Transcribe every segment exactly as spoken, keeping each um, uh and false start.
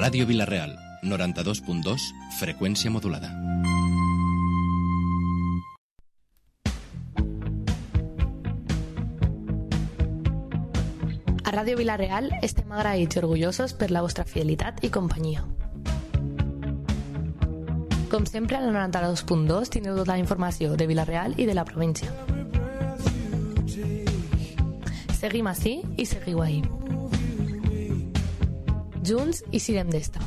Ràdio Vila-real, noranta-dos punt dos, freqüència modulada. A Ràdio Vila-real estem agraïts i orgullosos per la vostra fidelitat i companyia. Com sempre, a la noranta-dos punt dos tindreu tota la informació de Vila-real i de la província. Seguim ací i seguiu ahí. Junts i sirem d'esta.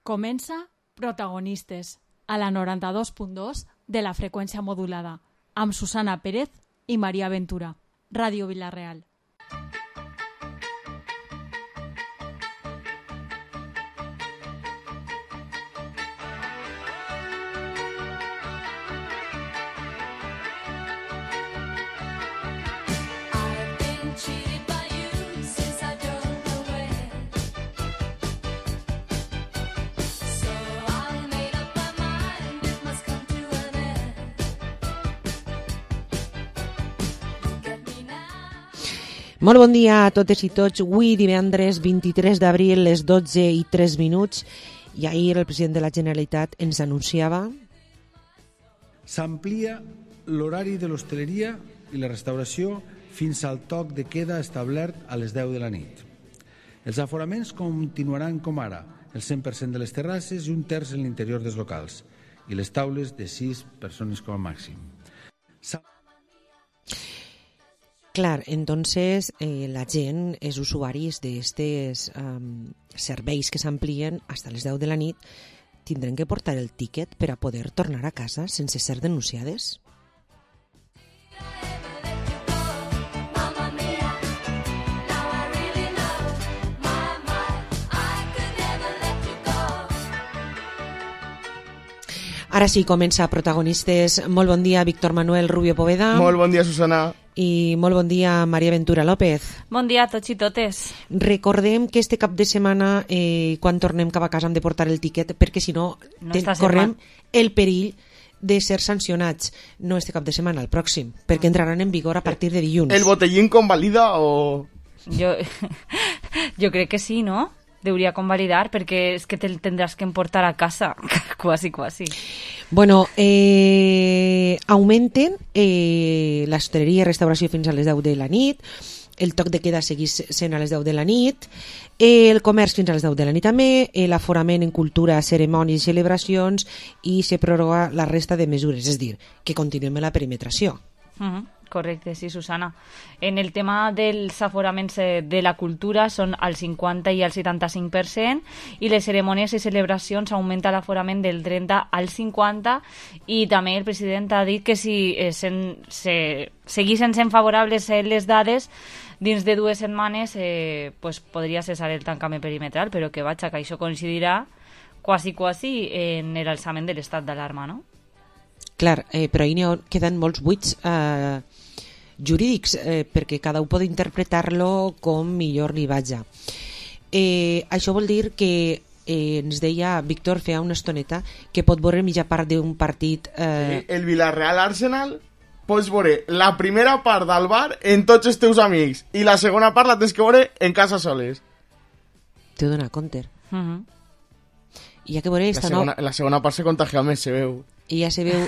Comença Protagonistes, a la noranta-dos punt dos de la freqüència modulada, amb Susana Pérez i Maria Ventura. Ràdio Vila-real. Molt bon dia a totes i tots. Avui, divendres vint-i-tres d'abril, les dotze i tres minuts, i ahir el president de la Generalitat ens anunciava... S'amplia l'horari de l'hostaleria i la restauració fins al toc de queda establert a les deu de la nit. Els aforaments continuaran com ara, el cent per cent de les terrasses i un terç en l'interior dels locals, i les taules de sis persones com a màxim. S'ha... Clar, entonces eh, la gent, els usuaris d'estes um, serveis que s'amplien fins a les deu de la nit, tindran que portar el tíquet per a poder tornar a casa sense ser denunciades? Ara sí, comença Protagonistes. Molt bon dia, Víctor Manuel Rubio Poveda. Molt bon dia, Susana. I molt bon dia, Maria Ventura López. Bon dia a tots i totes. Recordem que este cap de setmana, eh, quan tornem cap a casa, hem de portar el tiquet, perquè si no, no ten, correm el perill de ser sancionats. No este cap de setmana, el pròxim, perquè entraran en vigor a partir de dilluns. ¿El botellín convalida o...? Yo, yo creo que sí, ¿no? Debería convalidar, porque es que te tendrás que importar a casa, quasi, quasi. Bueno, eh, augmenten eh, l'hostaleria i restauració fins a les deu de la nit, el toc de queda seguís sent a les deu de la nit, eh, el comerç fins a les deu de la nit també, eh, l'aforament en cultura, cerimònies i celebracions, i se prorroga la resta de mesures, és dir, que continuem la perimetració. Uh-huh. Correcte, sí, Susana. En el tema dels aforaments de la cultura són al cinquanta i al setanta-cinc per cent, i les cerimònies i celebracions augmenta l'aforament del trenta al cinquanta, i també el president ha dit que si eh, sen, se, seguissin sent favorables les dades, dins de dues setmanes eh, pues, podria cessar el tancament perimetral, però que vaja, que això coincidirà quasi, quasi en l'alçament de l'estat d'alarma, no? Clar, eh, però ahí queden molts buits eh, jurídics, eh, perquè cada un pot interpretar-lo com millor li vaja. Eh, això vol dir que eh, ens deia Víctor feia una estoneta que pot veure mitja part d'un partit... Eh... El Villarreal Arsenal pots veure la primera part del bar en tots els teus amics i la segona part la tens que veure en casa soles. T'he donat compte. Uh -huh. I ha que veure esta la segona, no... la segona part se contagia més, se veu. I ja se veu...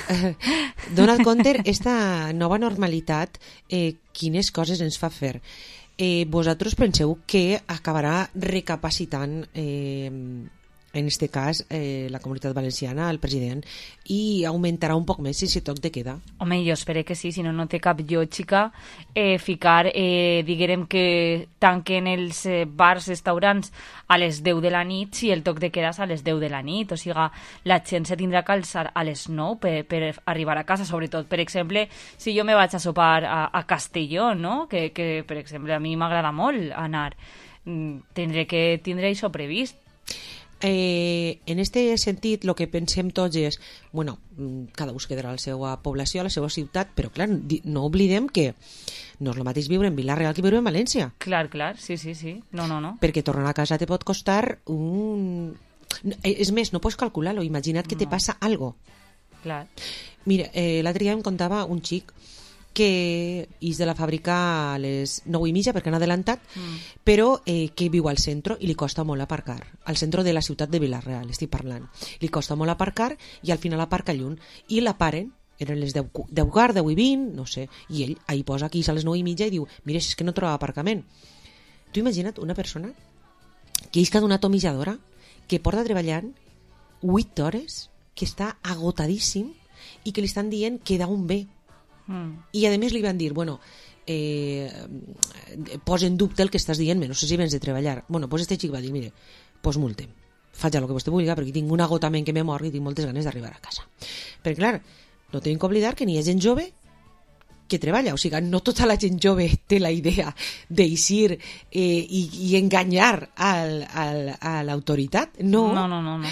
Donald Conter, esta nova normalitat, eh, quines coses ens fa fer. Eh, vosaltres penseu que acabarà recapacitant, eh, en este cas, eh, la Comunitat Valenciana, el president, i augmentarà un poc més si toc de queda? Home, jo espero que sí, si no, no té cap lògica eh, ficar, eh, diguem que tanquen els eh, bars, restaurants a les deu de la nit si el toc de queda és a les deu de la nit. O sigui, la gent se tindrà que alçar a les nou per, per arribar a casa, sobretot, per exemple, si jo me vaig a sopar a, a Castelló, no? Que, que, per exemple, a mi m'agrada molt anar. Tindré que tindré això previst. Eh, en este sentit, el que pensem tots és, bueno, cada un es quedarà a la seva població, a la seva ciutat, però clar, no oblidem que no és el mateix viure en Vila-real que viure en València. Clar, clar, sí, sí, sí. No, no, no. Perquè tornar a casa te pot costar un... És més, no pots calcular-lo, imagina't que no. te passa algo. Clar. Mira, eh, l'altre dia em contava un xic que és de la fàbrica a les nou i mitja perquè han adelantat, mm. però eh, que viu al centre i li costa molt aparcar, al centre de la ciutat de Vila-real estic parlant, li costa molt aparcar i al final aparca lluny i la paren, eren les deu quart, deu i vint, no sé, i ell ahí posa aquí a les nou i mitja i diu, mira, és que no troba aparcament. Tu imagina't una persona que és que ha donat tomilladora, que porta treballant vuit hores, que està agotadíssim i que li estan dient que da un bé. Mm. I a més li van dir, bueno, eh, posa en dubte el que estàs dient, no sé si vens de treballar. Bueno, pues este xic va dir, mire, pues multem, faig el que vostè vulgui perquè tinc un agotament que me mor i tinc moltes ganes d'arribar a casa. Perquè clar, no tenim que oblidar que n'hi ha gent jove que treballa, o sigui, no tota la gent jove té la idea d'eixir eh, i, i enganyar al, al, a l'autoritat, no. No, no, no, no.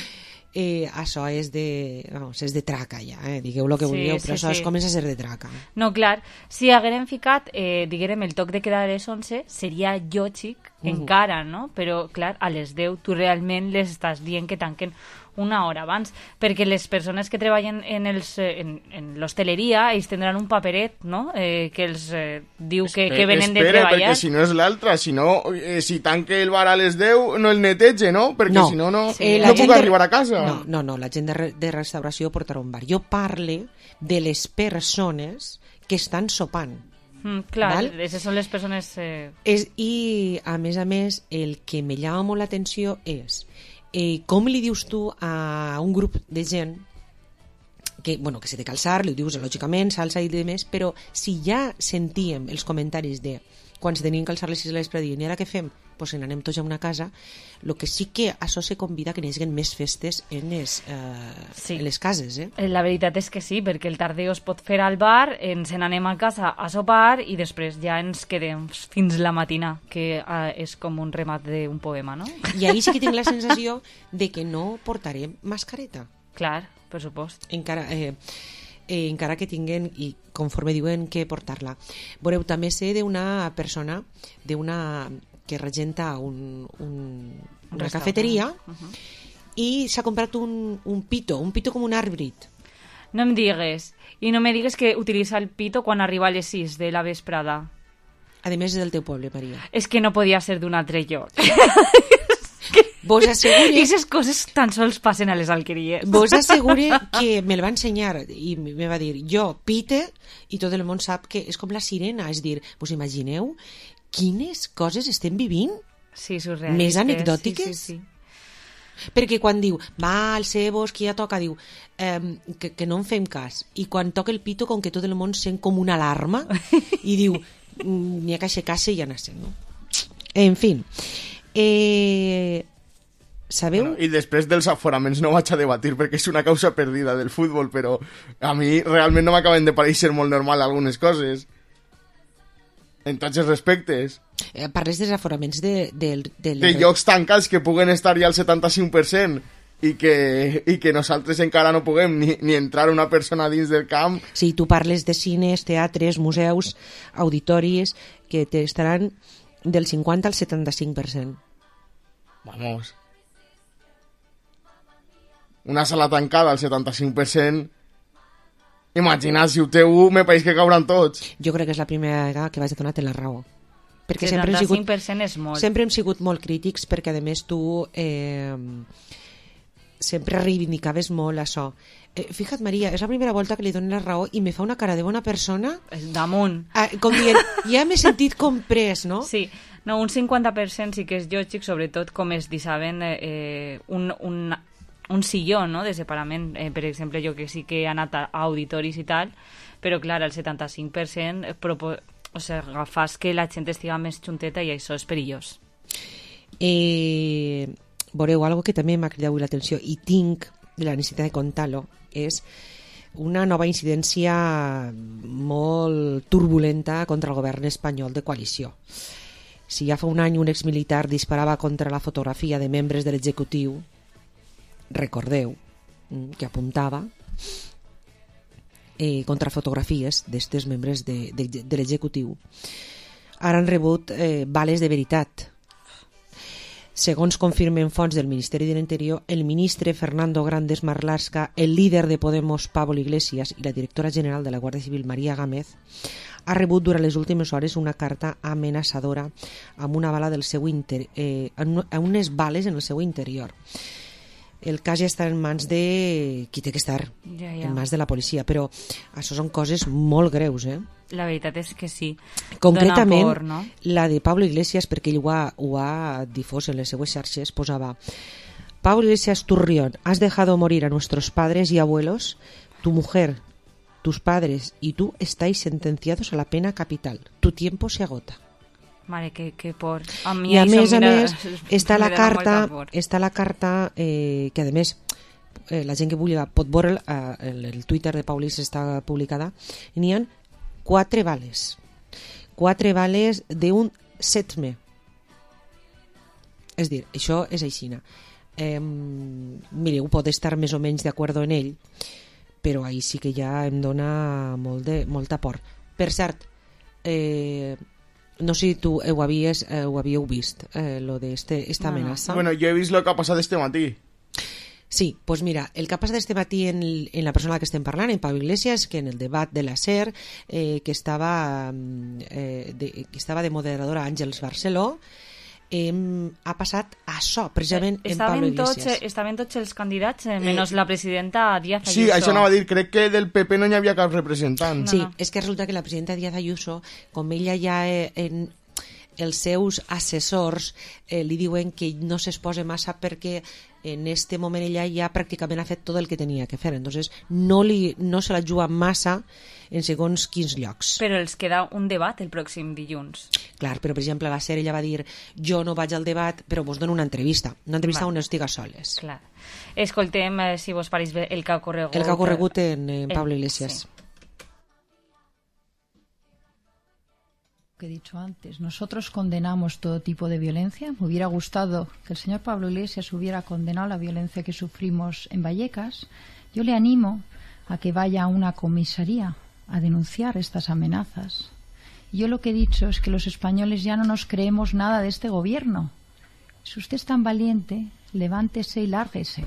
Eh, això és de, vamos, és de traca ja, eh? Digueu el que sí, vulgueu, sí, però això sí. es comença a ser de traca. No, clar, si haguérem ficat, eh, diguérem, el toc de queda a les onze, seria lògic uh -huh. encara, no? Però, clar, a les deu tu realment les estàs dient que tanquen una hora abans, perquè les persones que treballen en, els, en, en l'hostaleria ells tindran un paperet, no?, eh, que els eh, diu que, Espera, que venen espera, de treballar. perquè si no és l'altra, si no, eh, si tanque el bar a les deu, no el netege, no? Perquè no. si no, no, sí, no puc de... arribar a casa. No, no, no, la gent de, re, de restauració portarà un bar. Jo parle de les persones que estan sopant. Mm, clar, val? aquestes són les persones... Eh... És, I, a més a més, el que me llama molt l'atenció és eh, com li dius tu a un grup de gent que, bueno, que se té que alçar, li dius lògicament, s'alça i demés, però si ja sentíem els comentaris de quan se tenien que alçar les sis de l'espre i ara què fem? Pues en anem tots a una casa, el que sí que això se convida que n'hi hagi més festes en les, eh, sí. en les cases. Eh? La veritat és que sí, perquè el tardeo es pot fer al bar, ens n'anem a casa a sopar i després ja ens quedem fins la matina, que eh, és com un remat d'un poema, no? I ahir sí que tinc la sensació de que no portarem mascareta. Clar, per supost. Encara... Eh, Eh, encara que tinguen, i conforme diuen que portar-la. Veureu, també sé d'una persona d'una que regenta un, un, una cafeteria uh -huh. i s'ha comprat un, un pito, un pito com un àrbit. No em digues. I no me digues que utilitza el pito quan arriba a les sis de la vesprada. A més, és del teu poble, Maria. És que no podia ser d'un altre lloc. Vos assegure... I aquestes coses tan sols passen a les alqueries. Vos assegure que me'l va ensenyar i me va dir, jo pite, i tot el món sap que és com la sirena, és dir, vos imagineu quines coses estem vivint? Sí, surrealistes. Més anecdòtiques? Sí, sí, sí. Perquè quan diu, va, el cebos, que ja toca, diu, eh, que, que no en fem cas. I quan toca el pito, com que tot el món sent com una alarma, i diu, n'hi ha que aixecar-se i anar sent, no? En fi, eh... sabeu? Bueno, i després dels aforaments no vaig a debatir perquè és una causa perdida del futbol, però a mi realment no m'acaben de pareixer molt normal algunes coses. En tots els respectes. Eh, parles dels aforaments de... De, de, de llocs tancats que puguen estar ja al setanta-cinc per cent i que, i que nosaltres encara no puguem ni, ni entrar una persona dins del camp. Sí, tu parles de cines, teatres, museus, auditoris, que estaran del cinquanta al setanta-cinc per cent. Vamos... Una sala tancada al setanta-cinc per cent, imagina't, si ho té u, me pareix que cauran tots. Jo crec que és la primera vegada que vaig a donar-te la raó. Perquè sempre hem sigut, setanta-cinc per cent és molt. Sempre hem sigut molt crítics perquè, a més, tu eh, sempre reivindicaves molt això. Eh, fija't, Maria, és la primera volta que li dono la raó i me fa una cara de bona persona. Damunt. Eh, com dient, ja m'he sentit comprès, no? Sí. No, un cinquanta per cent sí que és lògic, sobretot com es dissaben eh, un... un un silló, no?, de separament, eh, per exemple, jo que sí que he anat a auditoris i tal, però clar, el setanta-cinc per cent propo- o sigui, fas que la gent estiga més junteta i això és perillós. Eh, veureu, algo que també m'ha cridat l'atenció i tinc la necessitat de contar-lo, és una nova incidència molt turbulenta contra el govern espanyol de coalició. Si ja fa un any un exmilitar disparava contra la fotografia de membres de l'executiu, recordeu que apuntava eh, contra fotografies d'estes membres de, de, de l'executiu, ara han rebut eh, bales de veritat. Segons confirmen fonts del Ministeri de l'Interior, el ministre Fernando Grandes Marlaska, el líder de Podemos Pablo Iglesias i la directora general de la Guàrdia Civil María Gámez ha rebut durant les últimes hores una carta amenaçadora amb una bala del seu inter... eh, amb unes bales en el seu interior. El cas ja està en mans de qui té que estar, ja, ja. en mans de la policia, però això són coses molt greus, eh? La veritat és que sí. Concretament, por, no? la de Pablo Iglesias, perquè ell ho ha, ho ha difós en les seues xarxes, posava: Pablo Iglesias Turrión, has dejado morir a nuestros padres y abuelos, tu mujer, tus padres y tú estáis sentenciados a la pena capital. Tu tiempo se agota. Mare, que, que por... A mi I a més a mira, més està la carta, por. està la carta eh, que a més eh, la gent que vulgui pot veure eh, el, el Twitter de Paulis està publicada, i n'hi ha quatre bales quatre bales d'un setme, és dir, això és aixina. Eh, mireu, pot estar més o menys d'acord en ell, però ahir sí que ja em dona molt de, molta por. Per cert, eh, no sé si tu ho, havies, eh, ho havíeu vist, eh, lo de este, esta bueno, amenaça. Bueno, jo he vist lo que ha passat este matí. Sí, pues mira, el que ha passat este matí en, en la persona que estem parlant, en Pablo Iglesias, que en el debat de la SER, eh, que, estava, eh, de, que estava de moderadora Àngels Barceló, eh, ha passat això, precisament eh, en Pablo Iglesias. Tots, estaven tots els candidats, eh, menys eh, la presidenta Díaz Ayuso. Sí, això anava a dir, crec que del P P no hi havia cap representant. No, sí, no. És que resulta que la presidenta Díaz Ayuso, com ella ja eh, en els seus assessors eh, li diuen que no s'exposa massa perquè en este moment ella ja pràcticament ha fet tot el que tenia que fer, entonces no, li, no se la juga massa en segons quins llocs. Però els queda un debat el pròxim dilluns. Clar, però per exemple la SER ella va dir jo no vaig al debat però vos dono una entrevista, una entrevista on estiga soles. Clar. Escoltem, eh, si vos pareix bé, el que ha ocorregut. El que ha ocorregut en, en Pablo Iglesias. Sí. Que he dicho antes, nosotros condenamos todo tipo de violencia. Me hubiera gustado que el señor Pablo Iglesias hubiera condenado la violencia que sufrimos en Vallecas. Yo le animo a que vaya a una comisaría a denunciar estas amenazas. Y yo lo que he dicho es que los españoles ya no nos creemos nada de este gobierno. Si usted es tan valiente, levántese y lárguese.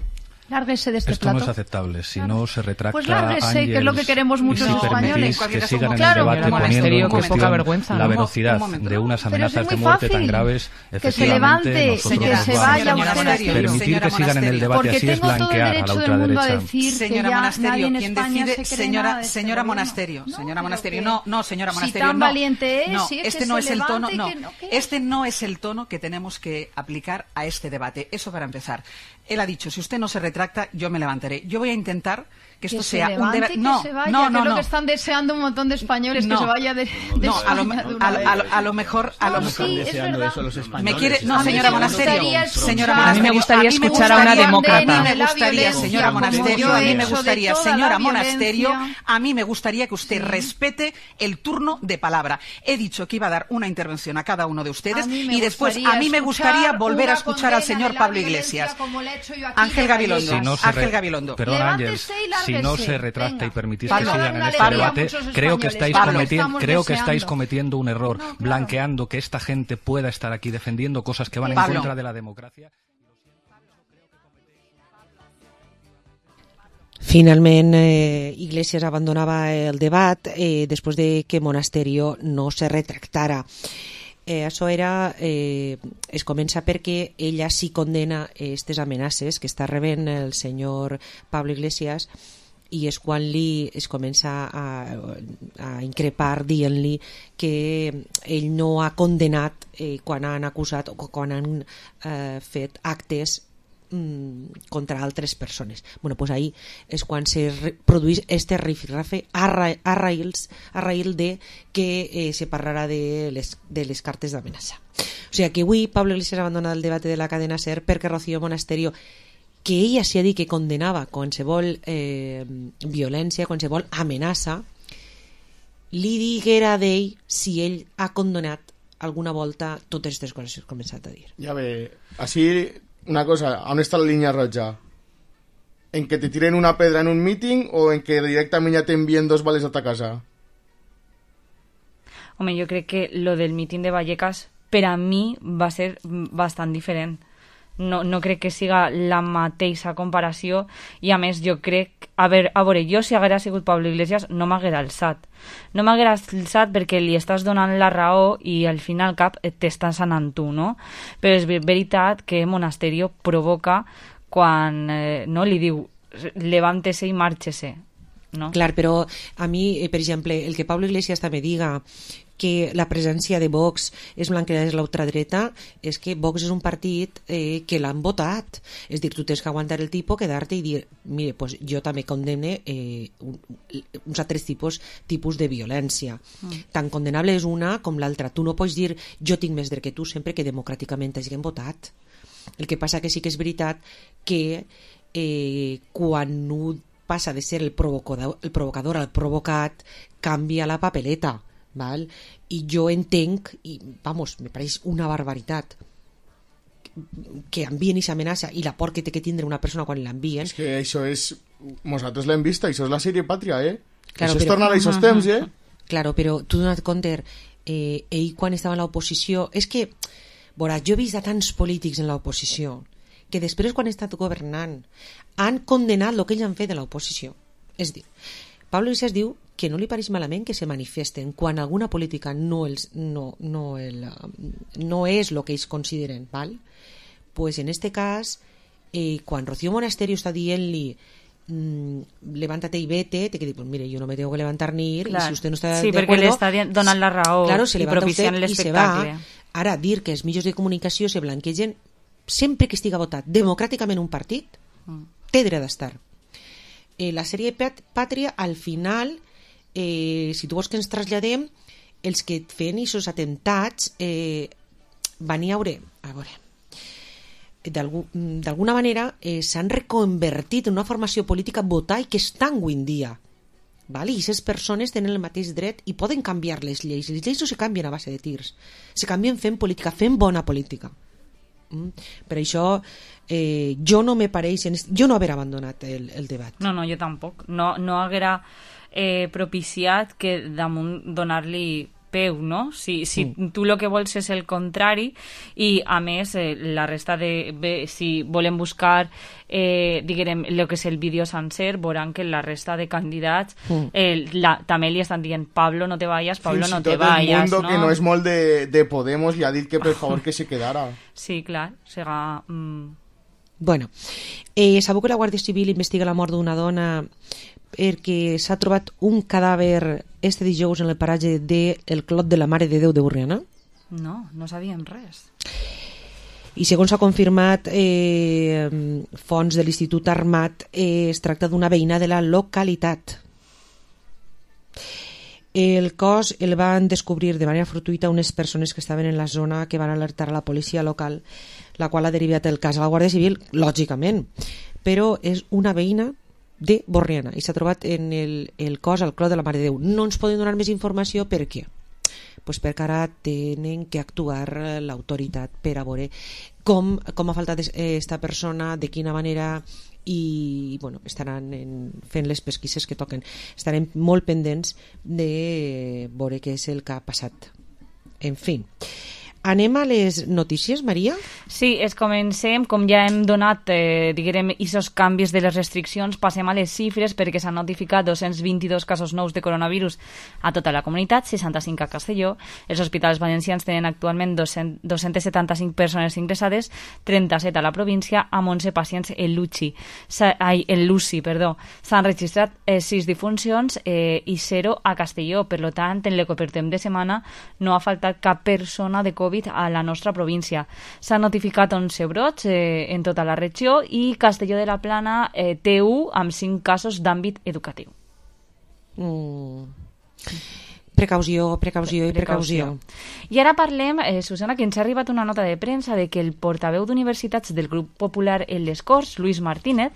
Lárguese de este Esto plato. no es aceptable. Si claro. no se retracta, pues lárguese, Ángels, que es lo que queremos muchos si españoles. Que sigan en claro. el debate poniendo en cuestión poca vergüenza, la ¿no? velocidad un de unas amenazas es de muerte fácil. tan graves. Que se levante, señora, que se vaya usted aquí. Permitir que sigan en el debate así es blanquear a la ultraderecha. Señora Monasterio, ¿quién decide? Señora, señora Monasterio, señora Monasterio, no, no, señora Monasterio, si tan no. valiente es, no, si es este que no se es el tono, no, no este no es el tono que tenemos que aplicar a este debate. Eso para empezar. Él ha dicho, si usted no se retracta, yo me levantaré. Yo voy a intentar que esto que sea se levante, un debate. Que no, se vaya, no, no, que es lo no. que están deseando un montón de españoles, no. que se vaya de, de no, a lo, España de una a, vez. a, lo, a lo mejor, a lo no, mejor. sí, es verdad. Eso los españoles. Me quiere, no, A mí señora me Monasterio, gustaría señora escuchar- Monasterio, A mí me gustaría escuchar a una demócrata. A mí me La gustaría, violencia, señora como Monasterio, yo a he mí me hecho de gustaría, toda señora la Monasterio, violencia. a mí me gustaría que usted Sí. respete el turno de palabra. He dicho que iba a dar una intervención a cada uno de ustedes A mí me y después gustaría a mí me gustaría escuchar volver a una escuchar al condena señor de la Pablo violencia, Iglesias. como le he hecho yo aquí Ángel de Gabilondo. Vallecas. Si no se Ángel re- Gabilondo. Perdón, Levántese Ángels, y lárguese. si no se retracta Venga. y permitís Pablo, que sigan en una este alegría a debate, muchos creo que españoles. estáis, Pablo, cometi- estamos creo que deseando. estáis cometiendo un error, No, claro. blanqueando que esta gente pueda estar aquí defendiendo cosas que van Pablo. en contra de la democracia. Finalment, eh, Iglesias abandonava el debat eh, després de que Monasterio no se retractara. Eh, això era, eh, es comença perquè ella sí condena aquestes amenaces que està rebent el senyor Pablo Iglesias, i és quan li es comença a, a increpar dient-li que ell no ha condenat eh, quan han acusat o quan han eh, fet actes mm, contra altres persones. Bueno, pues ahí és quan se re- produeix este rifirrafe a, ra a, raïls, a raïl de que eh, se parlarà de les, de les cartes d'amenaça. O sigui que avui Pablo Iglesias abandona el debat de la cadena SER perquè Rocío Monasterio, que ella s'hi ha dit que condenava qualsevol eh, violència, qualsevol amenaça, li diguera d'ell si ell ha condonat alguna volta totes aquestes coses que he començat a dir. Ya ve, así, una cosa, ¿dónde está la línea roja? ¿En que te tiren una pedra en un meeting o en que directamente ya te envíen dos vales a tu casa? Home, jo crec que lo del míting de Vallecas per a mi va ser bastant diferent. no, no crec que siga la mateixa comparació, i a més jo crec, a veure, a veure jo si haguera sigut Pablo Iglesias no m'haguera alçat, no m'haguera alçat perquè li estàs donant la raó i al final cap t'estàs anant tu, no? Però és veritat que Monasterio provoca quan eh, no li diu levántese i márchese, no? Clar, però a mi, eh, per exemple, el que Pablo Iglesias també diga que la presència de Vox és blanquejar la ultradreta, és que Vox és un partit eh, que l'han votat. És dir, tu tens que aguantar el tipus, quedar-te i dir, mire, pues jo també condemne eh, un, uns altres tipus, tipus de violència. Mm. Tan condenable és una com l'altra. Tu no pots dir, jo tinc més dret que tu, sempre que democràticament hagin votat. El que passa que sí que és veritat que eh, quan un passa de ser el provocador, el provocador al provocat, canvia la papeleta. Val? I jo entenc, i vamos, me pareix una barbaritat que envien i s'amenaça i la por que té que tindre una persona quan l'envien. És que això és... Nosaltres l'hem vist, això és la sèrie Pàtria, eh? Claro, això però... és tornar a aquests temps, eh? Claro, però tu dona't compte, eh, ell quan estava en l'oposició... És que, veuràs, jo he vist a tants polítics en l'oposició que després, quan han estat governant, han condemnat el que ells han fet de l'oposició. És dir, Pablo Iglesias diu que no li pareix malament que se manifesten quan alguna política no, els, no, no, el, no és el que ells consideren, val? Pues en este cas, eh, quan Rocío Monasterio està dient-li mmm, levántate y vete, te que dir, pues mire, yo no me tengo que levantar ni ir, claro. Y si usted no está sí, de acuerdo... Sí, perquè li està donant la raó, claro, se i propiciant l'espectacle. Ara, dir que els mitjans de comunicació se blanquegen sempre que estiga votat democràticament un partit, mm. té dret d'estar. Eh, la sèrie Pàtria, al final... Eh, si tu vols que ens traslladem, els que feien aquests atemptats eh, van a veure, a veure d'alguna manera eh, s'han reconvertit en una formació política votar i que estan avui en dia, val? I aquestes persones tenen el mateix dret i poden canviar les lleis. Les lleis no se canvien a base de tirs, se canvien fent política, fent bona política. Mm? Per això eh, jo no me pareix, jo no haver abandonat el, el debat. No, no, jo tampoc, no, no haguera Eh, propiciat que damunt donar-li peu, no? Si, si mm. tu el que vols és el contrari i a més eh, la resta de... Bé, si volem buscar eh, diguem, el que és el vídeo sencer, veuran que la resta de candidats mm. eh, la, també li estan dient Pablo no te vayas, Pablo Fins no te vayas, el mundo no? Que no és molt de, de Podemos li ha dit que per favor que se quedara. Sí, clar, serà... Mm... Bueno, eh, sabeu que la Guàrdia Civil investiga la mort d'una dona perquè s'ha trobat un cadàver este dijous en el paratge del Clot de la Mare de Déu de Borriana? No, no sabíem res. I segons s'ha confirmat eh, fonts de l'Institut Armat, eh, es tracta d'una veïna de la localitat. El cos el van descobrir de manera fortuïta unes persones que estaven en la zona que van alertar a la policia local, la qual ha derivat el cas a la Guàrdia Civil, lògicament, però és una veïna de Borriana i s'ha trobat en el, el cos al Clot de la Mare de Déu. No ens poden donar més informació. Per què? Pues perquè ara tenen que actuar l'autoritat per a veure com, com ha faltat aquesta persona, de quina manera, i bueno, estaran en, fent les pesquises que toquen. Estarem molt pendents de veure què és el que ha passat. En fi, anem a les notícies, Maria? Sí, es comencem, com ja hem donat, eh, diguem, aquests canvis de les restriccions, passem a les xifres perquè s'han notificat dos-cents vint-i-dos casos nous de coronavirus a tota la comunitat, seixanta-cinc a Castelló. Els hospitals valencians tenen actualment dos-cents setanta-cinc persones ingressades, trenta-set a la província, amb onze pacients en l'U C I. Ai, en l'U C I, perdó. S'han registrat eh, sis difuncions eh, i zero a Castelló. Per tant, en el que portem de setmana no ha faltat cap persona de Covid a la nostra província. S'han notificat onze brots eh, en tota la regió i Castelló de la Plana eh, té u amb cinc casos d'àmbit educatiu. Mm. Precaució, precaució i precaució. I ara parlem, eh, Susana, que ens ha arribat una nota de premsa de que el portaveu d'universitats del grup popular en les Corts, Luis Martínez,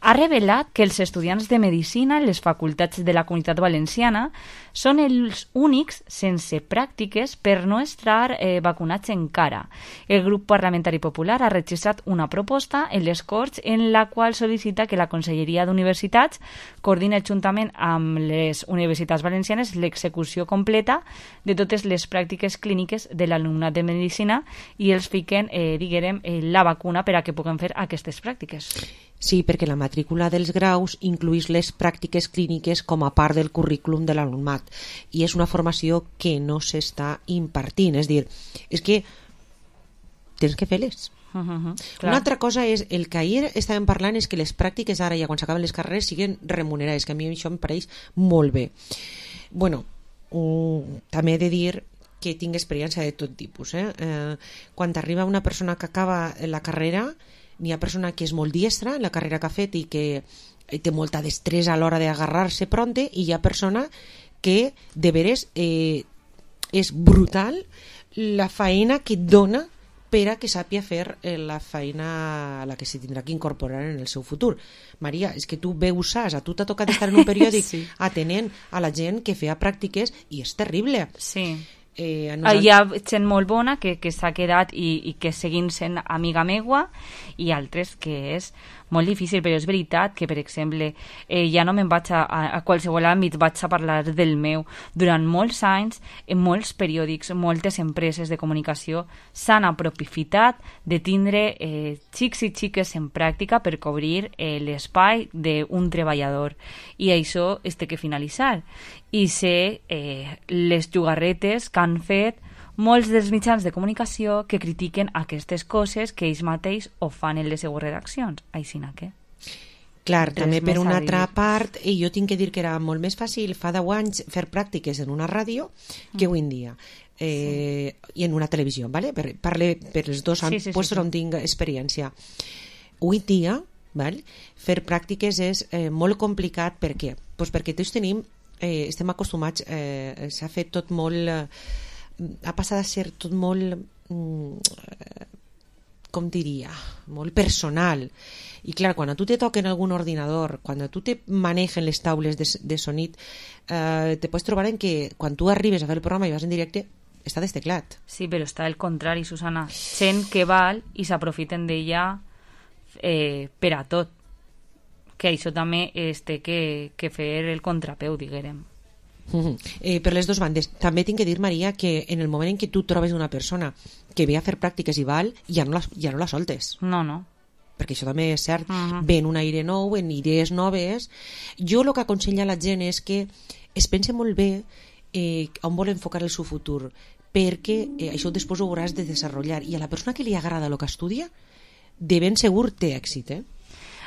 ha revelat que els estudiants de Medicina en les facultats de la Comunitat Valenciana són els únics sense pràctiques per no estar eh, vacunats encara. El grup parlamentari popular ha registrat una proposta en les Corts en la qual sol·licita que la Conselleria d'Universitats coordini juntament amb les universitats valencianes l'execució completa de totes les pràctiques clíniques de l'alumnat de Medicina i els fiquen, eh, diguem, eh, la vacuna per a que puguem fer aquestes pràctiques. Sí, perquè la matrícula dels graus incluïs les pràctiques clíniques com a part del currículum de l'alumnat i és una formació que no s'està impartint, és dir, és que tens que fer-les. Uh -huh, una altra cosa és, el que ahir estàvem parlant és que les pràctiques ara ja quan s'acaben les carreres siguen remunerades, que a mi això em pareix molt bé. Bueno, um, també he de dir que tinc experiència de tot tipus. Eh? Eh, quan arriba una persona que acaba la carrera, n'hi ha persona que és molt diestra en la carrera que ha fet i que té molta destresa a l'hora d'agarrar-se pronte, i hi ha persona que de veres eh, és brutal la feina que et dona per a que sàpia fer eh, la feina a la que se tindrà que incorporar en el seu futur. Maria, és que tu veus saps, a tu t'ha tocat estar en un periòdic sí. atenent a la gent que feia pràctiques i és terrible. Sí. Eh, nosaltres... Hi ha gent molt bona que, que s'ha quedat i, i que seguint sent amiga meua, i altres que és molt difícil, però és veritat que, per exemple, eh, ja no me'n vaig a, a, a qualsevol àmbit, vaig a parlar del meu. Durant molts anys, en molts periòdics, moltes empreses de comunicació s'han aprofitat de tindre eh, xics i xiques en pràctica per cobrir eh, l'espai d'un treballador. I això es té que finalitzar. I sé eh, les jugarretes que han fet molts dels mitjans de comunicació que critiquen aquestes coses que ells mateix ho fan en les seues redaccions. Aixina que... Clar, també per una altra part, i jo tinc que dir que era molt més fàcil fa deu anys fer pràctiques en una ràdio que avui en dia. Eh, sí. I en una televisió, ¿vale? Per, parle per els dos sí, sí, puestos sí, sí. on tinc experiència. Avui dia, ¿vale? Fer pràctiques és eh, molt complicat. Per què? Pues perquè tots tenim, eh, estem acostumats, eh, s'ha fet tot molt... Eh, ha passat a ser tot molt mm, com diria molt personal, i clar, quan a tu te toquen algun ordinador, quan a tu te manegen les taules de, de sonit, eh, te pots trobar en que quan tu arribes a fer el programa i vas en directe està desteclat. Sí, però està el contrari, Susana, gent que val i s'aprofiten d'ella eh, per a tot, que això també es té que, que fer el contrapeu, diguem. Uh-huh. Eh, per les dues bandes. També tinc que dir, Maria, que en el moment en què tu trobes una persona que ve a fer pràctiques i val, ja no la, ja no la soltes. No, no. Perquè això també és cert. Uh-huh. Ven un aire nou, en idees noves. Jo el que aconsella a la gent és que es pense molt bé eh, on vol enfocar el seu futur, perquè eh, això després ho hauràs de desenvolupar, i a la persona que li agrada el que estudia de ben segur té èxit, eh?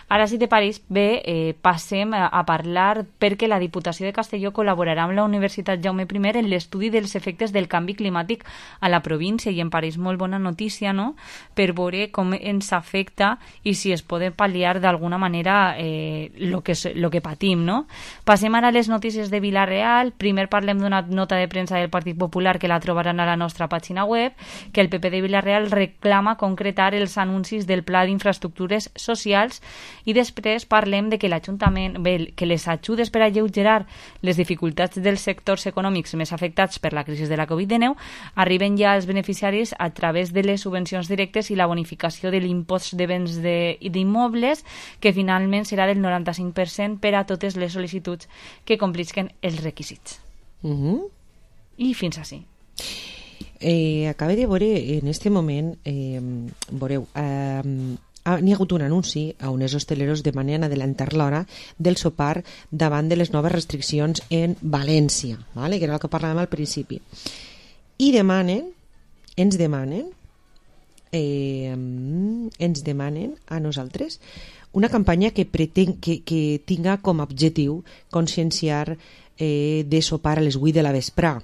Ara, si te pareix bé, eh, passem a, a parlar perquè la Diputació de Castelló col·laborarà amb la Universitat Jaume I en l'estudi dels efectes del canvi climàtic a la província, i em pareix molt bona notícia, no?, per veure com ens afecta i si es pot pal·liar d'alguna manera eh, lo que, lo que patim, no? Passem ara a les notícies de Vila-real. Primer parlem d'una nota de premsa del Partit Popular que la trobaran a la nostra pàgina web, que el P P de Vila-real reclama concretar els anuncis del Pla d'Infraestructures Socials. I després parlem de que l'Ajuntament, bé, que les ajudes per alleugerar les dificultats dels sectors econòmics més afectats per la crisi de la covid dinou arriben ja als beneficiaris a través de les subvencions directes i la bonificació de l'impost de béns d'immobles, que finalment serà del noranta-cinc per cent per a totes les sol·licituds que complisquen els requisits. Uh-huh. I fins així. Eh, acabé de veure en este moment, eh, veureu, eh, n'hi ha hagut un anunci a uns hosteleros demanen adelantar l'hora del sopar davant de les noves restriccions en València, ¿vale? Que era el que parlàvem al principi. I demanen, ens demanen, eh, ens demanen a nosaltres una campanya que, pretén, que, que tinga com a objectiu conscienciar eh, de sopar a les vuit de la vesprà.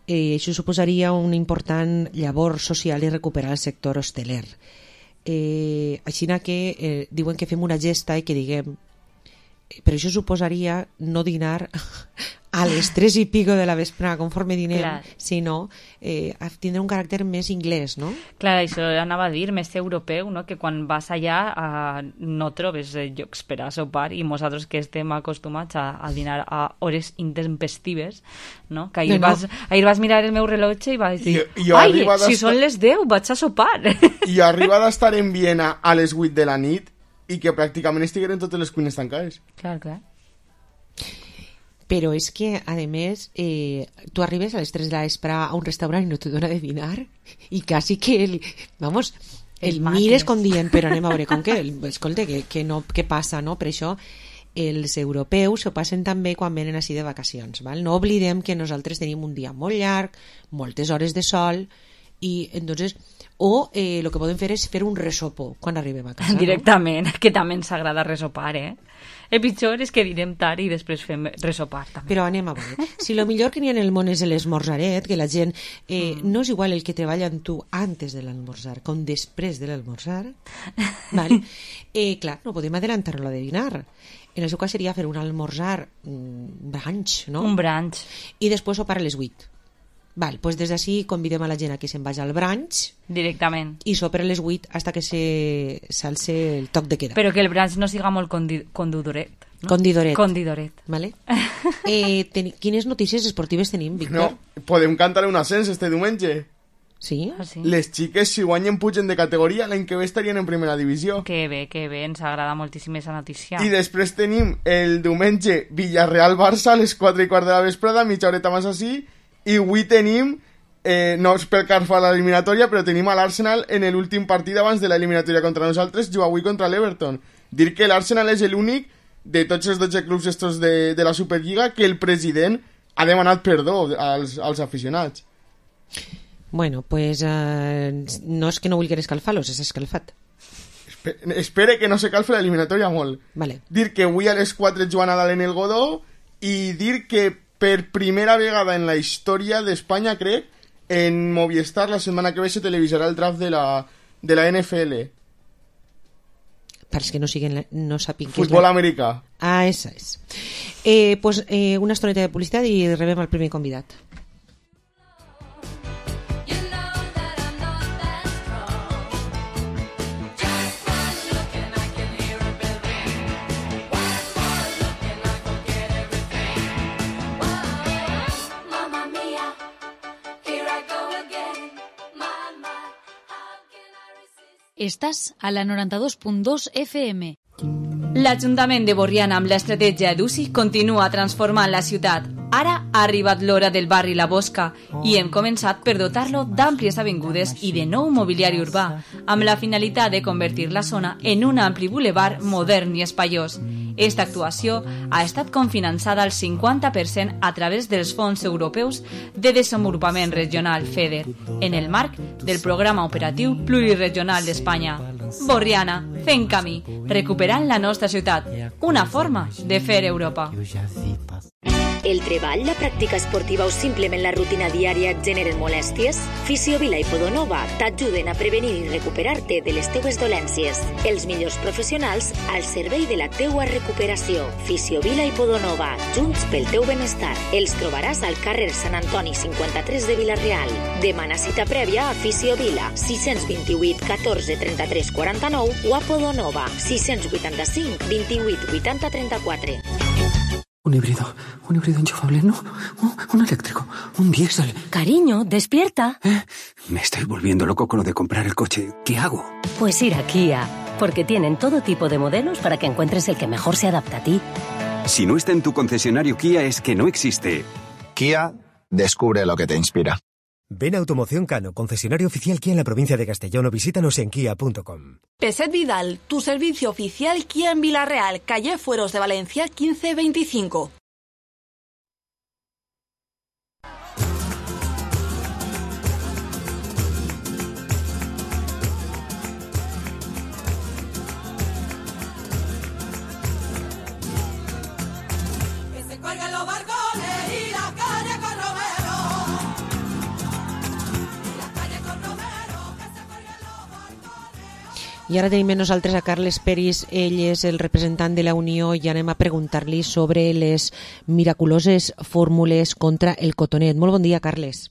Eh, això suposaria un important llavor social i recuperar el sector hosteler. Eh, així que eh, diuen que fem una gesta i que diguem, però això suposaria no dinar a les tres i pico de la vesprada, conforme dinem, Clar. sinó eh, tindrà un caràcter més inglès, no? Clar, això anava a dir, més europeu, no? Que quan vas allà eh, no trobes eh, llocs per a sopar i nosaltres que estem acostumats a, a dinar a hores intempestives, no? Que ahir, No, no. Vas, ahir vas mirar el meu rellotge i vas dir, Jo- jo ai, arriba si d'estar- són les deu, vaig a sopar. I arriba d'estar en Viena a les vuit de la nit i que pràcticament estigueren totes les cuines tancades. Clar, clar. Però és que, a més, eh, tu arribes a les tres de la vesprada a un restaurant i no te dona de dinar i quasi que el, vamos, el, El mires mates. com dient, però anem a veure com que, el, escolta, que, que no, què passa, no? Per això els europeus s'ho passen també quan venen així de vacacions, val? No oblidem que nosaltres tenim un dia molt llarg, moltes hores de sol i entonces o eh, el que podem fer és fer un resopo quan arribem a casa, Directament, que també ens agrada resopar, eh? El pitjor és que direm tard i després fem resopar, no? també. Però anem a veure. Si lo millor que n'hi ha en el món és l'esmorzaret, que la gent eh, Mm. no és igual el que treballa amb tu antes de l'almorzar com després de l'almorzar, vale? eh, clar, no podem adelantar-lo de dinar. En el seu cas seria fer un almorzar mm, brunch, no? Un brunch. I després sopar a les vuit. Val, pues des d'ací convidem a la gent a que se'n vagi al brunch Directament. i sopar a les vuit hasta que se s'alce el toc de queda. Però que el brunch no siga molt condi condudoret. No? Condidoret. Condidoret. Vale? eh, ten quines notícies esportives tenim, Víctor? No, podem cantar un ascens este diumenge. Sí? Ah, sí? Les xiques, si guanyen, pugen de categoria, l'any que ve estarien en primera divisió. Que bé, que bé, ens agrada moltíssim aquesta notícia. I després tenim el diumenge Villarreal-Barça a les quatre i quart de la vesprada, mitja horeta més així, i avui tenim, eh, no és pel que fa a l'eliminatòria, però tenim a l'Arsenal en l'últim partit abans de l'eliminatòria contra nosaltres, juga avui contra l'Everton. Dir que l'Arsenal és l'únic de tots els dotze clubs estos de, de la Superliga que el president ha demanat perdó als, als aficionats. Bueno, pues eh, no és que no vulguin escalfar-los, és escalfat. Espe- Espere que no se calfe l'eliminatòria molt. Vale. Dir que avui a les quatre juga Nadal en el Godó i dir que per primera vegada en la història d'Espanya, crec, en Movistar la setmana que ve se televisarà el draft de la, de la N F L. Per als que no, siguen, no sàpiguen què és Futbol la... americà. Ah, esa és. Eh, pues, eh, una estoneta de publicitat i rebem el primer convidat. Estàs a la noranta-dos punt dos F M. L'Ajuntament de Borriana, amb l'estratègia d'U C I, continua transformant la ciutat. Ara ha arribat l'hora del barri La Bosca i hem començat per dotar-lo d'àmplies avingudes i de nou mobiliari urbà, amb la finalitat de convertir la zona en un ampli bulevard modern i espaiós. Esta actuació ha estat confinançada al cinquanta per cent a través dels fons europeus de desenvolupament regional FEDER, en el marc del Programa Operatiu Pluriregional d'Espanya. Borriana, fent camí, recuperant la nostra ciutat, una forma de fer Europa. El treball, la pràctica esportiva o simplement la rutina diària et generen molèsties? Fisiovila i Podonova t'ajuden a prevenir i recuperar-te de les teues dolències. Els millors professionals al servei de la teua recuperació. Fisiovila i Podonova, junts pel teu benestar. Els trobaràs al carrer Sant Antoni cinquanta-tres de Vila-real. Demana cita prèvia a Fisiovila, sis dos vuit, catorze, trenta-tres, quaranta-nou o a Podonova, sis vuitanta-cinc, vint-i-vuit, vuitanta, trenta-quatre. Un híbrido, un híbrido enchufable, no, un, un eléctrico, un diésel. Cariño, despierta. ¿Eh? Me estoy volviendo loco con lo de comprar el coche. ¿Qué hago? Pues ir a Kia, porque tienen todo tipo de modelos para que encuentres el que mejor se adapta a ti. Si no está en tu concesionario Kia es que no existe. Kia, descubre lo que te inspira. Ven a Automoción Cano, concesionario oficial Kia en la provincia de Castellón, o visítanos en kia punto com. Peset Vidal, tu servicio oficial Kia en Vila-real, calle Fueros de Valencia quince veinticinco. I ara tenim amb nosaltres a Carles Peris, ell és el representant de la Unió i anem a preguntar-li sobre les miraculoses fórmules contra el cotonet. Molt bon dia, Carles.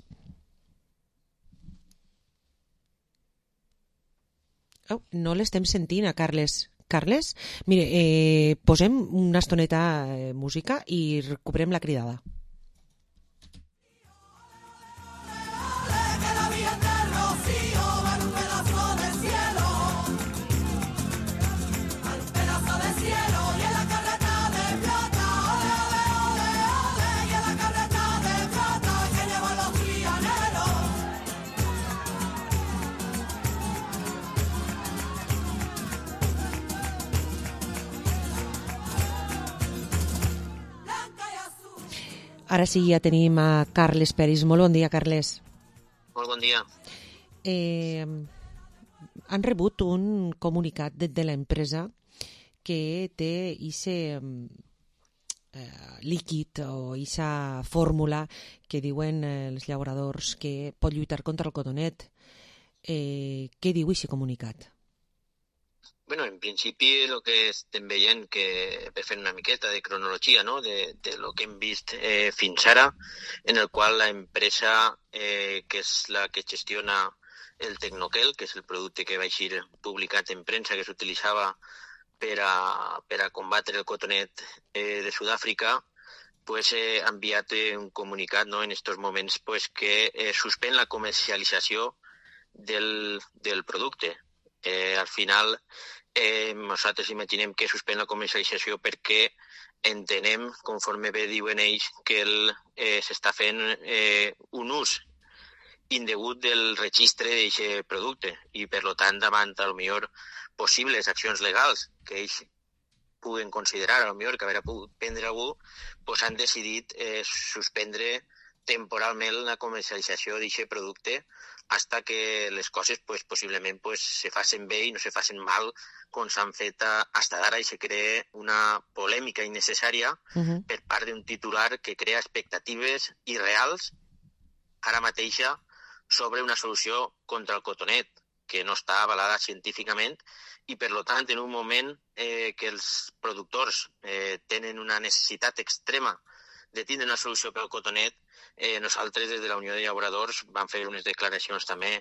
Oh, no l'estem sentint, a Carles. Carles? Mire, eh, posem una estoneta eh, música i recuperem la cridada. Ara sí, ja tenim a Carles Peris. Molt bon dia, Carles. Molt bon dia. Eh, han rebut un comunicat de, de l'empresa que té aquest eh, líquid o aquesta fórmula que diuen eh, els llauradors que pot lluitar contra el cotonet. Eh, què diu aquest comunicat? Bueno, en principi el que estem veient, que per fer una miqueta de cronologia, no?, de, de lo que hem vist eh, fins ara, en el qual la empresa eh, que és la que gestiona el Tecnoquel, que és el producte que va eixir publicat en premsa que s'utilitzava per a, per a combatre el cotonet eh, de Sud-àfrica, pues, eh, ha enviat eh, un comunicat, no?, en estos moments, pues, que eh, suspèn la comercialització del, del producte. Eh, al final, eh, nosaltres imaginem que suspèn la comercialització perquè entenem, conforme bé diuen ells, que el, eh, s'està fent eh, un ús indegut del registre d'aquest producte i, per tant, davant, a lo millor, possibles accions legals que ells puguen considerar, a lo millor, que haurà pogut prendre algú, pues han decidit eh, suspendre temporalment la comercialització d'aquest producte hasta que les coses pues, possiblement pues, se facin bé i no se facin mal com s'han fet hasta d'ara i se crea una polèmica innecessària uh-huh. per part d'un titular que crea expectatives irreals ara mateixa sobre una solució contra el cotonet que no està avalada científicament i, per tant, en un moment eh, que els productors eh, tenen una necessitat extrema de tindre una solució per al cotonet, eh, nosaltres des de la Unió de Llauradors vam fer unes declaracions també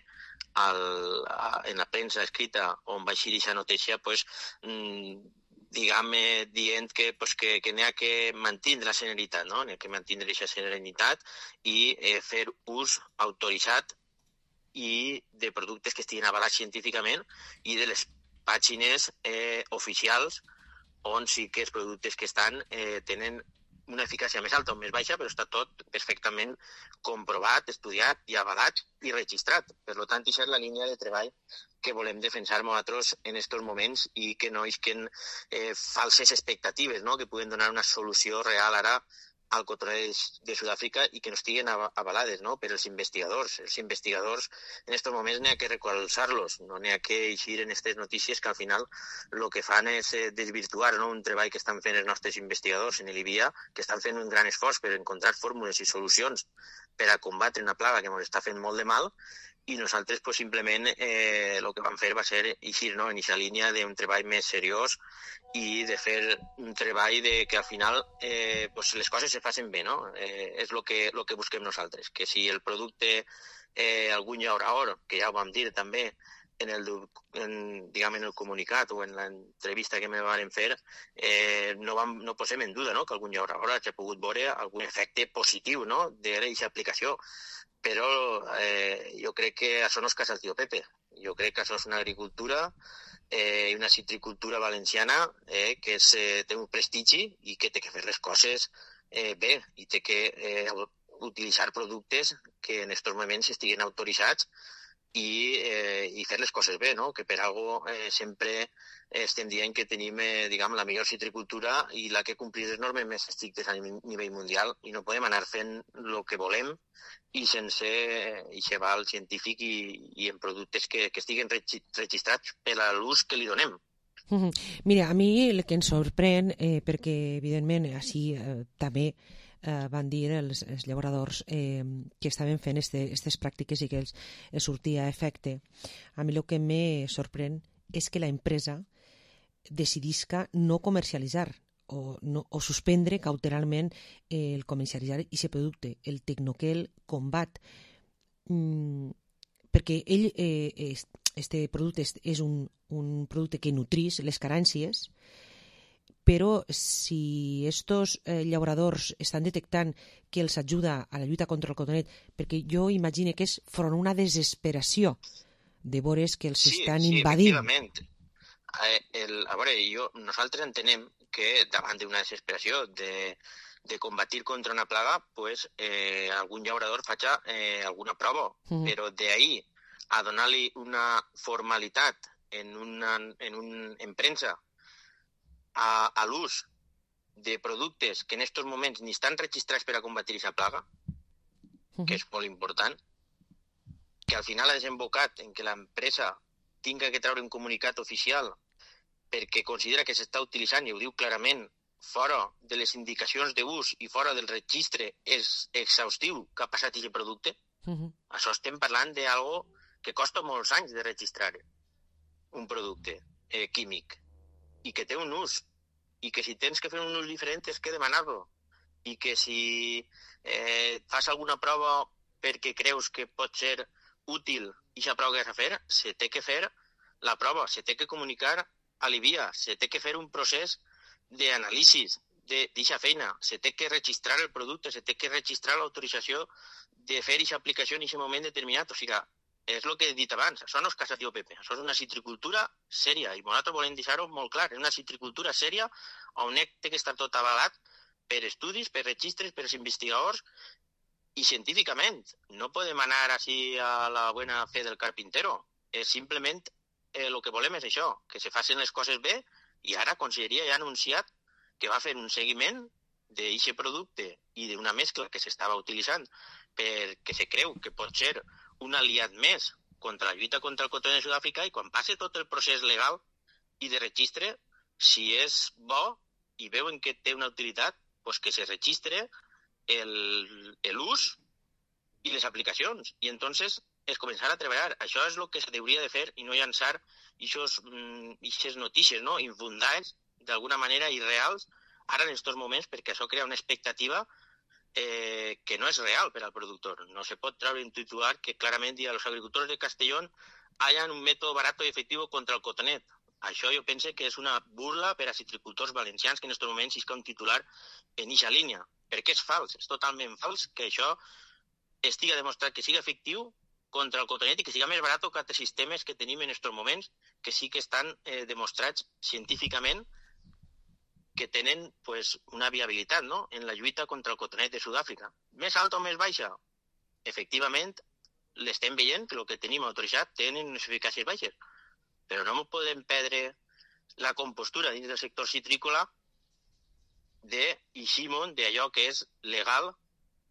al, a, en la premsa escrita on va eixir aquesta notícia, pues, mmm, diguem, dient que, pues, que, que n'hi ha que mantindre la serenitat, no? N'hi ha que mantindre aquesta serenitat i eh, fer ús autoritzat i de productes que estiguin avalats científicament i de les pàgines eh, oficials on sí que els productes que estan eh, tenen una eficàcia més alta o més baixa, però està tot perfectament comprovat, estudiat i avalat i registrat. Per tant, aquesta és la línia de treball que volem defensar nosaltres en aquests moments i que no isquen eh, falses expectatives, no?, que puguen donar una solució real ara al cotonet de Sud-àfrica i que no estiguen avalades, no?, per els investigadors. Els investigadors en aquests moments n'hi ha que recolzar-los, no n'hi ha que eixir en aquestes notícies que al final el que fan és desvirtuar, no?, un treball que estan fent els nostres investigadors en l'I B I A, que estan fent un gran esforç per encontrar fórmules i solucions per a combatre una plaga que ens està fent molt de mal i nosaltres pues, simplement eh, el que vam fer va ser eixir, no?, en aquesta línia d'un treball més seriós i de fer un treball de que al final eh, pues, les coses se facin bé, no? Eh, és el que, lo que busquem nosaltres, que si el producte eh, algun llaurador, que ja ho vam dir també en el, en, diguem, en el comunicat o en l'entrevista que me van fer, eh, no, vam, no posem en duda, no?, que algun llaurador hagi pogut veure algun efecte positiu, no?, d'aquesta aplicació. Però eh, jo crec que això no és casa del tio Pepe. Jo crec que això és una agricultura i eh, una citricultura valenciana eh, que és, eh, té un prestigi i que té que fer les coses eh, bé i té que eh, utilitzar productes que en aquests moments estiguen autoritzats i, eh, i fer les coses bé, no? Que per algo eh, sempre estem dient que tenim eh, diguem, la millor citricultura i la que complir les normes més estrictes a nivell mundial i no podem anar fent el que volem i sense aquest val científic i, i en productes que, que estiguen registrats per a l'ús que li donem. Uh-huh. Mira, a mi el que ens sorprèn, eh, perquè evidentment així eh, també eh, van dir els, els llauradors eh, que estaven fent aquestes pràctiques i que els, els sortia efecte. A mi el que me sorprèn és que la empresa decidisca no comercialitzar o, no, o suspendre cautelarment eh, el comercialitzar aquest producte. El Tecnoquel combat mm, perquè ell, eh, este producte és, és un, un producte que nutrís les carències, però si estos eh, llauradors estan detectant que els ajuda a la lluita contra el cotonet, perquè jo imagino que és front a una desesperació de veure que els sí, estan sí, invadint. Efectivament. Eh, el, a veure, jo, nosaltres entenem que davant d'una desesperació de, de combatir contra una plaga, pues, eh, algun llaurador faci eh, alguna prova, Mhm. però d'ahir a donar-li una formalitat en una, en un, en premsa a, a l'ús de productes que en aquests moments ni estan registrats per a combatir aquesta plaga, que és molt important, que al final ha desembocat en que l'empresa tinga que treure un comunicat oficial perquè considera que s'està utilitzant, i ho diu clarament, fora de les indicacions d'ús i fora del registre és exhaustiu que ha passat aquest producte. Uh-huh. Això estem parlant d'algo que costa molts anys de registrar un producte eh, químic i que té un ús i que si tens que fer un ús diferent tens que demanar-lo i que si eh, fas alguna prova perquè creus que pot ser útil i aquesta prova que has de fer, se té que fer la prova, se té que comunicar a l'I B I A, se té que fer un procés d'anàlisi d'aquesta feina, se té que registrar el producte, se té que registrar l'autorització de fer aquesta aplicació en aquest moment determinat. O sigui, és el que he dit abans, això no és casa tio Pepe, això és una citricultura sèria, i nosaltres volem deixar-ho molt clar, és una citricultura sèria on té que estar tot avalat per estudis, per registres, per investigadors i científicament. No podem anar així a la bona fe del carpintero, és simplement el eh, que volem és això, que se facin les coses bé, i ara Conselleria ja ha anunciat que va fer un seguiment d'aquest producte i d'una mescla que s'estava utilitzant perquè se creu que pot ser un aliat més contra la lluita contra el cotonet de Sud-àfrica, i quan passe tot el procés legal i de registre, si és bo i veuen que té una utilitat, pues que se registre l'ús i les aplicacions. I entonces es començar a treballar. Això és el que s'hauria de fer i no llançar aquestes notícies, no? Infundades, d'alguna manera irreals, ara en aquests moments, perquè això crea una expectativa eh, que no és real per al productor. No se pot treure un titular que clarament diu a los agricultores de Castellón hayan un método barato y efectivo contra el cotonet. Això jo penso que és una burla per a citricultors valencians que en aquests moments isca un titular en eixa línia, perquè és fals, és totalment fals que això estiga demostrat que sigui efectiu contra el cotonet i que siga més barat que altres sistemes que tenim en aquests moments, que sí que estan eh, demostrats científicament que tenen pues, una viabilitat, no?, en la lluita contra el cotonet de Sud-àfrica. Més alta o més baixa? Efectivament, l'estem veient que el que tenim autoritzat tenen unes eficàcies baixes, però no podem perdre la compostura dins del sector citrícola d'eixe món, d'allò que és legal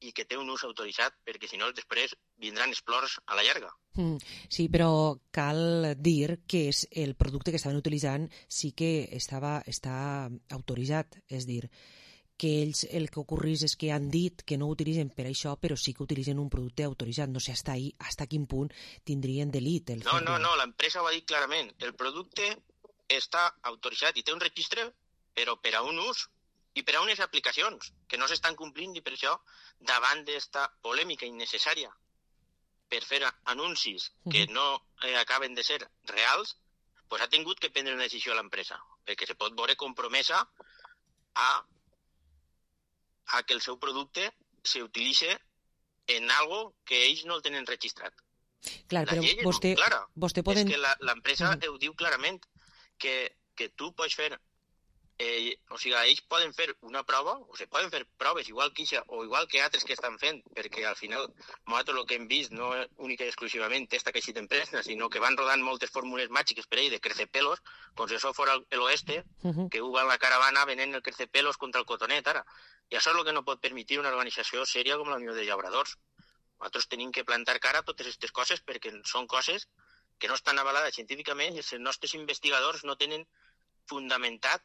i que té un ús autoritzat, perquè si no després vindran els plors a la llarga. Mm, sí, però cal dir que és el producte que estaven utilitzant sí que estava, està autoritzat, és dir, que ells el que ocorrís és que han dit que no ho utilitzen per això, però sí que utilitzen un producte autoritzat. No sé hasta ahí, hasta quin punt tindrien delit. El no, no, no, l'empresa ho ha dit clarament. El producte està autoritzat i té un registre, però per a un ús i per a unes aplicacions que no s'estan complint, i per això, davant d'esta polèmica innecessària per fer anuncis que no eh, acaben de ser reals, pues ha tingut que prendre una decisió a l'empresa, perquè se pot veure compromesa a, a que el seu producte s'utilitzi en algo que ells no el tenen registrat. Clar, la però llei és vostè, molt clara. vostè poden... És que la- l'empresa uh -huh. ho diu clarament, que, que tu pots fer... Eh, o sigui, ells poden fer una prova, o se poden fer proves igual que ixa, o igual que altres que estan fent, perquè al final nosaltres el que hem vist no és única i exclusivament esta que existe empresa, sinó que van rodant moltes fórmules màgiques per ell de crecepelos, com si això fos el oeste, Uh-huh. que ho va en la caravana venent el crecepelos contra el cotonet ara. I això és el que no pot permetre una organització sèria com la Unió de Llauradors. Nosaltres tenim que plantar cara a totes aquestes coses perquè són coses que no estan avalades científicament i els nostres investigadors no tenen fundamentat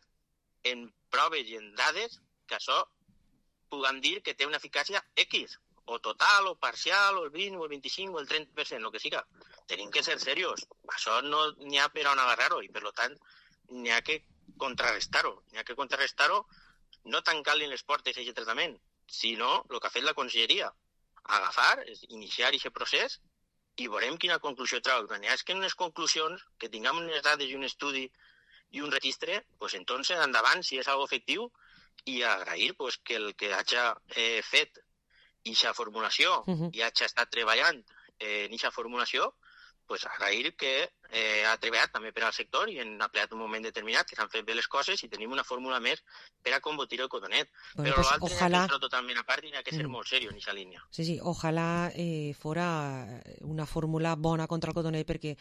en proves i en dades que això puguem dir que té una eficàcia X, o total, o parcial, o el vint, o el vint-i-cinc, o el trenta per cent, el que siga. tenim que ser serios. Això no n'hi ha per on agarrar-ho, i per tant n'hi ha que contrarrestar-ho. N'hi ha que contrarrestar-ho no tancant-li les portes a aquest tractament, sinó el que ha fet la conselleria, agafar, iniciar aquest procés i veurem quina conclusió trau. Quan hi ha que en les conclusions, que tinguem unes dades i un estudi i un registre, pues entonces endavant, si és algo efectiu, i agrair pues, que el que hagi eh, fet aquesta formulació uh-huh. i hagi estat treballant eh, en aquesta formulació, pues agrair que eh, ha treballat també per al sector i en ha plegat un moment determinat que s'han fet bé les coses i tenim una fórmula més per a combatir el cotonet. Bueno, però pues, l'altre ojalá... n'hi ha que totalment a part i n'hi ha que ser mm. molt seriós en aquesta línia. Sí, sí, ojalà eh, fora una fórmula bona contra el cotonet perquè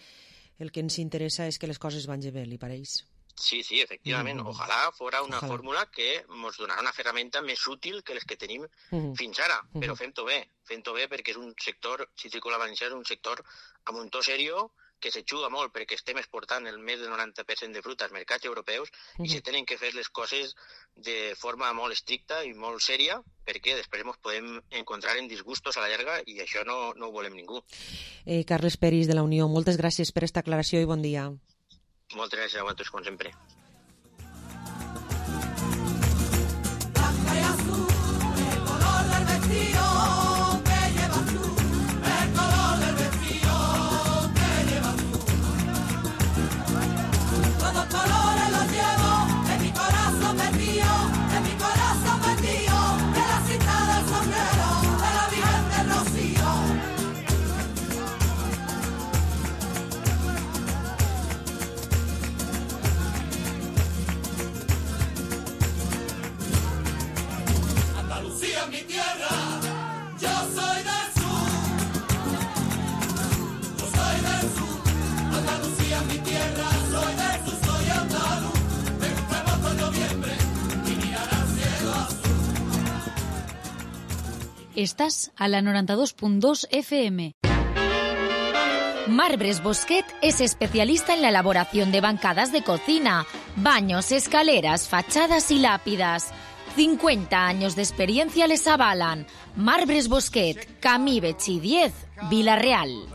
el que ens interessa és que les coses vagin bé, li pareix? Sí, sí, efectivament. Mm. Ojalà fora una ojalà. fórmula que ens donarà una ferramenta més útil que les que tenim mm. fins ara, mm. però fem-ho bé, fem-ho bé perquè és un sector, Citrícola Valencià és un sector amb un to serio que se juga molt perquè estem exportant el més del noranta per cent de fruta als mercats europeus mm. i se tenen que fer les coses de forma molt estricta i molt sèria perquè després ens podem encontrar en disgustos a la llarga i això no, no ho volem ningú. Eh, Carles Peris, de la Unió, moltes gràcies per esta aclaració i bon dia. Moltes gràcies a vosaltres, com sempre. Estás a la noventa y dos punto dos F M. Marbres Bosquet es especialista en la elaboración de bancadas de cocina, baños, escaleras, fachadas y lápidas. cincuenta años de experiencia les avalan. Marbres Bosquet, Camí Betxí diez, Vila-real.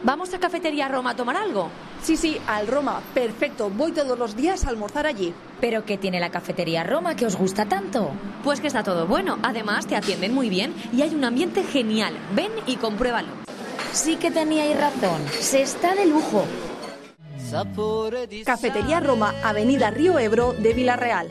¿Vamos a Cafetería Roma a tomar algo? Sí, sí, al Roma. Perfecto, voy todos los días a almorzar allí. ¿Pero qué tiene la Cafetería Roma que os gusta tanto? Pues que está todo bueno. Además, te atienden muy bien y hay un ambiente genial. Ven y compruébalo. Sí que teníais razón. Se está de lujo. Cafetería Roma, Avenida Río Ebro de Vila-real.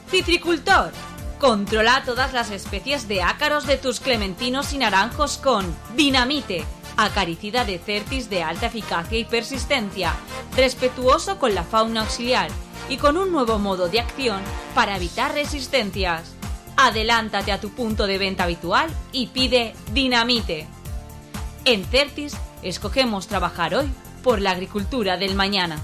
Citricultor. Controla todas las especies de ácaros de tus clementinos y naranjos con Dinamite, acaricida de Certis de alta eficacia y persistencia, respetuoso con la fauna auxiliar y con un nuevo modo de acción para evitar resistencias. Adelántate a tu punto de venta habitual y pide Dinamite. En Certis escogemos trabajar hoy por la agricultura del mañana.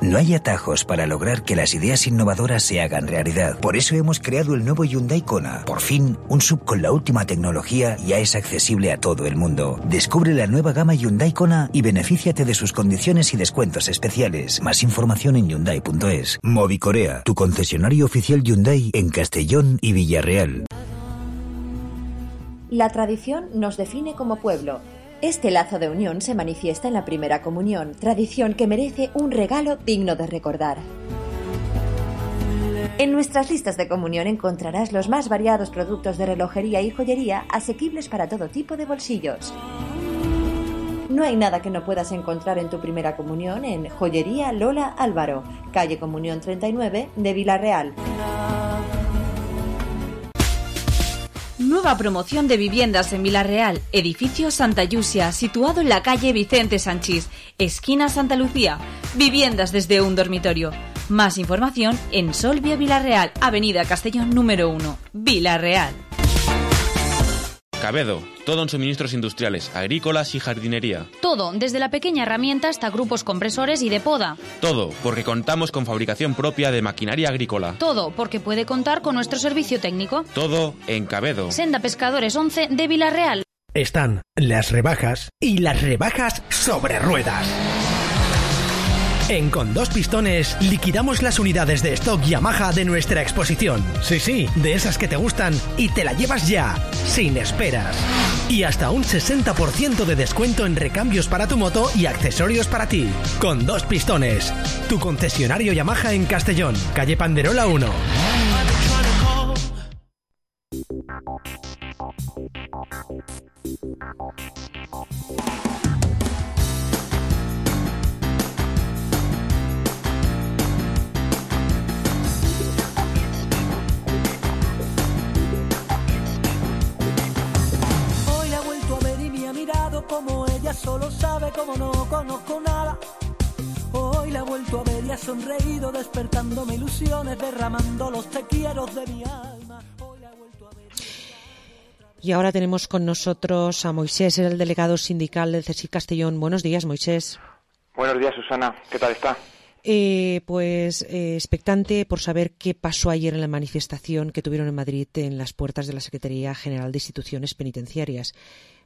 No hay atajos para lograr que las ideas innovadoras se hagan realidad. Por eso hemos creado el nuevo Hyundai Kona. Por fin, un S U V con la última tecnología ya es accesible a todo el mundo. Descubre la nueva gama Hyundai Kona y benefíciate de sus condiciones y descuentos especiales. Más información en hyundai punto es. Movicorea, tu concesionario oficial Hyundai en Castellón y Villarreal. La tradición nos define como pueblo. Este lazo de unión se manifiesta en la primera comunión, tradición que merece un regalo digno de recordar. En nuestras listas de comunión encontrarás los más variados productos de relojería y joyería asequibles para todo tipo de bolsillos. No hay nada que no puedas encontrar en tu primera comunión en Joyería Lola Álvaro, calle Comunión treinta y nueve de Vila-real. Nueva promoción de viviendas en Vila-real, edificio Santa Yusia, situado en la calle Vicente Sanchís, esquina Santa Lucía. Viviendas desde un dormitorio. Más información en Solvia Vila-real, avenida Castellón número uno, Vila-real. Cabedo, todo en suministros industriales, agrícolas y jardinería. Todo, desde la pequeña herramienta hasta grupos compresores y de poda. Todo, porque contamos con fabricación propia de maquinaria agrícola. Todo, porque puede contar con nuestro servicio técnico. Todo en Cabedo. Senda Pescadores once de Vila-real. Están las rebajas y las rebajas sobre ruedas. En Con Dos Pistones liquidamos las unidades de stock Yamaha de nuestra exposición. Sí, sí, de esas que te gustan y te la llevas ya, sin esperas. Y hasta un sesenta por ciento de descuento en recambios para tu moto y accesorios para ti. Con Dos Pistones, tu concesionario Yamaha en Castellón, calle Panderola uno. Como ella solo sabe, como no conozco nada. Hoy la he vuelto a ver y ha sonreído, despertándome ilusiones, derramando los te quiero de mi alma. Hoy la he vuelto a ver. Y ahora tenemos con nosotros a Moisés, el delegado sindical del C S I C Castellón. Buenos días, Moisés. Buenos días, Susana. ¿Qué tal está? Eh, pues eh, expectante por saber qué pasó ayer en la manifestación que tuvieron en Madrid en las puertas de la Secretaría General de Instituciones Penitenciarias.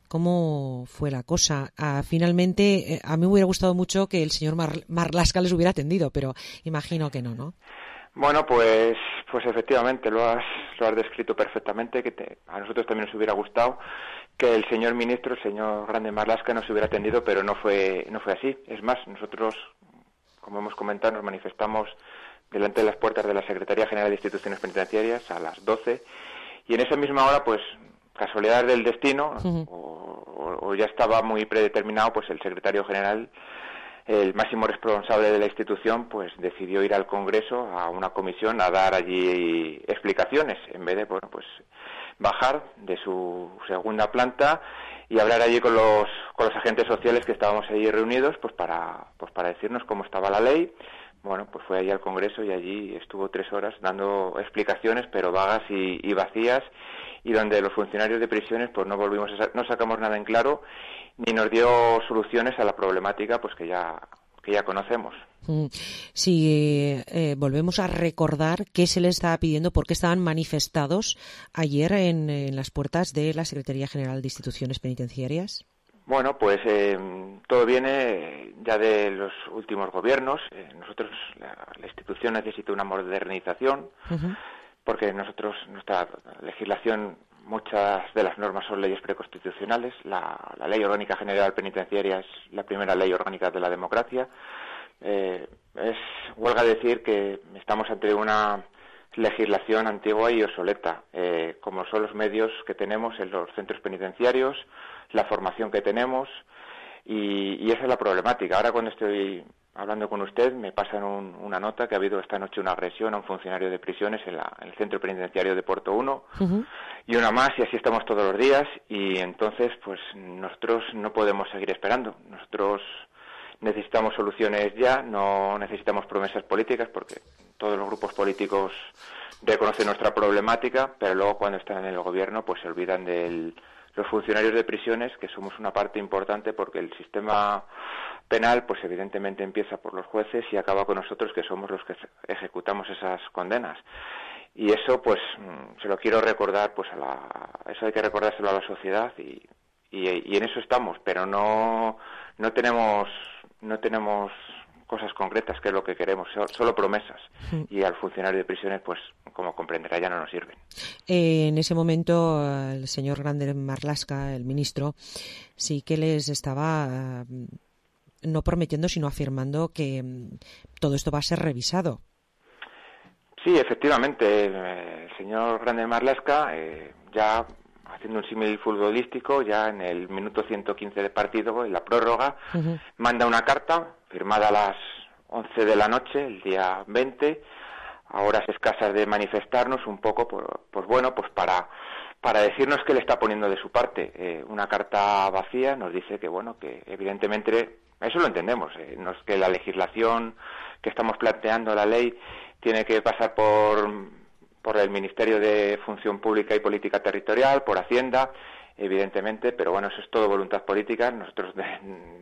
¿Cómo fue la cosa? Ah, finalmente, eh, a mí me hubiera gustado mucho que el señor Mar- Marlaska les hubiera atendido, pero imagino que no, ¿no? Bueno, pues pues efectivamente, lo has lo has descrito perfectamente, que te, a nosotros también nos hubiera gustado que el señor ministro, el señor Grande Marlaska, nos hubiera atendido, pero no fue no fue así. Es más, nosotros, como hemos comentado, nos manifestamos delante de las puertas de la Secretaría General de Instituciones Penitenciarias a las doce, y en esa misma hora, pues, casualidad del destino, uh-huh. o, o ya estaba muy predeterminado, pues el secretario general, el máximo responsable de la institución, pues decidió ir al Congreso, a una comisión, a dar allí explicaciones, en vez de, bueno, pues bajar de su segunda planta y hablar allí con los con los agentes sociales que estábamos allí reunidos, pues para pues para decirnos cómo estaba la ley. Bueno, pues fue allí al Congreso y allí estuvo tres horas dando explicaciones, pero vagas y, y vacías, y donde los funcionarios de prisiones pues no volvimos a, no sacamos nada en claro, ni nos dio soluciones a la problemática pues que ya que ya conocemos. Si eh, volvemos a recordar qué se les estaba pidiendo, por qué estaban manifestados ayer en, en las puertas de la Secretaría General de Instituciones Penitenciarias. Bueno, pues eh, todo viene ya de los últimos gobiernos. Eh, nosotros, la, la institución necesita una modernización, uh-huh. porque nosotros, nuestra legislación, muchas de las normas son leyes preconstitucionales. La, la Ley Orgánica General Penitenciaria es la primera ley orgánica de la democracia. Eh, es huelga decir que estamos ante una legislación antigua y obsoleta, eh, como son los medios que tenemos en los centros penitenciarios, la formación que tenemos, y, y esa es la problemática. Ahora, cuando estoy hablando con usted, me pasan un, una nota que ha habido esta noche una agresión a un funcionario de prisiones en, la, en el centro penitenciario de Puerto uno, uh-huh. y una más, y así estamos todos los días, y entonces pues nosotros no podemos seguir esperando. Nosotros necesitamos soluciones ya, no necesitamos promesas políticas, porque todos los grupos políticos reconocen nuestra problemática, pero luego cuando están en el gobierno pues se olvidan de los funcionarios de prisiones, que somos una parte importante, porque el sistema penal pues evidentemente empieza por los jueces y acaba con nosotros, que somos los que ejecutamos esas condenas. Y eso pues se lo quiero recordar, pues a la, eso hay que recordárselo a la sociedad, y, y, y en eso estamos, pero no no tenemos no tenemos cosas concretas, que es lo que queremos, solo promesas, sí. Y al funcionario de prisiones, pues como comprenderá, ya no nos sirven. Eh, en ese momento el señor Grande Marlaska, el ministro, sí que les estaba uh, no prometiendo, sino afirmando que um, todo esto va a ser revisado. Sí, efectivamente, el señor Grande Marlaska, eh, ya haciendo un símil futbolístico, ya en el minuto ciento quince de partido, en la prórroga, uh-huh. manda una carta firmada a las once de la noche, el día veinte, a horas escasas de manifestarnos un poco, pues, pues bueno, pues para para decirnos que le está poniendo de su parte. Eh, una carta vacía, nos dice que, bueno, que evidentemente, eso lo entendemos, eh, no es que la legislación que estamos planteando, la ley, tiene que pasar por por el Ministerio de Función Pública y Política Territorial, por Hacienda, evidentemente, pero bueno, eso es todo voluntad política. Nosotros de,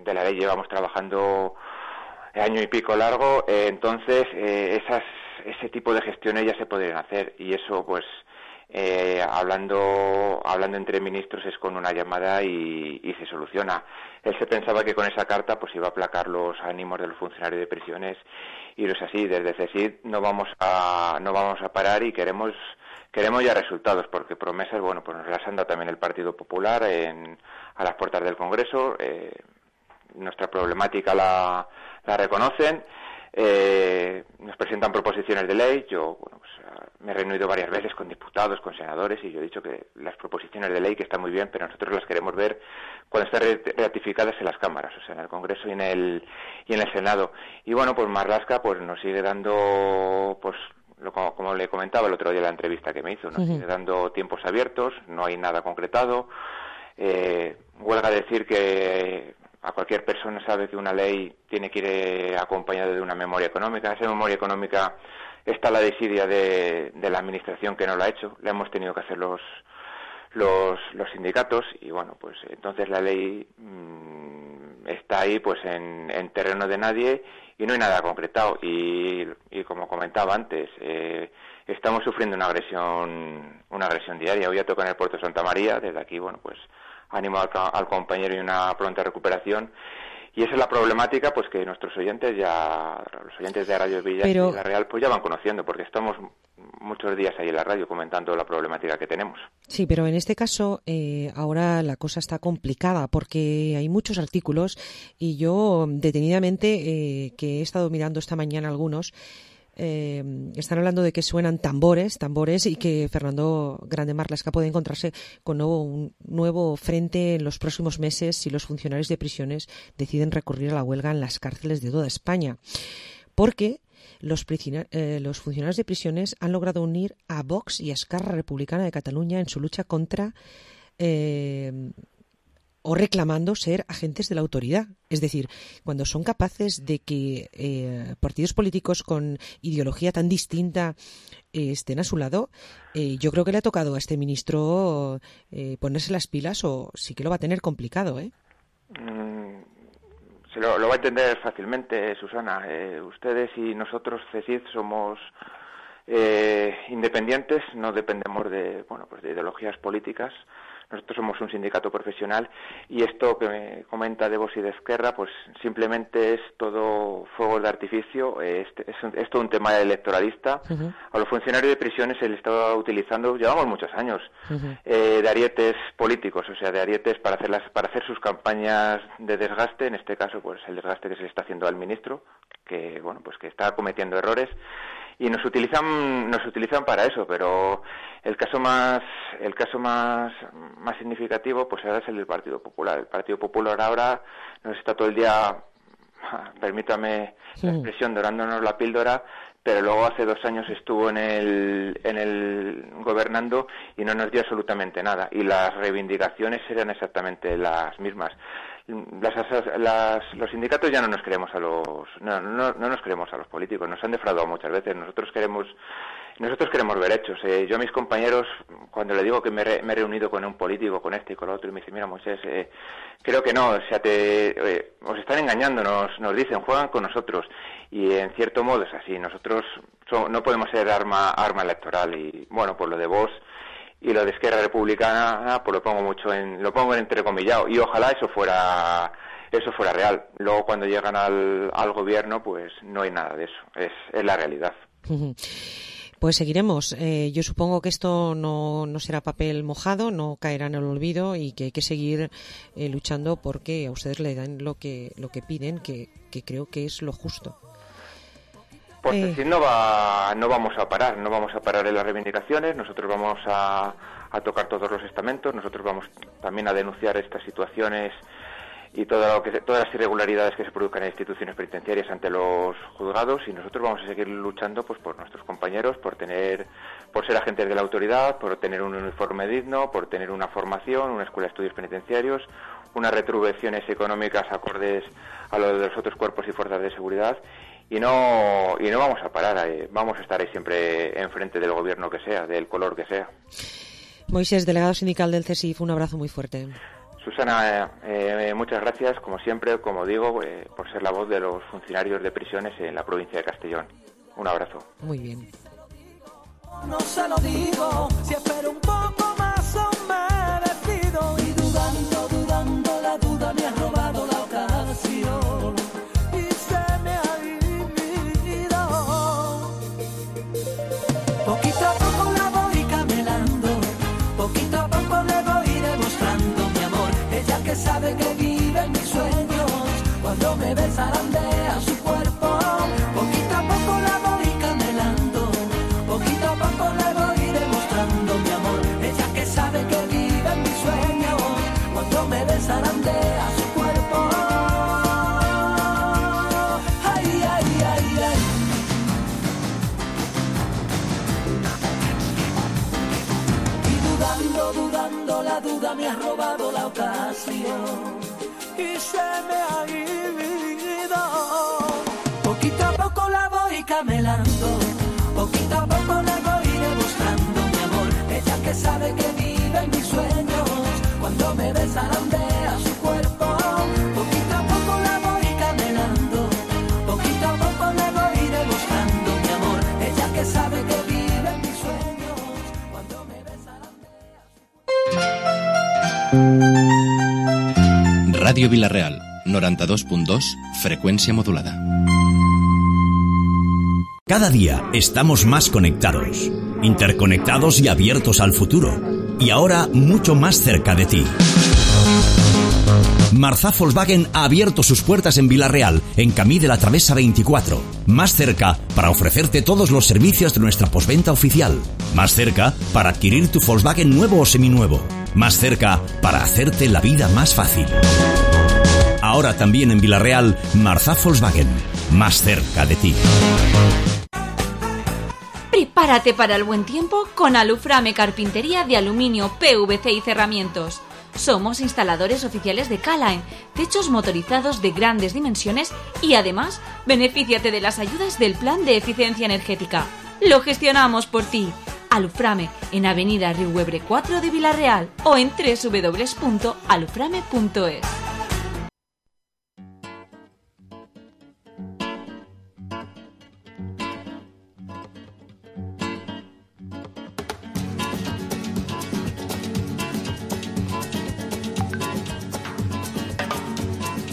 de la ley llevamos trabajando año y pico largo, eh, entonces eh, esas ese tipo de gestiones ya se podrían hacer, y eso pues eh, hablando esto, hablando entre ministros, es con una llamada y, y se soluciona. Él se pensaba que con esa carta pues iba a aplacar los ánimos de los funcionarios de prisiones, y no es así. Desde CESID no vamos a no vamos a parar y queremos queremos ya resultados, porque promesas, bueno, pues nos las han dado también el Partido Popular en, a las puertas del Congreso. Eh, nuestra problemática la, la reconocen. Eh, nos presentan proposiciones de ley. Yo bueno, pues, me he reunido varias veces con diputados, con senadores, y yo he dicho que las proposiciones de ley que están muy bien, pero nosotros las queremos ver cuando estén ratificadas en las cámaras, o sea, en el Congreso y en el y en el Senado. Y bueno, pues Marlaska pues nos sigue dando, pues lo, como, como le comentaba el otro día en la entrevista que me hizo, nos uh-huh. sigue dando tiempos abiertos, no hay nada concretado. Eh, huelga decir que a cualquier persona sabe que una ley tiene que ir acompañada de una memoria económica. Esa memoria económica está la desidia de, de la administración, que no la ha hecho. La hemos tenido que hacer los los, los sindicatos, y bueno, pues entonces la ley mmm, está ahí pues en, en terreno de nadie y no hay nada concretado. Y, y como comentaba antes, eh, estamos sufriendo una agresión una agresión diaria. Hoy ya toca en el puerto de Santa María. Desde aquí, bueno, pues ánimo al, al compañero y una pronta recuperación. Y esa es la problemática, pues que nuestros oyentes ya, los oyentes de Radio Villa Pero... y La Real, pues ya van conociendo, porque estamos muchos días ahí en la radio comentando la problemática que tenemos. Sí, pero en este caso eh, ahora la cosa está complicada, porque hay muchos artículos, y yo detenidamente, eh, que he estado mirando esta mañana algunos, Eh, están hablando de que suenan tambores, tambores y que Fernando Grande Marlaska puede encontrarse con nuevo, un nuevo frente en los próximos meses si los funcionarios de prisiones deciden recurrir a la huelga en las cárceles de toda España. Porque los, eh, los funcionarios de prisiones han logrado unir a Vox y a Esquerra Republicana de Cataluña en su lucha contra eh, o reclamando ser agentes de la autoridad. Es decir, cuando son capaces de que eh, partidos políticos con ideología tan distinta eh, estén a su lado, eh, yo creo que le ha tocado a este ministro eh, ponerse las pilas, o sí que lo va a tener complicado, ¿eh? Mm, se lo, lo va a entender fácilmente, Susana. Eh, ustedes y nosotros, CESID, somos eh, independientes, no dependemos de, bueno, pues de ideologías políticas. Nosotros somos un sindicato profesional, y esto que me comenta de Vox y de Esquerra, pues simplemente es todo fuego de artificio, es, es, es todo un tema electoralista. Uh-huh. A los funcionarios de prisiones se les está utilizando, llevamos muchos años, uh-huh. eh, de arietes políticos, o sea, de arietes para hacer, las, para hacer sus campañas de desgaste. En este caso, pues el desgaste que se le está haciendo al ministro, que bueno, pues que está cometiendo errores. Y nos utilizan nos utilizan para eso, pero el caso más el caso más más significativo pues ahora es el del Partido Popular. El Partido Popular ahora nos está todo el día, permítame sí. la expresión, dorándonos la píldora, pero luego hace dos años estuvo en el en el gobernando y no nos dio absolutamente nada, y las reivindicaciones eran exactamente las mismas. Las, las, los sindicatos ya no nos creemos a los no, no, no nos creemos a los políticos, nos han defraudado muchas veces. Nosotros queremos nosotros queremos ver hechos. Eh, yo a mis compañeros, cuando le digo que me, re, me he reunido con un político, con este y con el otro, y me dice, mira, Moisés, eh, creo que no, o sea, te, eh, os están engañando, nos, nos dicen, juegan con nosotros, y en cierto modo es así. Nosotros so, no podemos ser arma arma electoral, y bueno, pues lo de vos y lo de Esquerra Republicana, pues lo pongo mucho en, lo pongo en entrecomillado, y ojalá eso fuera, eso fuera real. Luego cuando llegan al, al gobierno, pues no hay nada de eso, es, es la realidad. Pues seguiremos. Eh, yo supongo que esto no, no será papel mojado, no caerá en el olvido, y que hay que seguir eh, luchando porque a ustedes le dan lo que, lo que piden, que, que creo que es lo justo. Pues eh. decir, no va, no vamos a parar, no vamos a parar en las reivindicaciones. Nosotros vamos a, a tocar todos los estamentos, nosotros vamos también a denunciar estas situaciones y todo lo que, todas las irregularidades que se produzcan en instituciones penitenciarias ante los juzgados, y nosotros vamos a seguir luchando pues por nuestros compañeros, por tener, por ser agentes de la autoridad, por tener un uniforme digno, por tener una formación, una escuela de estudios penitenciarios, unas retribuciones económicas acordes a lo de los otros cuerpos y fuerzas de seguridad. Y no y no vamos a parar, eh, vamos a estar ahí siempre enfrente del gobierno que sea, del color que sea. Moisés, delegado sindical del CESIF, un abrazo muy fuerte. Susana, eh, muchas gracias, como siempre, como digo, eh, por ser la voz de los funcionarios de prisiones en la provincia de Castellón. Un abrazo. Muy bien. No se lo digo, si espero un poco más o menos. sigo dudando, la duda me ha robado la ocasión y se me ha ido. Poquito a poco la voy camelando, poquito a poco la voy demostrando, mi amor. Ella que sabe que vive en mis sueños, cuando me desarandea su cuerpo. Poquito a poco la voy camelando, poquito a poco la voy demostrando, mi amor. Ella que sabe que vive en mis sueños, cuando me desarandea su cuerpo. Radio Vila-real, noranta-dos punt dos, frecuencia modulada. Cada día estamos más conectados, interconectados y abiertos al futuro. Y ahora mucho más cerca de ti. Marzá Volkswagen ha abierto sus puertas en Vila-real, en Camí de la Travesa veinticuatro. Más cerca para ofrecerte todos los servicios de nuestra postventa oficial. Más cerca para adquirir tu Volkswagen nuevo o seminuevo. Más cerca para hacerte la vida más fácil. Ahora también en Vila-real, Marzá Volkswagen. Más cerca de ti. Prepárate para el buen tiempo con Aluframe Carpintería de Aluminio, P V C y Cerramientos. Somos instaladores oficiales de K-Line, techos motorizados de grandes dimensiones y además benefíciate de las ayudas del Plan de Eficiencia Energética. Lo gestionamos por ti. Aluframe en Avenida Riuebre cuatro de Vila-real o en doble u doble u doble u punto aluframe punto es.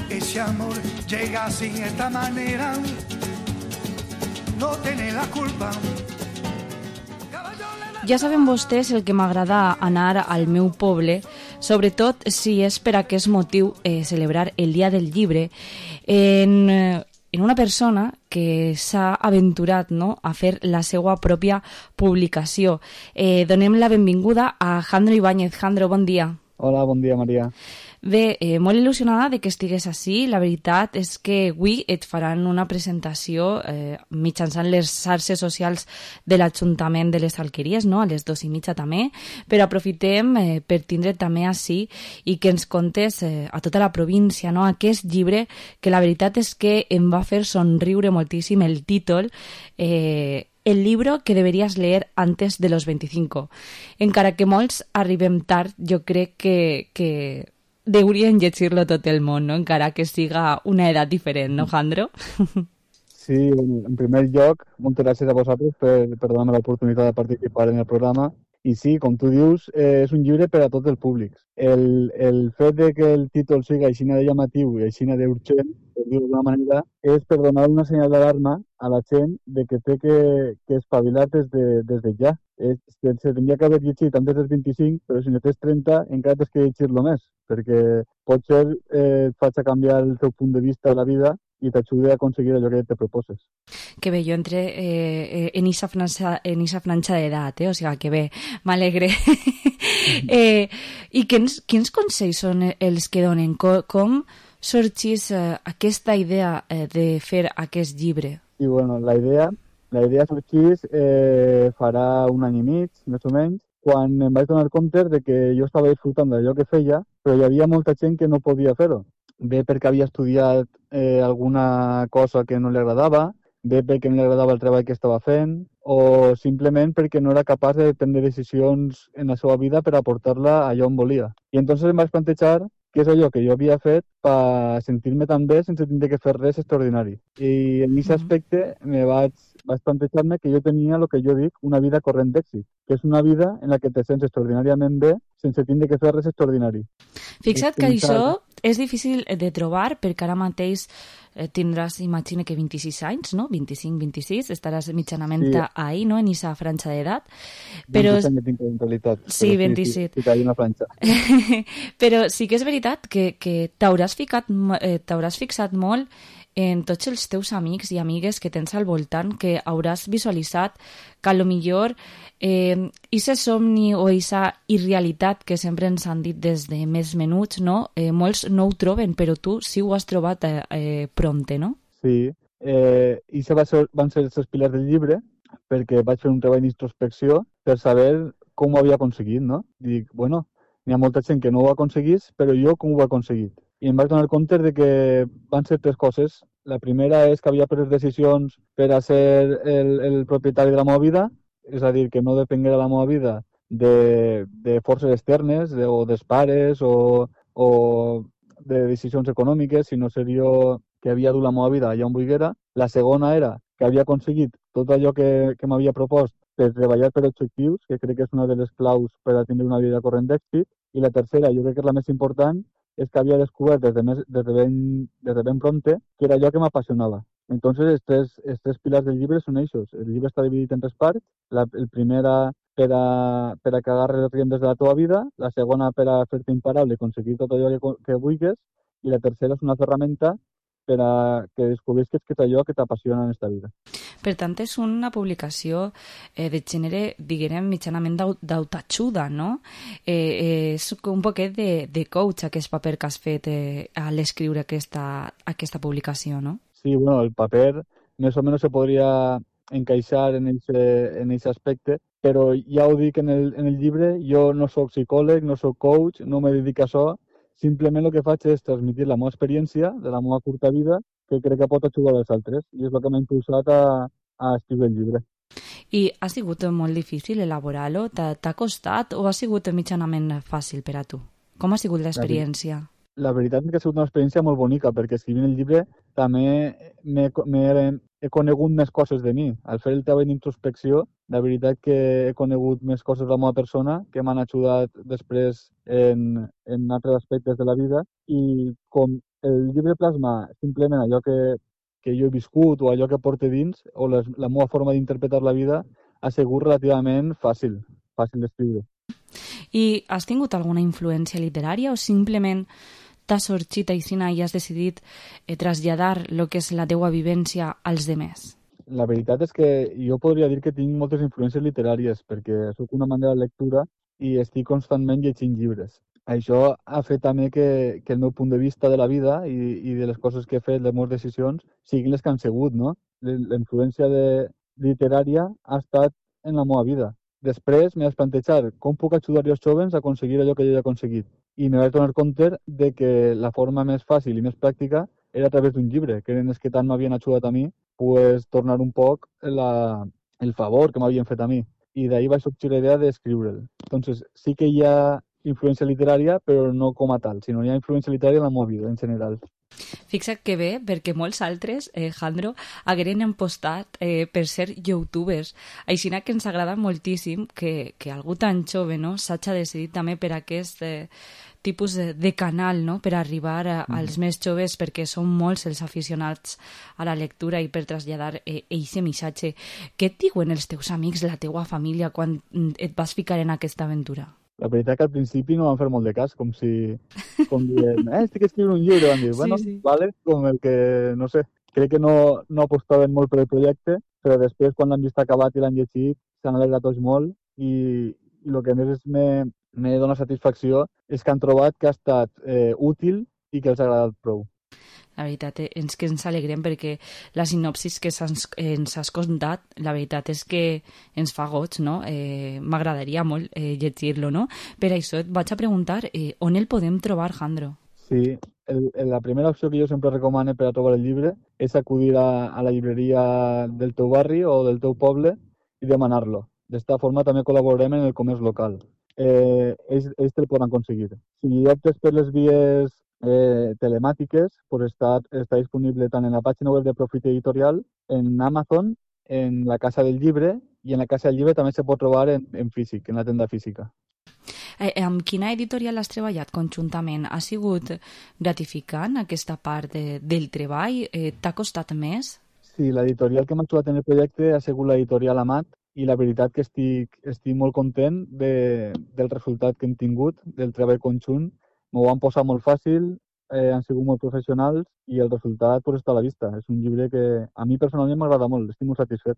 Ese amor llega así, de esta manera, no tiene la culpa. Ja saben vostès el que m'agrada anar al meu poble, sobretot si és per aquest motiu eh, celebrar el Dia del Llibre, en, en una persona que s'ha aventurat, no?, a fer la seva pròpia publicació. Eh, donem la benvinguda a Jandro Ibáñez. Jandro, bon dia. Hola, bon dia, Maria. Bé, eh, molt il·lusionada de que estigués ací. La veritat és que avui et faran una presentació eh, mitjançant les xarxes socials de l'Ajuntament de les Alqueries, no?, a les dos i mitja també, però aprofitem eh, per tindre també ací i que ens contes eh, a tota la província, no?, aquest llibre que la veritat és que em va fer somriure moltíssim el títol, eh, el libro que deberías leer antes de los veinticinco. Encara que molts arribem tard, jo crec que, que deurien llegir-lo tot el món, no?, encara que siga una edat diferent, no, Jandro? Sí, en primer lloc, moltes gràcies a vosaltres per, per donar-me l'oportunitat de participar en el programa. I sí, com tu dius, eh, és un llibre per a tots els públics. El, el fet de que el títol sigui així de llamatiu i així d'urgent, per dir-ho d'una manera, és per donar una senyal d'alarma a la gent de que té que, que espavilar des de, des de ja. Es, se, se tindria que haver llegit antes dels vint-i-cinc, però si no tens trenta encara tens que llegir-lo més, perquè potser eh, et faig canviar el teu punt de vista de la vida i t'ajuda a aconseguir allò que te proposes. Que bé, jo entre eh, en esa franja, en esa franja d'edat, eh? O sigui, que bé, m'alegre. eh, I quins, quins consells són els que donen? Com, com sorgís eh, aquesta idea eh, de fer aquest llibre? I bueno, la idea, la idea sorgís eh, farà un any i mig, més o menys, quan em vaig donar compte de que jo estava disfrutant d'allò que feia, però hi havia molta gent que no podia fer-ho. Bé perquè havia estudiat eh, alguna cosa que no li agradava, bé perquè no li agradava el treball que estava fent, o simplement perquè no era capaç de prendre decisions en la seva vida per aportar-la allà on volia. I entonces em vaig plantejar què és allò que jo havia fet per sentir-me tan bé sense tenir que fer res extraordinari. I en aquest aspecte me vaig, vaig plantejar-me que jo tenia el que jo dic una vida corrent d'èxit, que és una vida en la que te sents extraordinàriament bé sense tenir que fer res extraordinari. Fixa't que això és difícil de trobar perquè ara mateix eh, tindràs, imagina que vint-i-sis anys, no? vint-i-cinc vint-i-sis, estaràs mitjanament sí. ahí, no?, en aquesta franja d'edat. Però... vint-i-set anys tinc en realitat. Sí, vint-i-set. Sí, sí, sí, una franja. Però sí que és veritat que, que t'hauràs ficat, eh, t'hauràs fixat molt en tots els teus amics i amigues que tens al voltant, que hauràs visualitzat que a lo millor eh, ese somni o esa irrealitat que sempre ens han dit des de més menuts, no? Eh, molts no ho troben, però tu sí ho has trobat eh, eh, prompte, no? Sí, eh, i això va ser, van ser els pilars del llibre, perquè vaig fer un treball d'introspecció per saber com ho havia aconseguit, no? Dic, bueno, n'hi ha molta gent que no ho aconseguís, però jo com ho he aconseguit? I em vaig donar compte de que van ser tres coses. La primera és que havia pres decisions per a ser el, el propietari de la meva vida, és a dir, que no depenguera la meva vida de, de forces externes, de, o dels pares, o, o de decisions econòmiques, sinó ser jo que havia dut la meva vida allà on volguera. La segona era que havia aconseguit tot allò que, que m'havia propost per treballar per objectius, que crec que és una de les claus per a tenir una vida corrent d'èxit. I la tercera, jo crec que és la més important, és que havia descobert des de, més, des de, ben, des de ben prompte que era allò que m'apassionava. Entonces, els tres, els tres pilars del llibre són eixos. El llibre està dividit en tres parts. La, el primera per a, per a que agarres les riendes de la teva vida, la segona per a fer-te imparable i aconseguir tot allò que, que vulguis, i la tercera és una ferramenta per a que descobrisques que és allò que t'apassiona en esta vida. Per tant, és una publicació eh, de gènere, diguem, mitjanament d'autajuda, no? Eh, eh, és un poquet de, de coach, aquest paper que has fet eh, a l'escriure aquesta, aquesta publicació, no? Sí, bueno, el paper més o menys se podria encaixar en aquest aspecte, però ja ho dic en el, en el llibre, jo no sóc psicòleg, no sóc coach, no me dedico a això, simplement el que faig és transmitir la meva experiència de la meva curta vida que crec que pot ajudar als altres i és el que m'ha impulsat a, a escriure el llibre. I ha sigut molt difícil elaborar-lo? T'ha costat o ha sigut mitjanament fàcil per a tu? Com ha sigut l'experiència? La veritat és que ha sigut una experiència molt bonica perquè escrivint el llibre també he conegut més coses de mi. Al fer el treball d'introspecció, la veritat que he conegut més coses de la meva persona que m'han ajudat després en, en altres aspectes de la vida i com el llibre plasma simplement allò que, que jo he viscut o allò que porto dins o les, la meva forma d'interpretar la vida ha sigut relativament fàcil, fàcil d'escriure. I has tingut alguna influència literària o simplement t'has sorgit aixina i has decidit eh, traslladar el que és la teua vivència als demés? La veritat és que jo podria dir que tinc moltes influències literàries perquè soc una manera de lectura i estic constantment llegint llibres. Això ha fet també que, que el meu punt de vista de la vida i, i de les coses que he fet, les meves decisions, siguin les que han sigut, no? La influència de, literària ha estat en la meva vida. Després m'he de plantejar com puc ajudar els joves a aconseguir allò que jo he aconseguit. I me vaig donar compte de que la forma més fàcil i més pràctica era a través d'un llibre, que eren els que tant m'havien ajudat a mi, pues, tornar un poc la, el favor que m'havien fet a mi. I d'ahir va sorgir la idea d'escriure'l. Entonces, sí que hi ha influència literària, però no com a tal, sinó hi ha influència literària en la meva vida, en general. Fixa't que bé, perquè molts altres, eh, Jandro, hagueren empostat eh, per ser youtubers. Així que ens agrada moltíssim que, que algú tan jove, no, s'hagi decidit també per aquest eh, tipus de, de canal, no?, per arribar a, als mm. més joves, perquè són molts els aficionats a la lectura i per traslladar aquest eh, missatge. Què et diuen els teus amics, la teua família, quan et vas ficar en aquesta aventura? La veritat que al principi no van fer molt de cas, com si... com dient, eh, estic escrivint un llibre, van dir, sí, bueno, sí. Vale, com el que, no sé, crec que no, no apostaven molt per el projecte, però després, quan l'han vist acabat i l'han llegit, s'han alegrat tots molt i, i el que més me, me dona satisfacció és que han trobat que ha estat eh, útil i que els ha agradat prou. La veritat és que ens alegrem perquè la sinopsis que ens, ens has contat, la veritat és que ens fa goig, no? Eh, m'agradaria molt eh, llegir-lo, no? Per això et vaig a preguntar eh, on el podem trobar, Jandro? Sí, el, la primera opció que jo sempre recomano per a trobar el llibre és acudir a, a la llibreria del teu barri o del teu poble i demanar-lo. D'esta forma també col·laborem en el comerç local. Eh, ells, ells te'l poden aconseguir. Si optes per les vies Eh, telemàtiques, pues està, està disponible tant en la pàgina web de Profit Editorial, en Amazon, en la Casa del Llibre i en la Casa del Llibre també se pot trobar en, en físic, en la tenda física. Eh, amb quina editorial has treballat conjuntament? Ha sigut gratificant aquesta part de, del treball? Eh, T'ha costat més? Sí, l'editorial que m'ha ajudat en el projecte ha sigut l'editorial Amat i la veritat que estic, estic molt content de, del resultat que hem tingut, del treball conjunt. M'ho van posar molt fàcil, eh, han sigut molt professionals i el resultat pues, està a la vista. És un llibre que a mi personalment m'agrada molt, estic molt satisfet.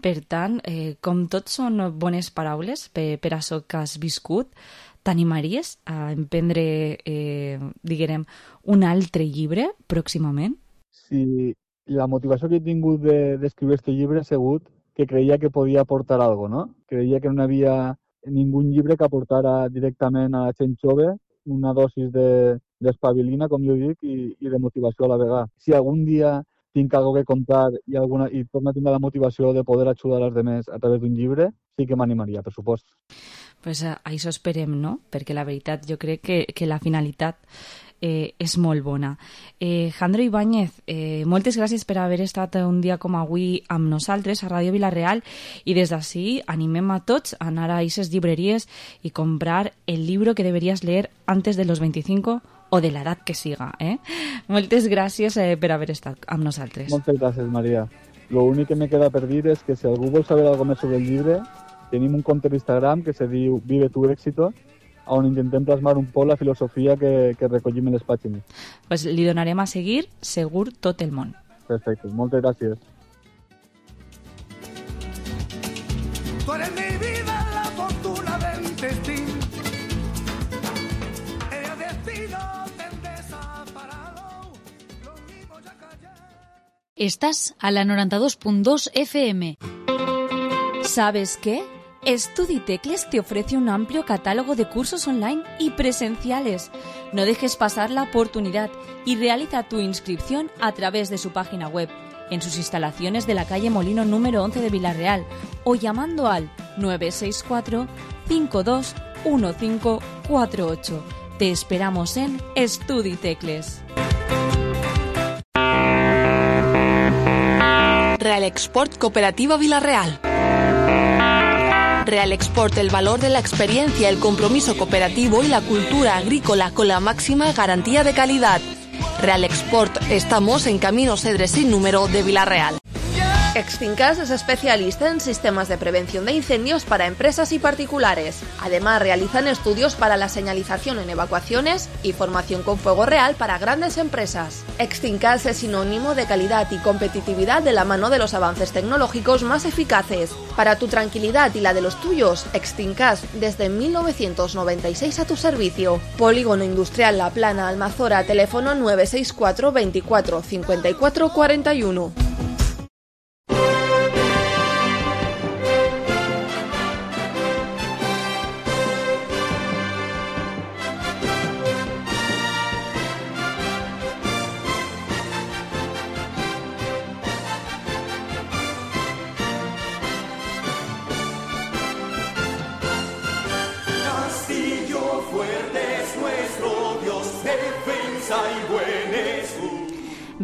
Per tant, eh, com tot són bones paraules per, per això que has viscut, t'animaries a emprendre, eh, diguem, un altre llibre pròximament? Sí, la motivació que he tingut d'escriure de, aquest llibre ha sigut que creia que podia aportar alguna cosa, no? Creia que no hi havia ningú llibre que aportara directament a la gent jove una dosis de, d'espabilina, com jo dic, i, i de motivació a la vegada. Si algun dia tinc algo que contar i, alguna, i torno a tenir la motivació de poder ajudar als altres a través d'un llibre, sí que m'animaria, per supost. Pues a això esperem, no? Perquè la veritat jo crec que, que la finalitat eh, és molt bona. Eh, Jandro Ibáñez, eh, moltes gràcies per haver estat un dia com avui amb nosaltres a Ràdio Vila-real, i des d'ací animem a tots a anar a aquestes llibreries i comprar el llibre que deberías leer antes de los veinticinco o de l'edat que siga. Eh? Moltes gràcies eh, per haver estat amb nosaltres. Moltes gràcies, Maria. Lo únic que me queda per dir és que si algú vol saber alguna més sobre el llibre, tenim un compte d'Instagram que se diu Vive tu éxito, on intentem plasmar un poc la filosofia que, que recollim en les pàgines. Pues li donarem a seguir segur tot el món. Perfecte, moltes gràcies. Tú eres mi vida, la fortuna del destino. El destino del desaparado. Los mismos ya callaron. Estás a la noventa y dos punto dos F M. ¿Sabes qué? Estuditecles te ofrece un amplio catálogo de cursos online y presenciales. No dejes pasar la oportunidad y realiza tu inscripción a través de su página web, en sus instalaciones de la calle Molino número once de Vila-real, o llamando al nueve seis cuatro, cinco dos uno cinco cuatro ocho. Te esperamos en Estuditecles. Real Export Cooperativa Vila-real. Real Export, el valor de la experiencia, el compromiso cooperativo y la cultura agrícola con la máxima garantía de calidad. Real Export, estamos en Camino Cedres sin número de Vila-real. Extincas es especialista en sistemas de prevención de incendios para empresas y particulares. Además, realizan estudios para la señalización en evacuaciones y formación con fuego real para grandes empresas. Extincas es sinónimo de calidad y competitividad de la mano de los avances tecnológicos más eficaces. Para tu tranquilidad y la de los tuyos, Extincas desde mil novecientos noventa y seis a tu servicio. Polígono Industrial La Plana, Almazora, teléfono nueve seis cuatro, veinticuatro, cincuenta y cuatro, cuarenta y uno.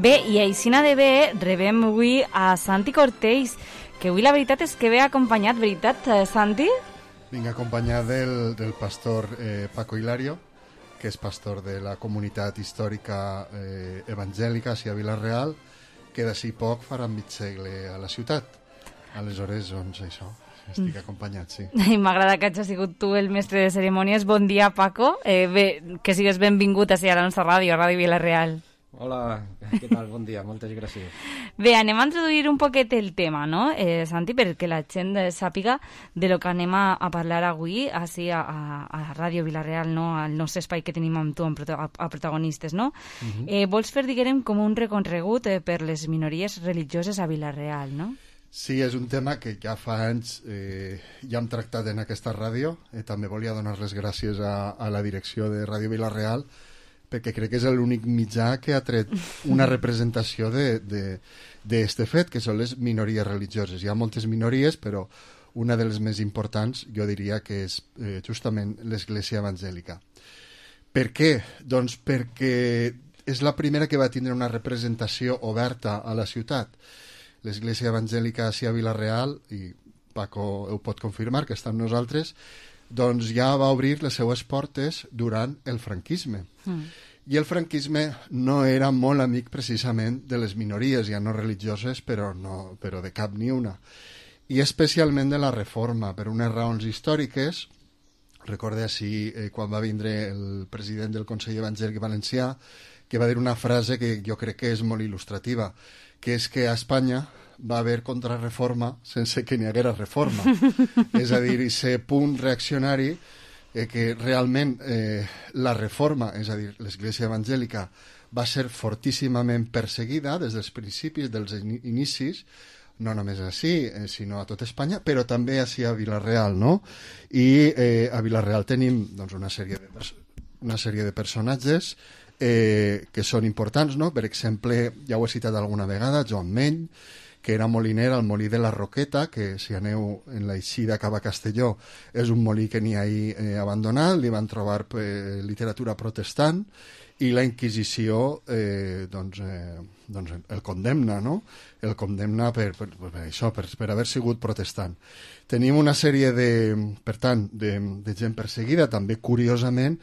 Bé, i aixina de bé rebem avui a Santi Cortells, que avui la veritat és que ve acompanyat, veritat, Santi? Vinc acompanyat del, del pastor eh, Paco Hilario, que és pastor de la comunitat històrica eh, evangèlica a Vila-real, que d'ací poc farà mig segle a la ciutat. Aleshores, doncs, això, estic acompanyat, sí. M'agrada que hagi sigut tu el mestre de cerimònies. Bon dia, Paco. Eh, bé, que sigues benvingut a la nostra ràdio, a Ràdio Vila-real. Hola, què tal? Bon dia, moltes gràcies. Bé, anem a introduir un poquet el tema, no, eh, Santi, perquè la gent sàpiga de lo que anem a, a parlar avui així a, a, a Ràdio Vila-real, no, al nostre espai que tenim amb tu amb prota, a, a protagonistes, no? Uh-huh. eh, vols fer, diguem, com un recorregut eh, per les minories religioses a Vila-real, no? Sí, és un tema que ja fa anys eh, ja hem tractat en aquesta ràdio. Eh, també volia donar les gràcies a, a la direcció de Ràdio Vila-real, perquè crec que és l'únic mitjà que ha tret una representació d'aquest fet, que són les minories religioses. Hi ha moltes minories, però una de les més importants jo diria que és eh, justament l'Església Evangèlica. Per què? Doncs perquè és la primera que va tindre una representació oberta a la ciutat. L'Església Evangèlica a Vila-real, i Paco ho pot confirmar, que està amb nosaltres, doncs ja va obrir les seues portes durant el franquisme. Mm. I el franquisme no era molt amic precisament de les minories, ja no religioses, però, no, però de cap ni una. I especialment de la Reforma, per unes raons històriques. Recorde així eh, quan va vindre el president del Consell Evangèlic Valencià, que va dir una frase que jo crec que és molt il·lustrativa, que és que a Espanya va haver contrarreforma sense que n'hi haguera reforma. És a dir, aquest punt reaccionari eh, que realment eh, la reforma, és a dir, l'Església Evangèlica, va ser fortíssimament perseguida des dels principis, dels inicis, no només així, eh, sinó a tot Espanya, però també així a Vila-real, no? I eh, a Vila-real tenim doncs, una sèrie de, una sèrie de personatges eh, que són importants, no? Per exemple, ja ho he citat alguna vegada, Joan Meny, que era moliner al molí de la Roqueta, que si aneu en l'eixida cap a Castelló és un molí que n'hi ha ahí eh, abandonat, li van trobar eh, literatura protestant i la Inquisició eh, doncs, eh, doncs el condemna, no? El condemna per, per, per això, per, per haver sigut protestant. Tenim una sèrie de, per tant, de, de gent perseguida, també curiosament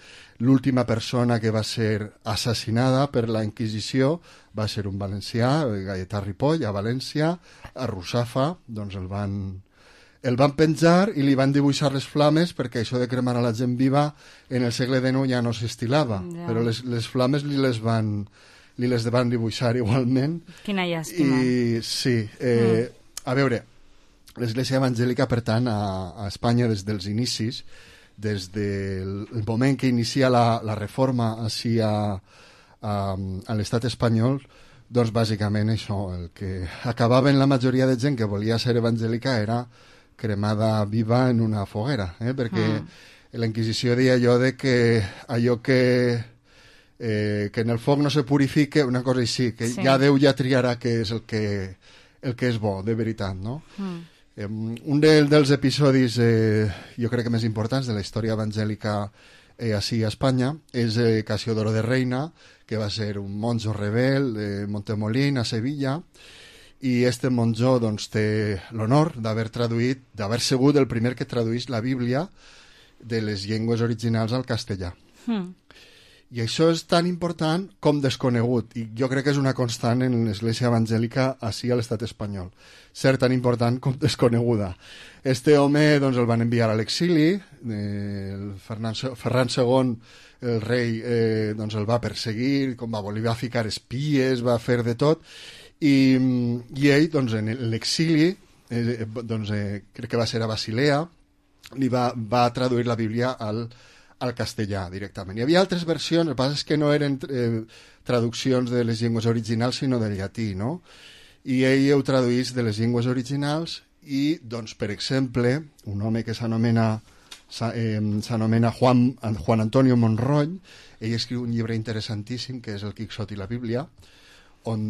l'última persona que va ser assassinada per la Inquisició va ser un valencià, Gaietà Ripoll, a València, a Russafa, doncs el van, el van penjar i li van dibuixar les flames perquè això de cremar a la gent viva en el segle dinou ja no s'estilava, ja. Però les, les flames li les van li les van dibuixar igualment. Quina llàstima. I sí, eh, mm. a veure, l'Església Evangèlica, per tant, a, a Espanya des dels inicis, des del moment que inicia la, la reforma així a, a, a l'estat espanyol, doncs bàsicament això, el que acabaven la majoria de gent que volia ser evangèlica era cremada viva en una foguera, eh? Perquè mm. la Inquisició deia allò de que allò que Eh, que en el foc no se purifique, una cosa així, que sí. Ja Déu ja triarà què és el que, el que és bo, de veritat, no? Mm. Eh, un de, dels episodis, eh, jo crec que més importants de la història evangèlica eh, així a Espanya és eh, Casiodoro de Reina, que va ser un monjo rebel de Montemolín, a Sevilla, i este monjo doncs, té l'honor d'haver traduït, d'haver sigut el primer que traduís la Bíblia de les llengües originals al castellà. Mm. I això és tan important com desconegut, i jo crec que és una constant en l'Església Evangèlica així a l'estat espanyol, ser tan important com desconeguda. Este home doncs, el van enviar a l'exili, eh, el Ferran, Ferran segon, el rei, eh, doncs, el va perseguir, com va voler, va ficar espies, va fer de tot, i, i ell, doncs, en l'exili, eh, doncs, eh, crec que va ser a Basilea, li va, va traduir la Bíblia al al castellà directament. Hi havia altres versions, el que passa és que no eren eh, traduccions de les llengües originals, sinó del llatí, no? I ell ho traduís de les llengües originals i, doncs, per exemple, un home que s'anomena eh, s'anomena Juan, Juan Antonio Monroy, ell escriu un llibre interessantíssim que és el Quixot i la Bíblia, on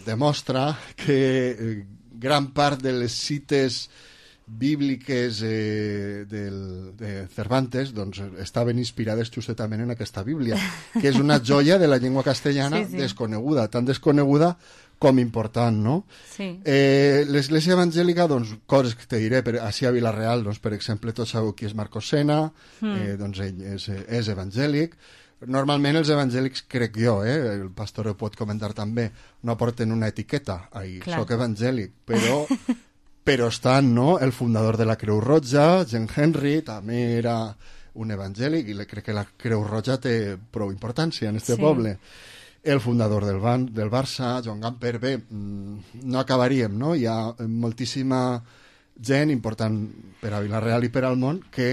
demostra que eh, gran part de les cites bíbliques eh, del, de Cervantes doncs, estaven inspirades justament en aquesta Bíblia, que és una joia de la llengua castellana sí, sí. desconeguda, tan desconeguda com important, no? Sí. Eh, L'Església Evangèlica, doncs, coses que te diré, per, així a Vila-real, doncs, per exemple, tots sabeu qui és Marcos Sena, mm. eh, doncs ell és, és evangèlic. Normalment els evangèlics, crec jo, eh, el pastor ho pot comentar també, no porten una etiqueta, ahí, soc evangèlic, però... però estan, no?, el fundador de la Creu Roja, Jean Henry, també era un evangèlic, i crec que la Creu Roja té prou importància en este sí. poble. El fundador del, Ban, del Barça, Joan Gamper, bé, no acabaríem, no? Hi ha moltíssima gent important per a Vila-real i per al món que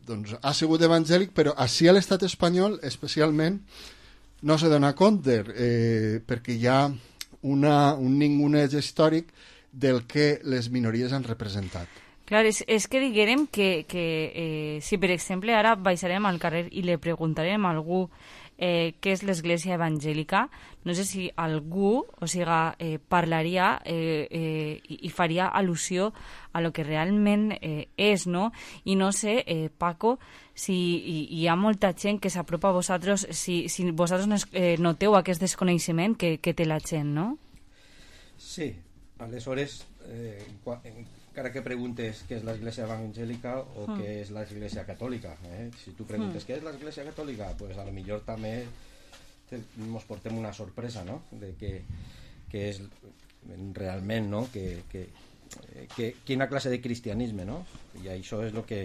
doncs, ha sigut evangèlic, però així a l'estat espanyol, especialment, no se dona compte, eh, perquè hi ha una, un ninguneig històric del que les minories han representat. Clar, és, és que diguérem que, que eh, si per exemple ara baixarem al carrer i li preguntarem a algú eh, què és l'Església Evangèlica, no sé si algú, o sigui, eh, parlaria eh, eh, i, i faria al·lusió a lo que realment eh, és, no? I no sé, eh, Paco, si hi, hi ha molta gent que s'apropa a vosaltres, si, si vosaltres eh, noteu aquest desconeixement que, que té la gent, no? Sí. Aleshores, eh, encara que preguntes què és l'Església Evangèlica o mm. què és l'Església Catòlica, eh? Si tu preguntes mm. què és l'Església Catòlica, pues a lo millor també ens portem una sorpresa, no?, de que, que és realment, no?, que, que, que, quina classe de cristianisme, no? I això és el que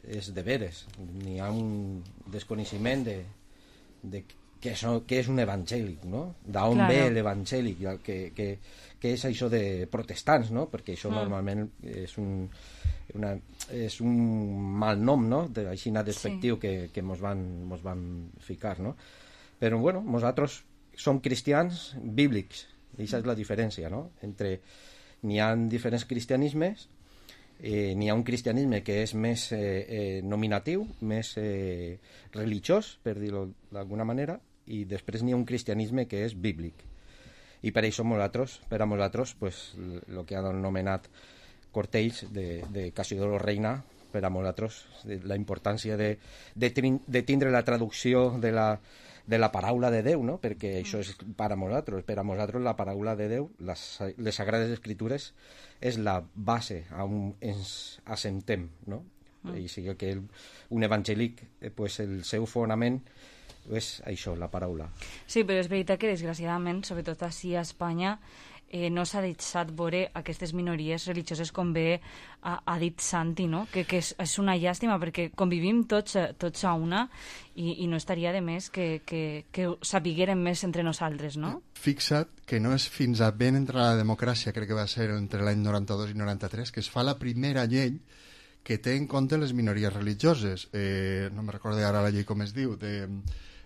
és de veres. N'hi ha un desconeixement de, de què és, què és un evangèlic, no? D'on claro. ve l'evangèlic, que, que que és això de protestants, no? Perquè això mm. normalment és un, una, és un mal nom, no? De, així despectiu sí. que, que mos, van, mos van ficar, no? Però, bueno, nosaltres som cristians bíblics, i aquesta és la diferència, no? Entre n'hi ha diferents cristianismes, eh, n'hi ha un cristianisme que és més eh, eh, nominatiu, més eh, religiós, per dir-ho d'alguna manera, i després n'hi ha un cristianisme que és bíblic. I per això nosaltres, per a nosaltres, pues, el que han anomenat Cortells de, de Cassiodoro Reina, per a nosaltres, la importància de, de, de tindre la traducció de la, de la paraula de Déu, no? Perquè això és per a nosaltres, per a nosaltres la paraula de Déu, les, les Sagrades Escritures, és la base on ens assentem, no? Mm. I sigui que el, un evangèlic, eh, pues, el seu fonament és això, la paraula. Sí, però és veritat que desgraciadament, sobretot així a Espanya, eh, no s'ha deixat veure aquestes minories religioses com bé ha, ha dit Santi, no? Que, que és, és una llàstima perquè convivim tots, tots a una i, i no estaria de més que, que, que sapiguérem més entre nosaltres, no? Fixa't que no és fins a ben entre la democràcia, crec que va ser entre l'any noranta-dos i noranta-tres, que es fa la primera llei que té en compte les minories religioses. Eh, no me recordo ara la llei com es diu, de...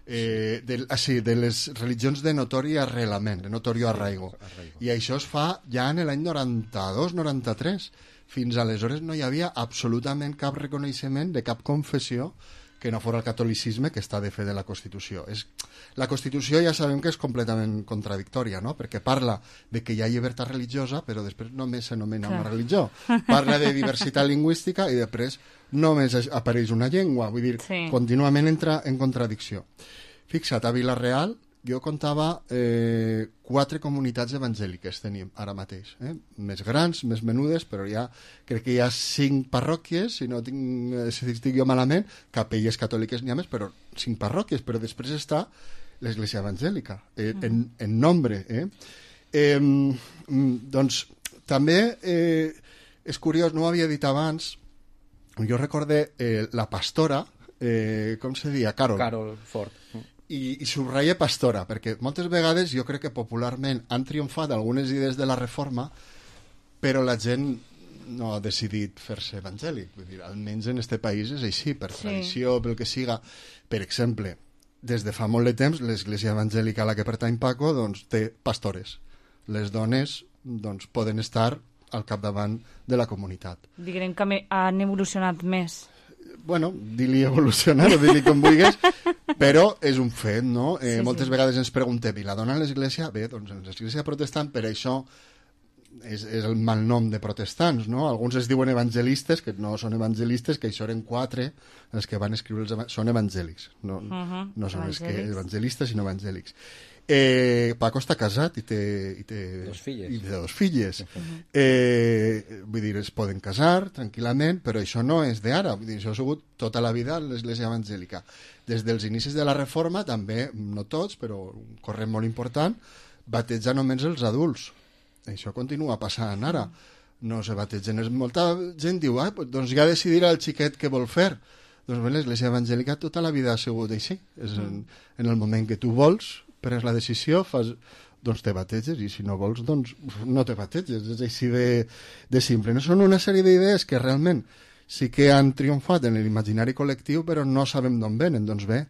Eh, de, ah, sí, de les religions de notori arrelament, de notorio arraigo. I això es fa ja en l'any noranta-dos noranta-tres. Fins aleshores no hi havia absolutament cap reconeixement de cap confessió que no fos el catolicisme, que està de fe de la Constitució. És, la Constitució ja sabem que és completament contradictòria, no? Perquè parla de que hi ha llibertat religiosa, però després només s'anomena una religió. Parla de diversitat lingüística i després només apareix una llengua. Vull dir, sí. Contínuament entra en contradicció. Fixa't, a Vila-real jo contava eh, quatre comunitats evangèliques tenim ara mateix, eh? Més grans, més menudes, però ja crec que hi ha cinc parròquies, si no tinc, si estic jo malament, capelles catòliques n'hi ha més, però cinc parròquies, però després està l'Església Evangèlica, eh, mm. en, en nombre. Eh? Eh, doncs també eh, és curiós, no ho havia dit abans, jo recordé eh, la pastora, eh, com se deia? Carol. Carol Ford. I, i subratlla pastora, perquè moltes vegades jo crec que popularment han triomfat algunes idees de la reforma, però la gent no ha decidit fer-se evangèlic. Vull dir, almenys en este país és així, per sí. tradició, pel que siga. Per exemple, des de fa molt de temps, l'Església Evangèlica a la que pertany Paco doncs, té pastores. Les dones doncs, poden estar al capdavant de la comunitat. Diguem que han evolucionat més. Bueno, di-li evolucionar o di-li com vulguis, però és un fet, no? Eh, sí, moltes sí. vegades ens preguntem, i la dona a l'església? Bé, doncs en l'església protestant, per això és, és el malnom de protestants, no? Alguns es diuen evangelistes, que no són evangelistes, que això eren quatre, els que van escriure els evangèlics, són evangèlics, no, uh -huh. no són els que evangelistes, sinó evangèlics. Eh, Paco està casat i té, i té, dos filles. I té dos filles. Uh -huh. eh, vull dir, es poden casar tranquil·lament, però això no és d'ara, vull dir, això ha sigut tota la vida l'Església Evangèlica. Des dels inicis de la Reforma, també, no tots, però un corrent molt important, batejar només els adults. Això continua passant ara. No se bategen. Molta gent diu, ah, doncs ja decidirà el xiquet què vol fer. Doncs bé, l'Església Evangèlica tota la vida ha sigut així. És en, en el moment que tu vols, prens la decisió, fas, doncs te bateges, i si no vols, doncs no te bateges. És així de, de simple. No són una sèrie d'idees que realment sí que han triomfat en l'imaginari col·lectiu, però no sabem d'on venen. Doncs bé,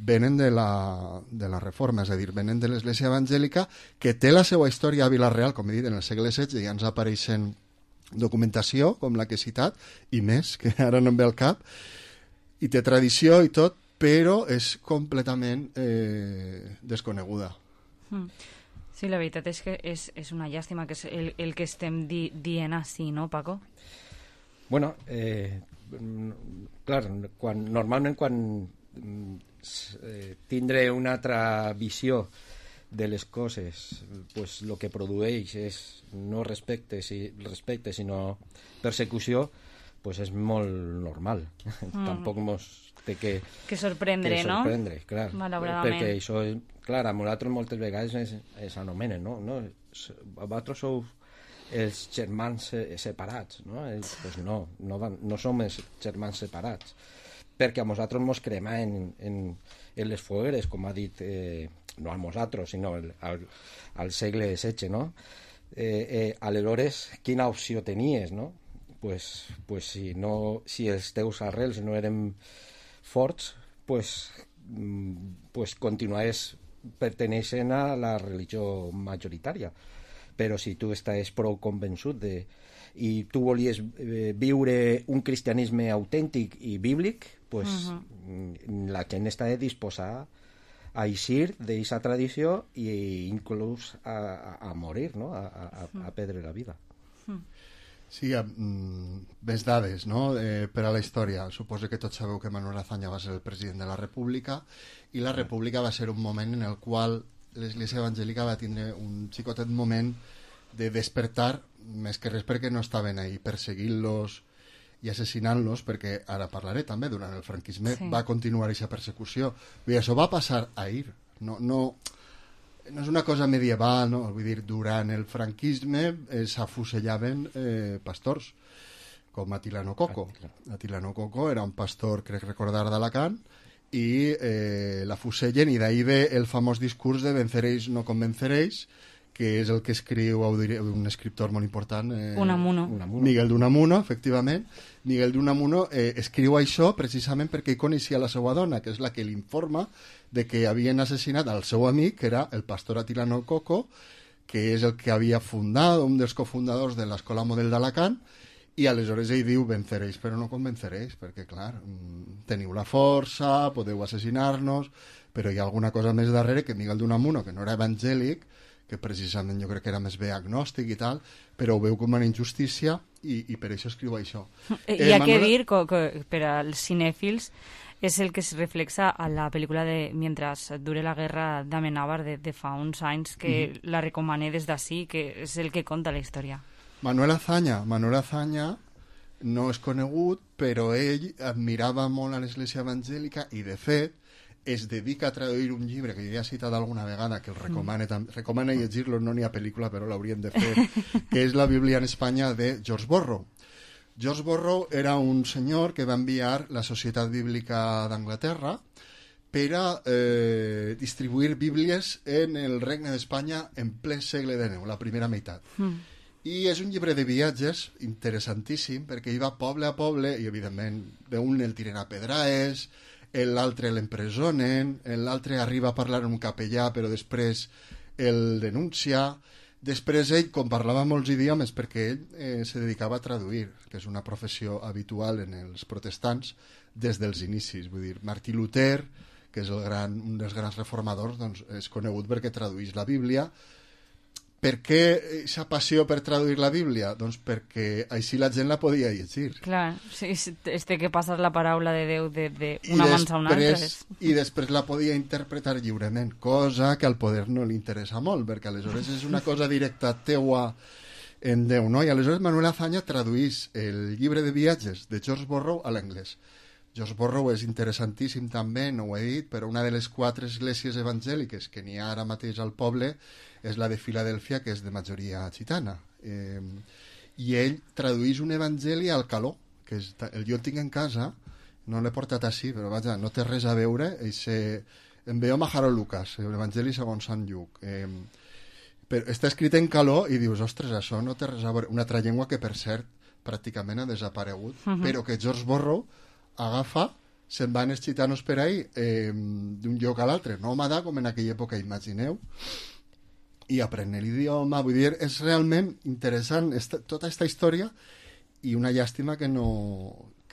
venen de la, de la Reforma, és a dir, venen de l'Església Evangèlica, que té la seva història a Vila-real, com he dit, en el segle setze, ja ens apareixen documentació, com la que he citat, i més, que ara no em ve al cap, i té tradició i tot, però és completament eh, desconeguda. Mm. Sí, la veritat és que és, és una llàstima que és el, el que estem di, dient així, no, Paco? Bueno, eh, clar, quan, normalment quan eh, tindre una altra visió de les coses, pues lo que produeix és no respecte, si, respecte sinó persecució, pues és molt normal. Mm. Tampoc mos té que, que sorprendre, que sorprendre, no? Clar, malauradament. Perquè això, clar, a nosaltres moltes vegades es, es anomenen, no? no? Vosaltres sou els germans separats, no? Els, pues no, no, van, no som els germans separats, perquè a nosaltres mos crema en, en, en les fogueres, com ha dit, eh, no a nosaltres, sinó al, al, al segle setze, no? Eh, eh, aleshores, quina opció tenies, no? Pues, pues si, no, si els teus arrels no eren forts, pues, pues continuaves perteneixent a la religió majoritària. però si tu estàs prou convençut de... i tu volies eh, viure un cristianisme autèntic i bíblic, pues, uh-huh. la gent està disposada a eixir d'aquesta tradició i inclús a, a, a morir, no? a, a, a perdre la vida. Sí, mm, més dades, no? Eh, per a la història. Suposo que tots sabeu que Manuel Azaña va ser el president de la República i la República va ser un moment en el qual l'Església Evangèlica va tindre un xicotet moment de despertar, més que res perquè no estaven ahí perseguint-los i assassinant-los, perquè ara parlaré també, durant el franquisme sí. va continuar aquesta persecució. Vull dir, això va passar ahir, no, no, no és una cosa medieval, no? Vull dir, durant el franquisme eh, s'afusellaven eh, pastors, com Atilano Coco. Atilano Coco era un pastor, crec recordar, d'Alacant, i eh, l'afusellen, i d'ahir ve el famós discurs de venceréis, no convenceréis, que és el que escriu un escriptor molt important, eh, Unamuno. Miguel d'Unamuno, efectivament. Miguel d'Unamuno eh, escriu això precisament perquè ell coneixia la seva dona, que és la que l'informa de que havien assassinat al seu amic, que era el pastor Atilano Coco, que és el que havia fundat, un dels cofundadors de l'Escola Model d'Alacant, i aleshores ell diu, venceréis, però no convenceréis, perquè, clar, teniu la força, podeu assassinar-nos, però hi ha alguna cosa més darrere que Miguel d'Unamuno, que no era evangèlic, que precisament jo crec que era més bé agnòstic i tal, però ho veu com una injustícia i, i per això escriu això. Eh, Hi ha Manuel... que dir que, que per als cinèfils és el que es reflexa a la pel·lícula de Mientras dure la guerra d'Amenábar de, de fa uns anys, que mm-hmm. la recomané des d'ací, que és el que conta la història. Manuel Azaña, Manuel Azaña no és conegut, però ell admirava molt a l'Església Evangèlica i, de fet, es dedica a traduir un llibre que jo ja he citat alguna vegada, que el recomane, mm. recomana llegir-lo, no n'hi ha pel·lícula, però l'haurien de fer, que és La Bíblia en Espanya, de George Borrow. George Borrow era un senyor que va enviar la Societat Bíblica d'Anglaterra per a eh, distribuir bíblies en el Regne d'Espanya en ple segle dinou, la primera meitat. Mm. I és un llibre de viatges interessantíssim, perquè ell va poble a poble, i evidentment d'un el tiren a pedraes, l'altre l'empresonen, l'altre arriba a parlar amb un capellà però després el denuncia. Després ell, com parlava molts idiomes, perquè ell eh, se dedicava a traduir, que és una professió habitual en els protestants des dels inicis. Vull dir, Martí Luter, que és el gran, un dels grans reformadors, doncs, és conegut perquè traduís la Bíblia. Per què aquesta passió per traduir la Bíblia? Doncs perquè així la gent la podia llegir. Clar, sí, es té que passar la paraula de Déu d'una mans a una altra. I després la podia interpretar lliurement, cosa que al poder no li interessa molt, perquè aleshores és una cosa directa teua en Déu, no? I aleshores Manuel Azaña traduís el llibre de viatges de George Borrow a l'anglès. George Borrow és interessantíssim també, no ho he dit, però una de les quatre esglésies evangèliques que n'hi ha ara mateix al poble és la de Filadèlfia, que és de majoria gitana. Eh, I ell traduís un evangeli al caló, que és, el jo el tinc en casa, no l'he portat així, però vaja, no té res a veure, eixe, em veu Majaro Lucas, l'evangeli segons Sant Lluc. Eh, però està escrit en caló i dius, ostres, això no té res a veure. Una altra llengua que, per cert, pràcticament ha desaparegut, uh-huh. però que George Borrow agafa, se'n van els gitanos per ahí eh, d'un lloc a l'altre, nòmada, com en aquella època, imagineu, i aprenen l'idioma. Vull dir, és realment interessant esta, tota aquesta història, i una llàstima que no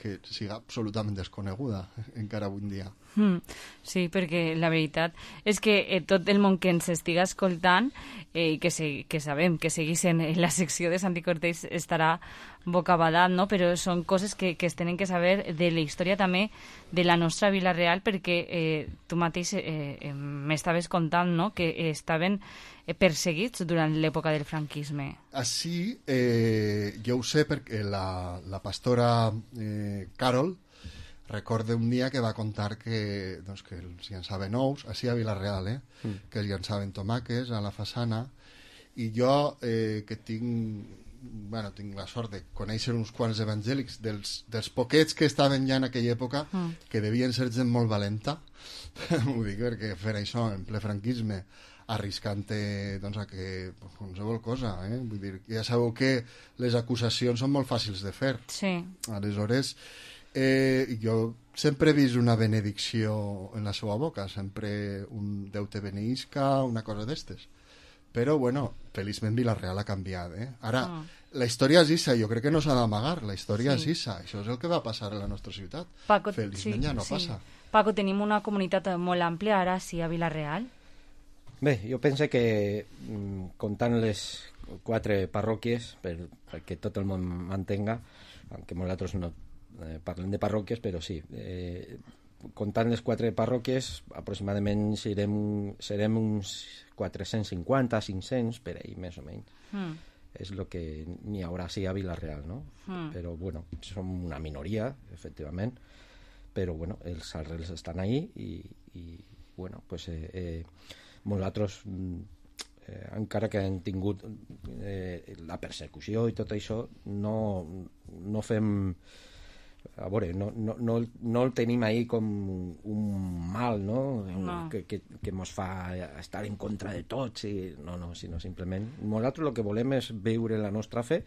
que siga absolutament desconeguda encara avui en dia. Mm, sí, perquè la veritat és que eh, tot el món que ens estiga escoltant i eh, que, se, que sabem que seguís en la secció de Santi Cortés estarà bocabadat, no? Però són coses que, que es tenen que saber de la història també de la nostra Vila Real, perquè eh, tu mateix eh, eh, m'estaves contant, no?, que eh, estaven eh, perseguits durant l'època del franquisme. Així, eh, jo ho sé perquè la, la pastora eh, Carol recorda un dia que va contar que, doncs, que els llançaven ous, així a Vila-real, eh? Mm. que els llançaven tomàquets a la façana, i jo, eh, que tinc, bueno, tinc la sort de conèixer uns quants evangèlics, dels, dels poquets que estaven ja en aquella època, mm. que devien ser gent molt valenta, ho dic perquè fer això en ple franquisme, arriscant-te doncs, a que pues, qualsevol cosa, eh? Vull dir, ja sabeu que les acusacions són molt fàcils de fer. Sí. Aleshores, Eh, jo sempre he vist una benedicció en la seva boca, sempre un Déu te beneïsca, una cosa d'estes, Però, bueno, feliçment Vila-real ha canviat, eh? Ara, Ah. la història és issa, jo crec que no s'ha d'amagar, la història Sí. és issa, això és el que va passar a la nostra ciutat. Paco, Feliçment sí, ja no sí. passa. Paco, tenim una comunitat molt àmplia ara, sí, a Vila-real. Bé, jo penso que mm, comptant les quatre parròquies, per, perquè tot el món m'entenga, aunque nosaltres no eh, parlem de parròquies, però sí, eh, comptant les quatre parròquies, aproximadament serem, serem uns quatre-cents cinquanta, cinc-cents, per ahí, més o menys. Mm. És el que n'hi haurà sí a Vila-real, no? Mm. Però, bueno, som una minoria, efectivament, però, bueno, els arrels estan ahí i, i bueno, pues, eh, eh, nosaltres, eh, encara que hem tingut eh, la persecució i tot això, no, no fem... A veure, no, no, no, no el tenim ahí com un mal, no? No. Que, que, que mos fa estar en contra de tots i... no, no, sinó simplement nosaltres el que volem és viure la nostra fe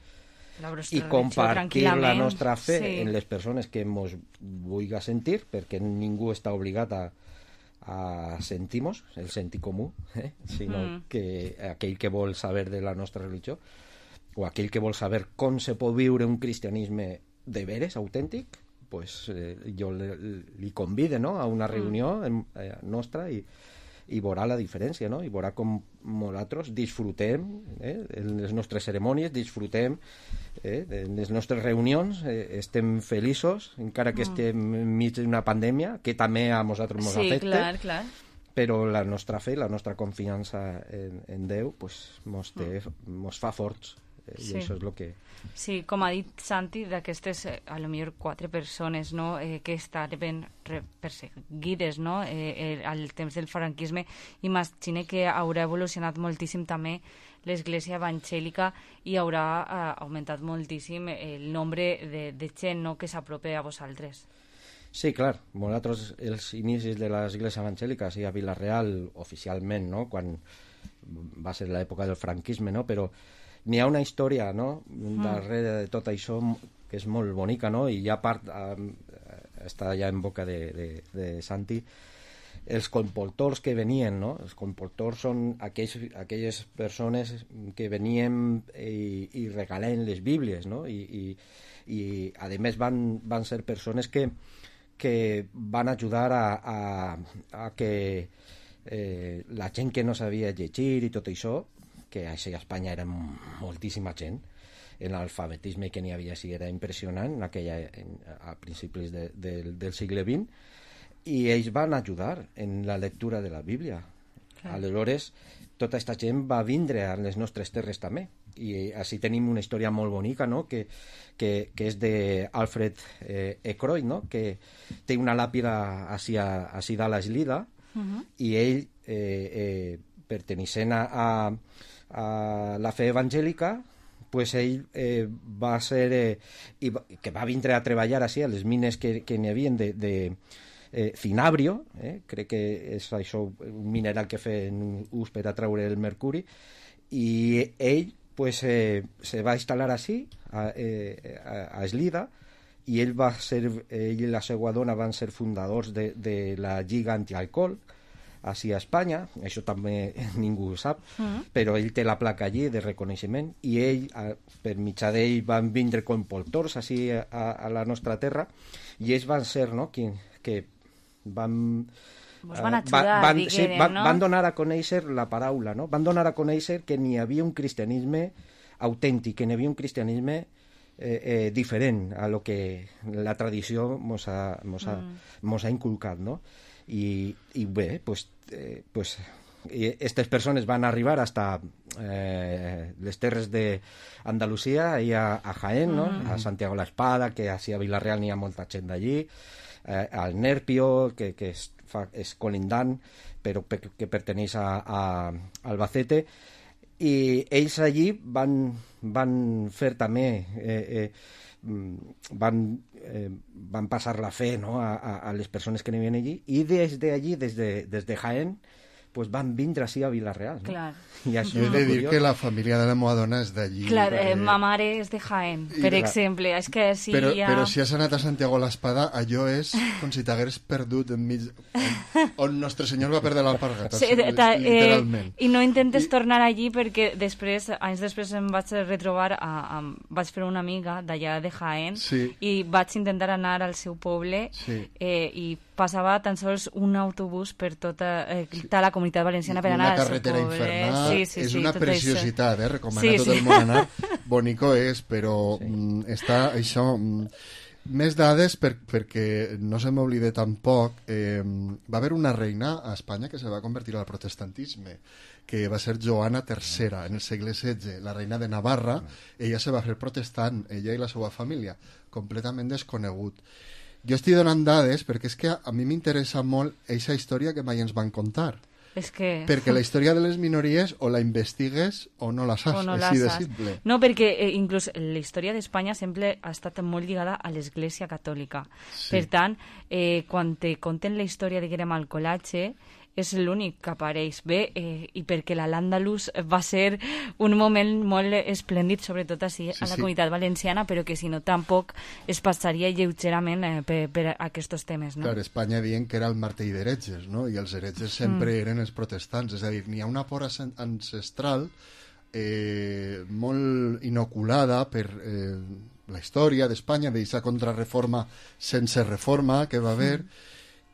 La i compartir la nostra fe sí. en les persones que mos vulgui sentir, perquè ningú està obligat a, a sentir-nos, el sentir comú, eh? sinó Mm. que aquell que vol saber de la nostra religió o aquell que vol saber com se pot viure un cristianisme de veres, autèntic, pues, eh, jo li, li convide, no?, a una reunió mm. eh, nostra i, i veurà la diferència, no?, i veurà com nosaltres disfrutem eh, en les nostres cerimònies, disfrutem eh, en les nostres reunions, eh, estem feliços, encara que mm. estem enmig d'una pandèmia, que també a nosaltres ens sí, afecta, clar, clar. però la nostra fe, la nostra confiança en, en Déu, pues, mos, té, mm. mos fa forts. Eh, Sí. I això és el que... Sí, com ha dit Santi, d'aquestes, eh, a lo millor quatre persones, no?, eh, que estaven re- perseguides, no?, eh, eh, al temps del franquisme, imagine que haurà evolucionat moltíssim també l'església evangèlica i haurà eh, augmentat moltíssim el nombre de, de gent, no?, que s'apropa a vosaltres. Sí, clar, nosaltres els inicis de l'església evangèlica, sí, a Vila-real, oficialment, no?, quan va ser l'època del franquisme, no?, però n'hi ha una història, no?, darrere de tot això que és molt bonica, no?, i ja part eh, està ja en boca de, de, de Santi, els comportors que venien, no?, els comportors són aquells, aquelles persones que venien i, i regalen les Bíblies, no?, i, i, i a més van, van ser persones que, que van ajudar a, a, a que eh, la gent que no sabia llegir i tot això, que a Espanya era moltíssima gent, l'alfabetisme que n'hi havia sí era impressionant en aquella, en, a principis de, de, del segle vint, i ells van ajudar en la lectura de la Bíblia. Clar. Aleshores, tota aquesta gent va vindre a les nostres terres també, i així tenim una història molt bonica, no?, que, que, que és d'Alfred eh, Ekroyd, no?, que té una làpida així, així dalt a Eslida, uh-huh. i ell, eh, eh, pertenecent a, a a la fe evangèlica, pues ell eh, va ser eh, i va, que va vindre a treballar així a les mines que, que n'hi havia de, de eh, cinabrio, eh, crec que és això un mineral que feien ús per a treure el mercuri, i ell pues, eh, se va instal·lar així a, eh, a, a Eslida, i ell va ser, ell i la seva dona van ser fundadors de, de la Lliga Antialcohol així a Espanya, això també ningú ho sap, mm. però ell té la placa allí de reconeixement, i ell, a, per mitjà d'ell, van vindre comportors així a, a la nostra terra, i ells van ser, no?, que, que van... Vos van ajudar, van, diguem, sí, van, no? van donar a conèixer la paraula, no? Van donar a conèixer que n'hi havia un cristianisme autèntic, que n'hi havia un cristianisme eh, eh, diferent a lo que la tradició mos ha, mos ha, mm. mos ha inculcat, no? I, i bé, pues, eh, pues aquestes persones van arribar hasta eh, les terres d'Andalusia i a, a Jaén, no? Mm. A Santiago la Espada, que així a Vila-real n'hi ha molta gent d'allí, eh, al Nerpio, que, que és, fa, és colindant, però pe, que perteneix a, a Albacete, i ells allí van, van fer també eh, eh, van, eh, van passar la fe, no?, a, a, a les persones que n'hi havien allí, i des d'allí, des de, des de Jaén, pues van vindre així a Vila-real. No? Clar. I això He de és dir curiós. que la família de la meva dona és d'allí. Clar, eh, eh, ma mare és de Jaén, I per la- exemple. És que si però, hi ha... però si has anat a Santiago l'Espada, allò és com si t'hagués perdut enmig... On, on Nostre Senyor va perdre l'alpargata, Sí, ta, eh, literalment. I no intentes I... tornar allí perquè després, anys després em vaig retrobar, a, a, vaig fer una amiga d'allà de Jaén Sí. i vaig intentar anar al seu poble Sí. eh, i passava tan sols un autobús per tota, eh, tota la comunitat valenciana per I anar una al seu carretera poble. infernal, Sí, sí, és sí, una tot preciositat, això. eh? Recomana Sí, a tot sí. el món anar. Bonico és, però sí. mm, està això... Mm, més dades per, perquè no se m'oblide tampoc, eh, va haver una reina a Espanya que se va convertir al protestantisme, que va ser Joana tercera en el segle setze, la reina de Navarra. Ella se va fer protestant, ella i la seva família, completament desconegut. Jo estic donant dades perquè és que a, a mi m'interessa molt aquesta història que mai ens van contar. És que... Perquè la història de les minories o la investigues o no la saps, O no és la així de saps. simple. No, perquè eh, inclús la història d'Espanya sempre ha estat molt lligada a l'Església Catòlica. Sí. Per tant, eh, quan te conten la història de Guerem al Colatge, és l'únic que apareix bé, eh, i perquè la l'Àndalus va ser un moment molt esplèndid, sobretot així Sí, a la sí. comunitat valenciana, però que si no tampoc es passaria lleugerament eh, per, per aquests temes, no? Clar, Espanya dient que era el martell d'heretges, no? I els heretges sempre Mm. eren els protestants, és a dir, n'hi ha una por ancen- ancestral eh, molt inoculada per eh, la història d'Espanya, d'aquesta contrarreforma sense reforma que va haver,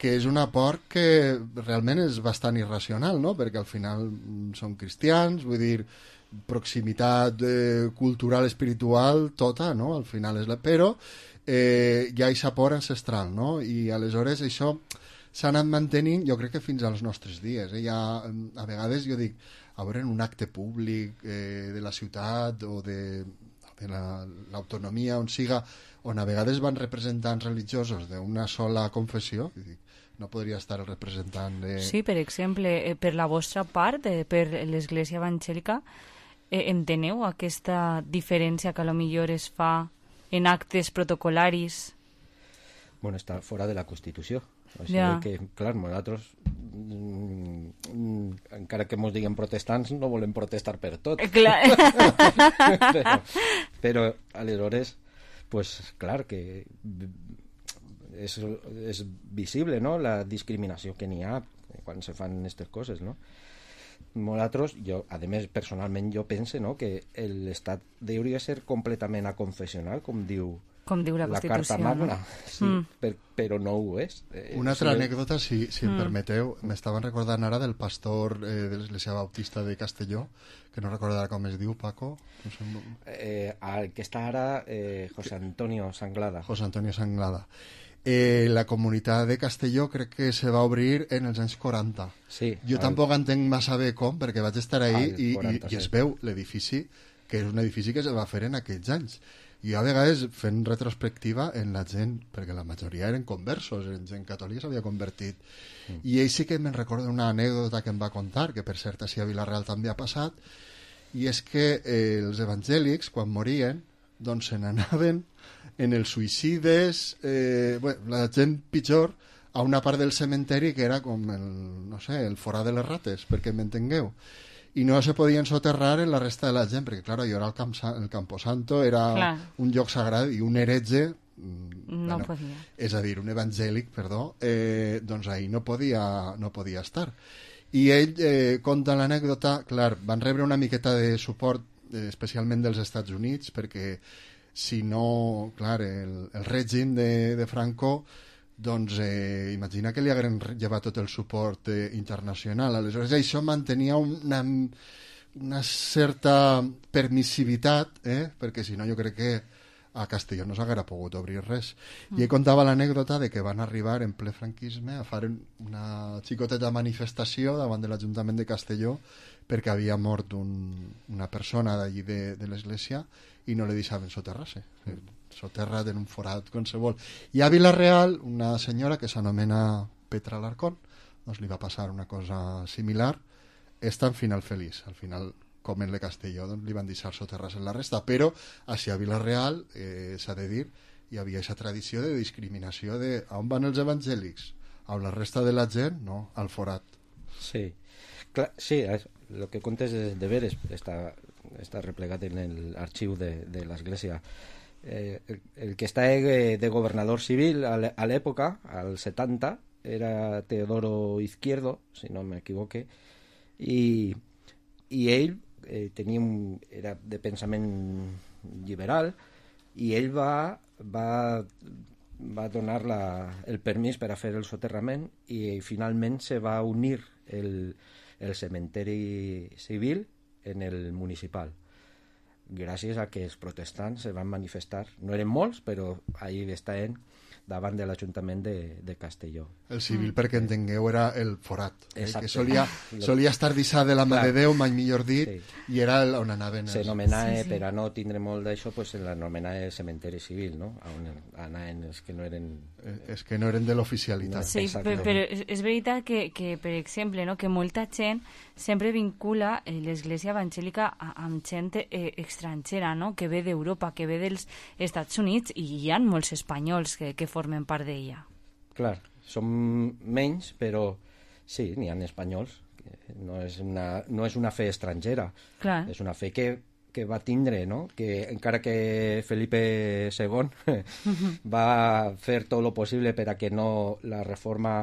que és una por que realment és bastant irracional, no? Perquè al final mm, són cristians, vull dir, proximitat eh, cultural, espiritual, tota, no? Al final és la... Però eh, hi ha aquesta por ancestral, no? I aleshores això s'ha anat mantenint, jo crec que fins als nostres dies. Eh? Ja, a vegades jo dic, a veure, en un acte públic eh, de la ciutat o de, de la- l'autonomia, on siga, on a vegades van representants religiosos d'una sola confessió, i dic, no podria estar el representant de... Sí, per exemple, eh, per la vostra part, eh, per l'Església Evangèlica, eh, enteneu aquesta diferència que a lo millor es fa en actes protocolaris? Bueno, està fora de la Constitució. O sigui Ja. que, clar, nosaltres, mm, mm, encara que mos diguem protestants, no volem protestar per tot. Eh, clar. però, però, aleshores, pues, clar, que és, és visible, no?, la discriminació que n'hi ha quan se fan aquestes coses, no? Nosaltres, jo, a més, personalment, jo pense, no?, que l'Estat hauria de ser completament aconfessional, com diu Com diu la Constitució, Carta Magna, no? sí, Mm. per, però no ho és. Eh, Una altra sí, anècdota, si, si em Mm. permeteu, m'estaven recordant ara del pastor eh, de l'Església Bautista de Castelló, que no recordarà com es diu, Paco. No sé, eh, el que està ara, eh, José Antonio Sanglada. José Antonio Sanglada. Eh, la comunitat de Castelló crec que se va obrir en els anys quaranta. Sí, jo al- tampoc entenc massa bé com, perquè vaig estar ahí al i, quaranta, i, i es sí. veu l'edifici, que és un edifici que se va fer en aquells anys. I a vegades fent retrospectiva en la gent, perquè la majoria eren conversos, en gent catòlica s'havia convertit. Mm. I ell sí que me'n recorda una anècdota que em va contar, que per cert així a Vila-real també ha passat, i és que eh, els evangèlics, quan morien, doncs se n'anaven en els suïcides, eh, bueno, la gent pitjor, a una part del cementeri que era com el, no sé, el forà de les rates, perquè m'entengueu. I no se podien soterrar en la resta de la gent, perquè, clar, jo era el, camp, el Camposanto, era Clar. un lloc sagrat, i un heretge, No podia. és a dir, un evangèlic, perdó, eh, doncs ahí no podia, no podia estar. I ell eh, conta l'anècdota, clar, van rebre una miqueta de suport, eh, especialment dels Estats Units, perquè si no, clar, el, el règim de, de Franco, doncs eh, imagina que li hagueren llevat tot el suport eh, internacional. Aleshores això mantenia una, una certa permissivitat, eh? Perquè si no jo crec que a Castelló no s'haguera pogut obrir res. Mm. I ell contava l'anècdota de que van arribar en ple franquisme a fer una xicoteta manifestació davant de l'Ajuntament de Castelló perquè havia mort un, una persona d'allí de, de l'església i no li deixaven soterrar-se. Mm. Soterrat en un forat qualsevol. I a Vila-real, una senyora que s'anomena Petra Alarcón, doncs li va passar una cosa similar. Està en final feliç. Al final, com en le Castelló, doncs li van deixar soterrar-se en la resta. Però, així a Vila-real, eh, s'ha de dir, hi havia aquesta tradició de discriminació de on van els evangèlics? A la resta de la gent? No, al forat. Sí, clar, sí, el que contes de, de veres està, està replegat en l'arxiu de, de l'Església. Eh, el, el que està de, de governador civil a l'època, al setanta, era Teodoro Izquierdo, si no m'equivoque, i, i ell eh, tenia un, era de pensament liberal, i ell va, va, va donar la, el permís per a fer el soterrament, i finalment se va unir el, el cementeri civil en el municipal, gràcies a que els protestants se van manifestar. No eren molts, però ahí estaven davant de l'Ajuntament de, de Castelló. El civil, mm. perquè entengueu, era el forat, eh, que Exacte. solia, solia estar dissat de la mà de Déu, mai millor dit, Sí. i era el, on anaven els... S'anomenava, Sí, sí. per a no tindre molt d'això, pues, l'anomenava el cementeri civil, no? On anaven els que no eren... És que no eren de l'oficialitat. Sí, però, però és, és veritat que, que, per exemple, no, que molta gent sempre vincula eh, l'Església Evangèlica a, amb gent eh, estrangera, no? Que ve d'Europa, que ve dels Estats Units, i hi ha molts espanyols que, que formen part d'ella. Clar, som menys, però sí, n'hi ha espanyols. No és una, no és una fe estrangera. Clar. És una fe que, que va tindre, no? Que encara que Felipe segon va fer tot el possible per a que no la reforma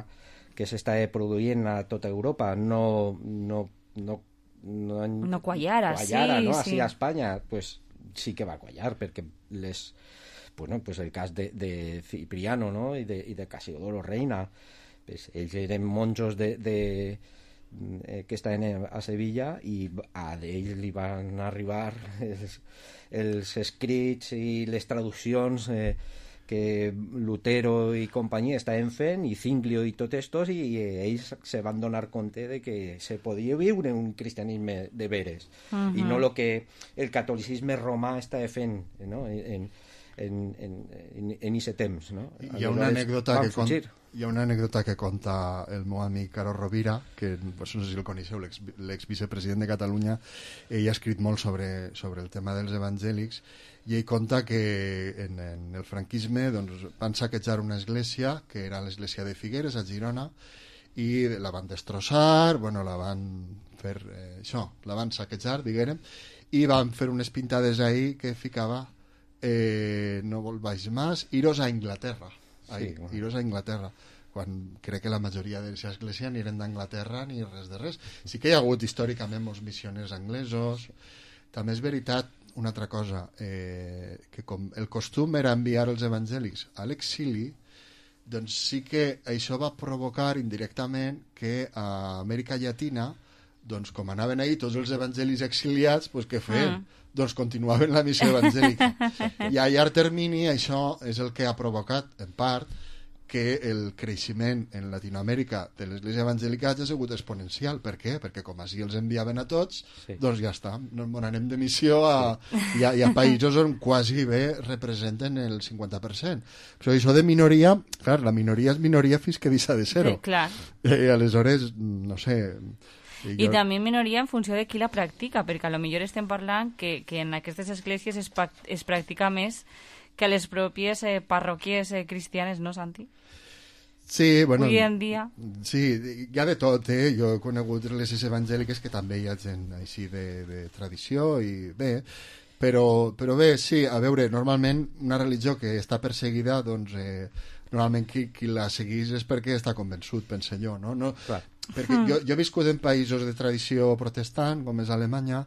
que s'està produint a tota Europa no no, no, no, No quallara, quallara, sí, no? sí. Així a Espanya, pues, sí que va quallar, perquè les, bueno, pues el cas de, de Cipriano, no? I de, i de Casiodoro Reina, pues, ells eren monjos de, de, eh, que estaven a Sevilla, i a d'ells li van arribar els, els escrits i les traduccions eh, que Lutero i companyia estaven fent, i Zinglio i tots estos, i ells se van donar compte de que se podia viure un cristianisme de veres, uh-huh. i no el que el catolicisme romà estava fent, no? en en en en en ese temps, no? Hi ha una anècdota que con, hi ha una anècdota que conta el meu amic Caro Rovira, que pues, no sé si el coneixeu, l'ex, l'exvicepresident de Catalunya. Ell ha escrit molt sobre, sobre el tema dels evangèlics, i ell conta que en, en el franquisme doncs, van saquejar una església, que era l'església de Figueres, a Girona, i la van destrossar, bueno, la van fer eh, això, la van saquejar, diguem, i van fer unes pintades ahí que ficava eh, no volváis más, iros a Inglaterra. Ahí, sí, bueno. Iros a Inglaterra, quan crec que la majoria de l'església ni eren d'Anglaterra ni res de res. Sí que hi ha hagut històricament molts missioners anglesos. També és veritat una altra cosa, eh, que com el costum era enviar els evangèlics a l'exili, doncs sí que això va provocar indirectament que a Amèrica Llatina, doncs com anaven ahí tots els evangelis exiliats, doncs què feien? Mm. Doncs continuaven la missió evangèlica. I a llarg termini això és el que ha provocat, en part, que el creixement en Latinoamèrica de l'església evangèlica hagi sigut exponencial. Per què? Perquè com així els enviaven a tots, sí. doncs ja està, no anem de missió a, sí. i, a, i a països on quasi bé representen el cinquanta per cent. Però això de minoria, clar, la minoria és minoria fins que deixa de ser-ho. Sí, clar. I aleshores, no sé... I, jo... I també minoria en funció de qui la practica, perquè a lo millor estem parlant que, que en aquestes esglésies es, es practica més que a les pròpies eh, parròquies eh, cristianes, no, Santi? Sí, bueno... Avui en dia... Sí, hi ha de tot, eh? Jo he conegut les evangèliques que també hi ha gent així de, de tradició i bé, però, però bé, sí, a veure, normalment una religió que està perseguida, doncs... Eh, normalment qui, qui la seguís és perquè està convençut, pense jo, no? no Clar. Perquè jo, jo he viscut en països de tradició protestant, com és Alemanya,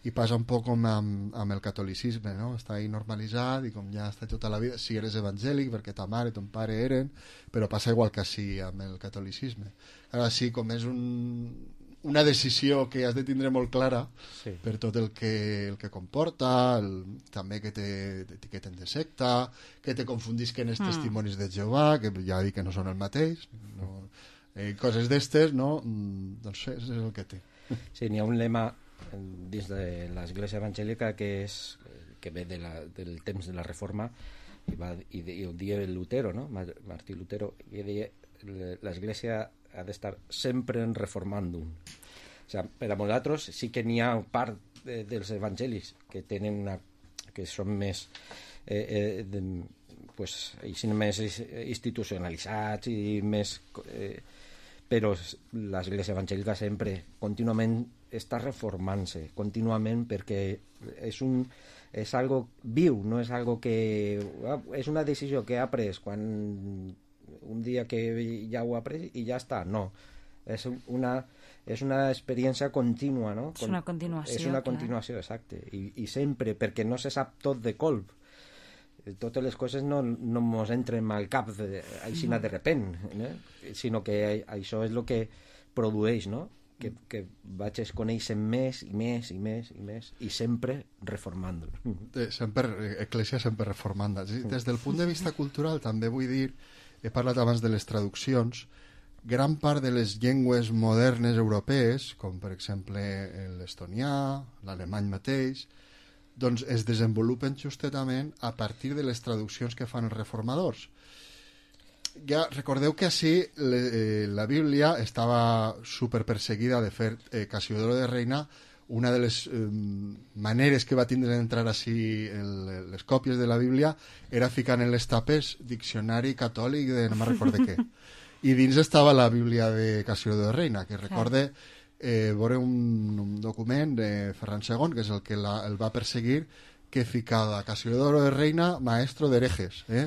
i passa un poc com amb, amb el catolicisme, no? Està ahí normalitzat i com ja està tota la vida, si eres evangèlic perquè ta mare i ton pare eren, però passa igual que així amb el catolicisme. Ara sí, com és un, una decisió que has de tindre molt clara, sí. per tot el que, el que comporta, el, també que t'etiqueten de secta, que te confundisquen els mm. testimonis de Jehovà, que ja dic que no són el mateix, no, eh, coses d'estes, no? Doncs és el que té. Sí, n'hi ha un lema dins de l'església evangèlica que és que ve de la, del temps de la Reforma i, va, i, de, i el dia de Lutero, no? Martí Lutero, i deia l'església ha d'estar sempre en reformàndum. O sigui, per a nosaltres sí que n'hi ha part de, dels evangèlics que tenen una, que són més eh, eh, de, pues, així més institucionalitzats i més eh, però l'Església Evangèlica sempre, contínuament, està reformant-se, contínuament, perquè és un és algo viu, no és algo que... és una decisió que ha pres quan un dia que ja ho ha pres i ja està, no. És una, és una experiència contínua, no? És una continuació. És una continuació, clar. Exacte. I, I sempre, perquè no se sap tot de colp. Totes les coses no, no mos entren al cap de, així no. de repent, eh? Sinó que això és el que produeix, no? Que, que vaig conèixer més i més i més i més i sempre reformant. Sempre, Eclésia sempre reformant. Des del punt de vista cultural també vull dir, he parlat abans de les traduccions, gran part de les llengües modernes europees, com per exemple l'estonià, l'alemany mateix, doncs es desenvolupen justament a partir de les traduccions que fan els reformadors. Ja recordeu que així le, eh, la Bíblia estava superperseguida. De fet, eh, Casiodoro de Reina, una de les eh, maneres que va tindre d'entrar així el, les còpies de la Bíblia era ficant en les tapes diccionari catòlic de no me'n recordo què. I dins estava la Bíblia de Casiodoro de Reina, que recorde... Eh, veure un, un document de Ferran segon, que és el que la, el va perseguir, que ficava Casiodoro de Reina, maestro d'herejes. Eh?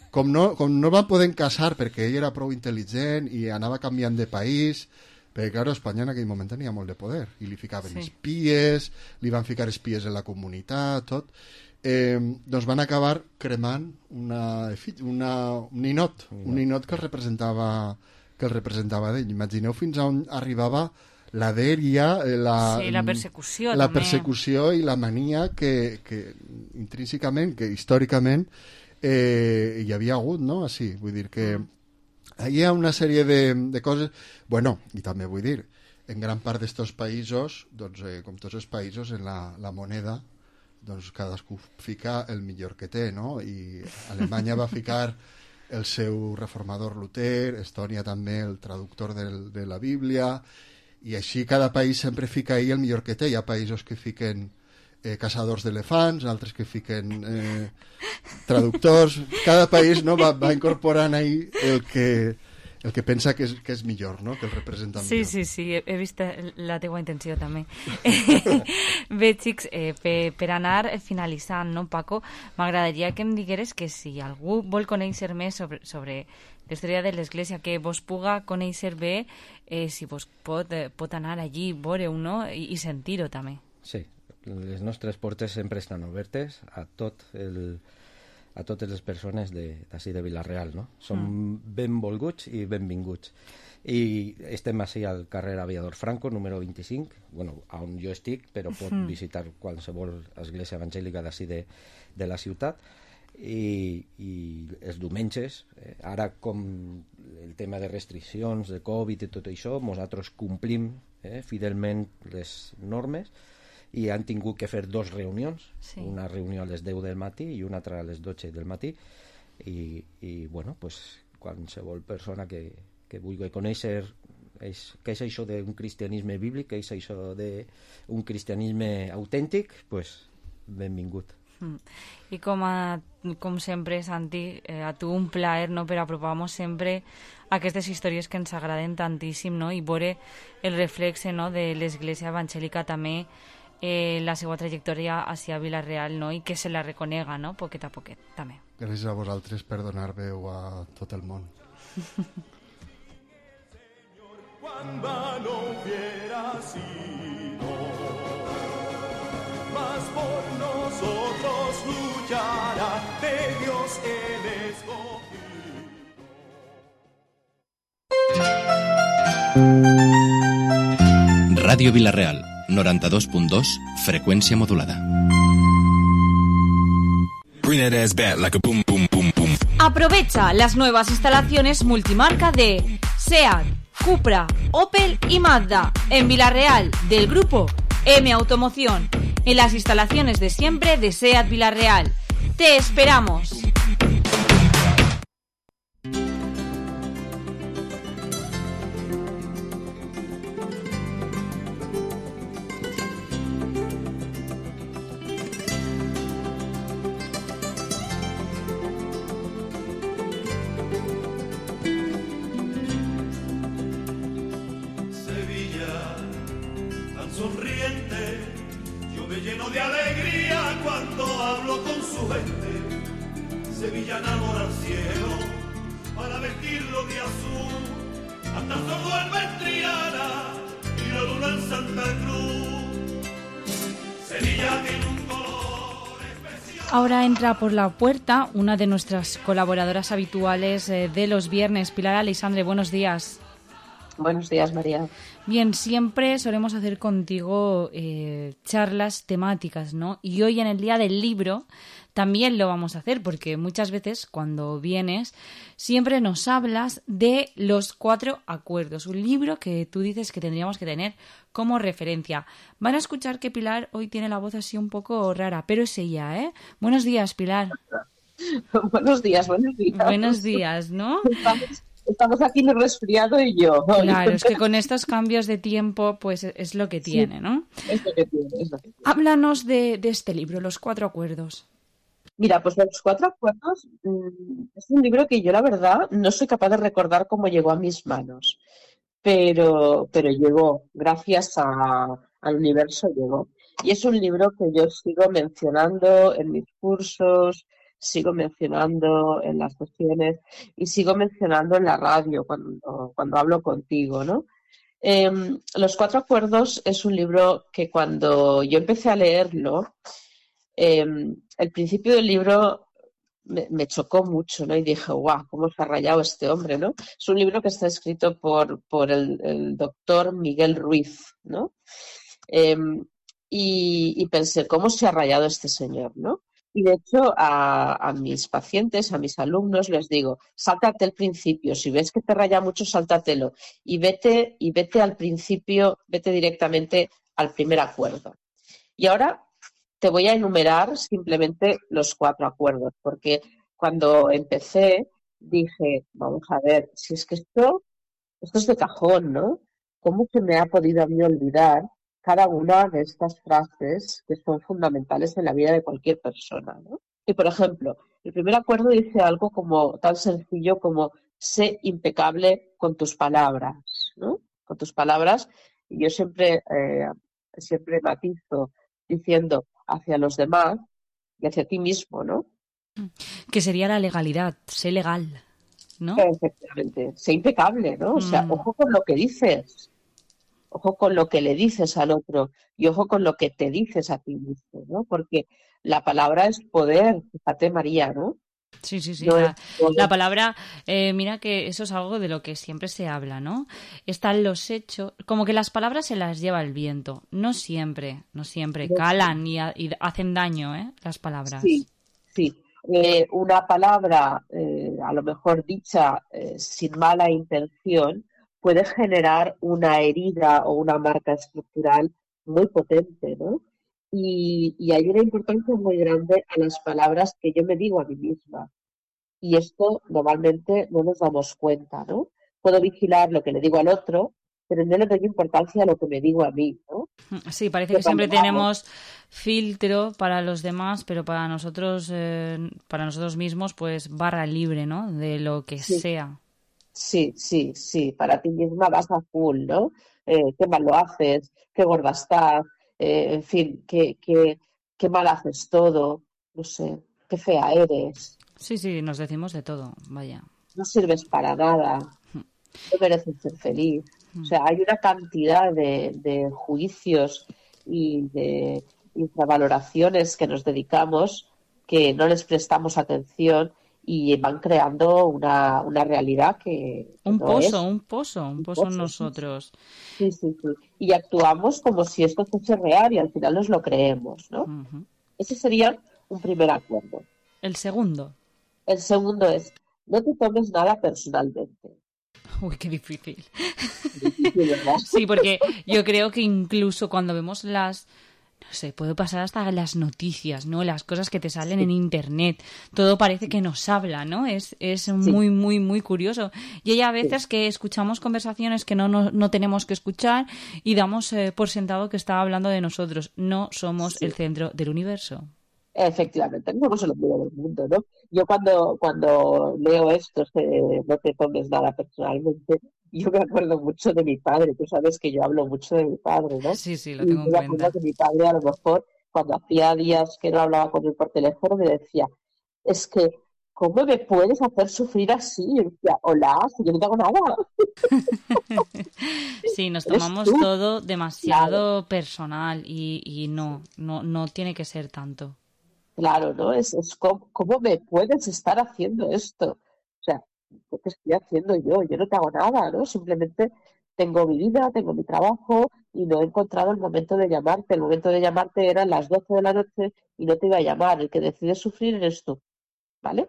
Com, no, com no van poder casar perquè ell era prou intel·ligent i anava canviant de país, perquè, clar, Espanya en aquell moment tenia molt de poder, i li ficaven sí. espies, li van ficar espies en la comunitat, tot. Eh, doncs van acabar cremant una, una, un ninot, un ninot que el representava, que el representava d'ell. Imagineu fins a on arribava la dèria, la, sí, la persecució, la també. persecució i la mania que, que intrínsecament, que històricament eh, hi havia hagut, no? Així, vull dir que hi ha una sèrie de, de coses... Bueno, i també vull dir, en gran part d'estos països, doncs, eh, com tots els països, en la, la moneda, doncs cadascú fica el millor que té, no? I Alemanya va ficar el seu reformador Luter, Estònia també el traductor del, de la Bíblia, i així cada país sempre fica ahí el millor que té. Hi ha països que fiquen eh, caçadors d'elefants, altres que fiquen eh, traductors. Cada país, no, va, va incorporant ahí el que, el que pensa que és, que és millor, no? Que el representa sí, millor. Sí, sí, he, he vist la teua intenció també. Bé, xics, eh, per, per anar finalitzant, no, Paco, m'agradaria que em digueres que si algú vol conèixer més sobre, sobre la història de l'Església, que vos puga conèixer bé, eh, si vos pot, eh, pot anar allí, veure-ho, no? I, i sentir-ho també. Sí, les nostres portes sempre estan obertes a tot el, a totes les persones d'ací de, de Vila-real, no? Som mm. benvolguts i benvinguts. I estem així al carrer Aviador Franco, número vint-i-cinc, bueno, on jo estic, però pot mm. visitar qualsevol església evangèlica d'ací de, de la ciutat. I, i els diumenges, eh, ara com el tema de restriccions, de Covid i tot això, nosaltres complim eh, fidelment les normes i han tingut que fer dos reunions, sí. Una reunió a les deu del matí i una altra a les dotze del matí i, i bueno, pues, qualsevol persona que, que vulgui conèixer és, què és això d'un cristianisme bíblic, què és això d'un cristianisme autèntic, pues, benvingut. Mm. I com, a, com sempre, Santi, eh, a tu un plaer, no?, per apropar-nos sempre aquestes històries que ens agraden tantíssim, no?, i veure el reflexe, no?, de l'Església Evangèlica també, eh, la seva trajectòria hacia Vila-real, no?, i que se la reconega, no?, poquet a poquet, també. Gràcies a vosaltres per donar veu a tot el món. Cuando no hubiera sido más por nosotros luchará de Dios el escogido. Radio Vila-real, noranta-dos punt dos, freqüència modulada. Aprovecha las nuevas instalaciones multimarca de SEAT, Cupra, Opel y Mazda en Vila-real del grupo M Automoción, en las instalaciones de siempre de SEAT Vila-real. ¡Te esperamos! sonriente. Yo me lleno de alegría cuando hablo con su gente. Sevilla enamora al cielo para vestirlo de azul. Hasta se vuelve en Triana y la luna en Santa Cruz. Sevilla tiene un color especial. Ahora entra por la puerta una de nuestras colaboradoras habituales eh, de los viernes, Pilar Aleixandre. Buenos días. Buenos días, María. Bien, siempre solemos hacer contigo eh, charlas temáticas, ¿no? Y hoy en el Día del Libro también lo vamos a hacer, porque muchas veces cuando vienes siempre nos hablas de los cuatro acuerdos, un libro que tú dices que tendríamos que tener como referencia. Van a escuchar que Pilar hoy tiene la voz así un poco rara, pero es ella, ¿eh? Buenos días, Pilar. Buenos días, buenos días. Buenos días, ¿no? Estamos, estamos aquí en el resfriado y yo. Claro, es que con estos cambios de tiempo, pues es lo que tiene, ¿no? Es lo que tiene, es lo que tiene. Háblanos de, de este libro, Los Cuatro Acuerdos. Mira, pues Los Cuatro Acuerdos mmm, es un libro que yo, la verdad, no soy capaz de recordar cómo llegó a mis manos, pero, pero llegó, gracias a, al universo llegó. Y es un libro que yo sigo mencionando en mis cursos, sigo mencionando en las sesiones y sigo mencionando en la radio cuando, cuando hablo contigo, ¿no? Eh, Los Cuatro Acuerdos es un libro que cuando yo empecé a leerlo, eh, el principio del libro me, me chocó mucho, ¿no? Y dije, guau, cómo se ha rayado este hombre, ¿no? Es un libro que está escrito por, por el, el doctor Miguel Ruiz, ¿no? Eh, y, y pensé, ¿cómo se ha rayado este señor, ¿no? Y de hecho a, a mis pacientes, a mis alumnos les digo, sáltate el principio, si ves que te raya mucho, sáltatelo y vete, y vete al principio, vete directamente al primer acuerdo. Y ahora te voy a enumerar simplemente los cuatro acuerdos, porque cuando empecé dije, vamos a ver, si es que esto, esto es de cajón, ¿no? ¿Cómo se me ha podido a mí olvidar cada una de estas frases que son fundamentales en la vida de cualquier persona, ¿no? Y, por ejemplo, el primer acuerdo dice algo como tan sencillo como sé impecable con tus palabras, ¿no? Con tus palabras. Y yo siempre, eh, siempre matizo diciendo hacia los demás y hacia ti mismo, ¿no? Que sería la legalidad, sé legal, ¿no? Efectivamente, sé impecable, ¿no? O sea, Mm. ojo con lo que dices. Ojo con lo que le dices al otro y ojo con lo que te dices a ti mismo, ¿no? Porque la palabra es poder, fíjate, María, ¿no? Sí, sí, sí. No La, es poder. la palabra, eh, mira que eso es algo de lo que siempre se habla, ¿no? Están los hechos, como que las palabras se las lleva el viento. No siempre, no siempre. No. Calan y, ha- y hacen daño, ¿eh? Las palabras. Sí, sí. Eh, una palabra, eh, a lo mejor dicha eh, sin mala intención, puede generar una herida o una marca estructural muy potente, ¿no? Y, y hay una importancia muy grande a las palabras que yo me digo a mí misma. Y esto normalmente no nos damos cuenta, ¿no? Puedo vigilar lo que le digo al otro, pero no le doy importancia a lo que me digo a mí, ¿no? Sí, parece Que que siempre cuando tenemos filtro para los demás, pero para nosotros, eh, para nosotros mismos, pues barra libre, ¿no? De lo que Sí. sea. Sí, sí, sí, para ti misma vas a full, ¿no? Eh, qué mal lo haces, qué gorda estás, eh, en fin, qué, qué, qué mal haces todo, no sé, qué fea eres, Sí, sí, nos decimos de todo, vaya. no sirves para nada, no mereces ser feliz. O sea, hay una cantidad de, de juicios y de infravaloraciones que nos dedicamos que no les prestamos atención y van creando una, una realidad que Un no pozo, es. un pozo, un pozo en pozo, sí. nosotros. Sí, sí, sí. Y actuamos como si esto fuese real y al final nos lo creemos, ¿no? Ujú. Ese sería un primer acuerdo. El segundo. El segundo es, no te tomes nada personalmente. Uy, qué difícil. Difícil, ¿verdad? Sí, porque yo creo que incluso cuando vemos las, no sé, puede pasar hasta las noticias, ¿no? Las cosas que te salen en internet. Todo parece que nos habla, ¿no? Es, es muy, muy, muy curioso. Y hay a veces que escuchamos conversaciones que no, no, no tenemos que escuchar y damos eh, por sentado que está hablando de nosotros. No somos Sí. el centro del universo. Efectivamente, no somos el ombligo del mundo, ¿no? Yo cuando, cuando leo esto, eh, no te tomes nada personalmente, yo me acuerdo mucho de mi padre, tú sabes que yo hablo mucho de mi padre, ¿no? Sí, sí, lo Y tengo en yo me acuerdo cuenta. que mi padre a lo mejor, cuando hacía días que no hablaba con él por teléfono, me decía, es que, ¿cómo me puedes hacer sufrir así? Y yo decía, hola, si yo no tengo nada. Sí, nos Eres tomamos tú. todo demasiado personal y, y no, no, no tiene que ser tanto. Claro, ¿no? Es, es como, ¿cómo me puedes estar haciendo esto? O sea, ¿qué estoy haciendo yo? Yo no te hago nada, ¿no? Simplemente tengo mi vida, tengo mi trabajo y no he encontrado el momento de llamarte. El momento de llamarte eran las doce de la noche y no te iba a llamar. El que decide sufrir eres tú, ¿vale?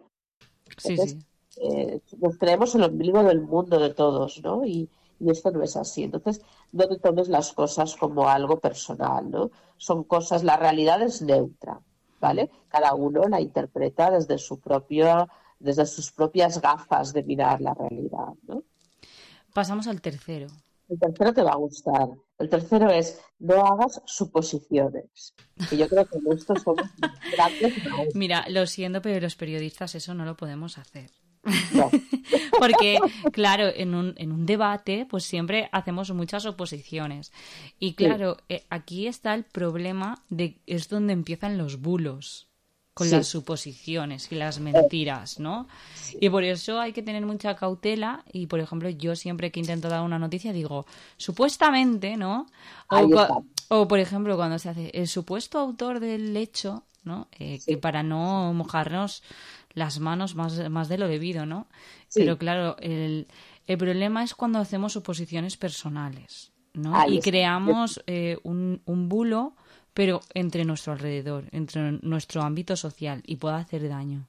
Sí, Entonces, sí. eh, nos creemos el ombligo del mundo de todos, ¿no? Y, y esto no es así. Entonces, no te tomes las cosas como algo personal, ¿no? Son cosas, la realidad es neutra, ¿vale? Cada uno la interpreta desde su propio, desde sus propias gafas de mirar la realidad, ¿no? Pasamos al tercero. El tercero te va a gustar. El tercero es no hagas suposiciones. Que yo creo que en esto somos grandes maestros. Mira, lo siento, pero los periodistas eso no lo podemos hacer. No. Porque, claro, en un, en un debate, pues siempre hacemos muchas oposiciones. Y claro, eh, aquí está el problema de es donde empiezan los bulos, con Sí. las suposiciones y las mentiras, ¿no? Y por eso hay que tener mucha cautela. Y, por ejemplo, yo siempre que intento dar una noticia digo, supuestamente, ¿no? O, Ahí cua- está. o, por ejemplo, cuando se hace el supuesto autor del hecho, ¿no? Eh, que para no mojarnos las manos más, más de lo debido, ¿no? Sí. Pero claro, el, el problema es cuando hacemos suposiciones personales, ¿no? Ahí Y está. creamos eh, un, un bulo, pero entre nuestro alrededor, entre nuestro ámbito social, y puede hacer daño.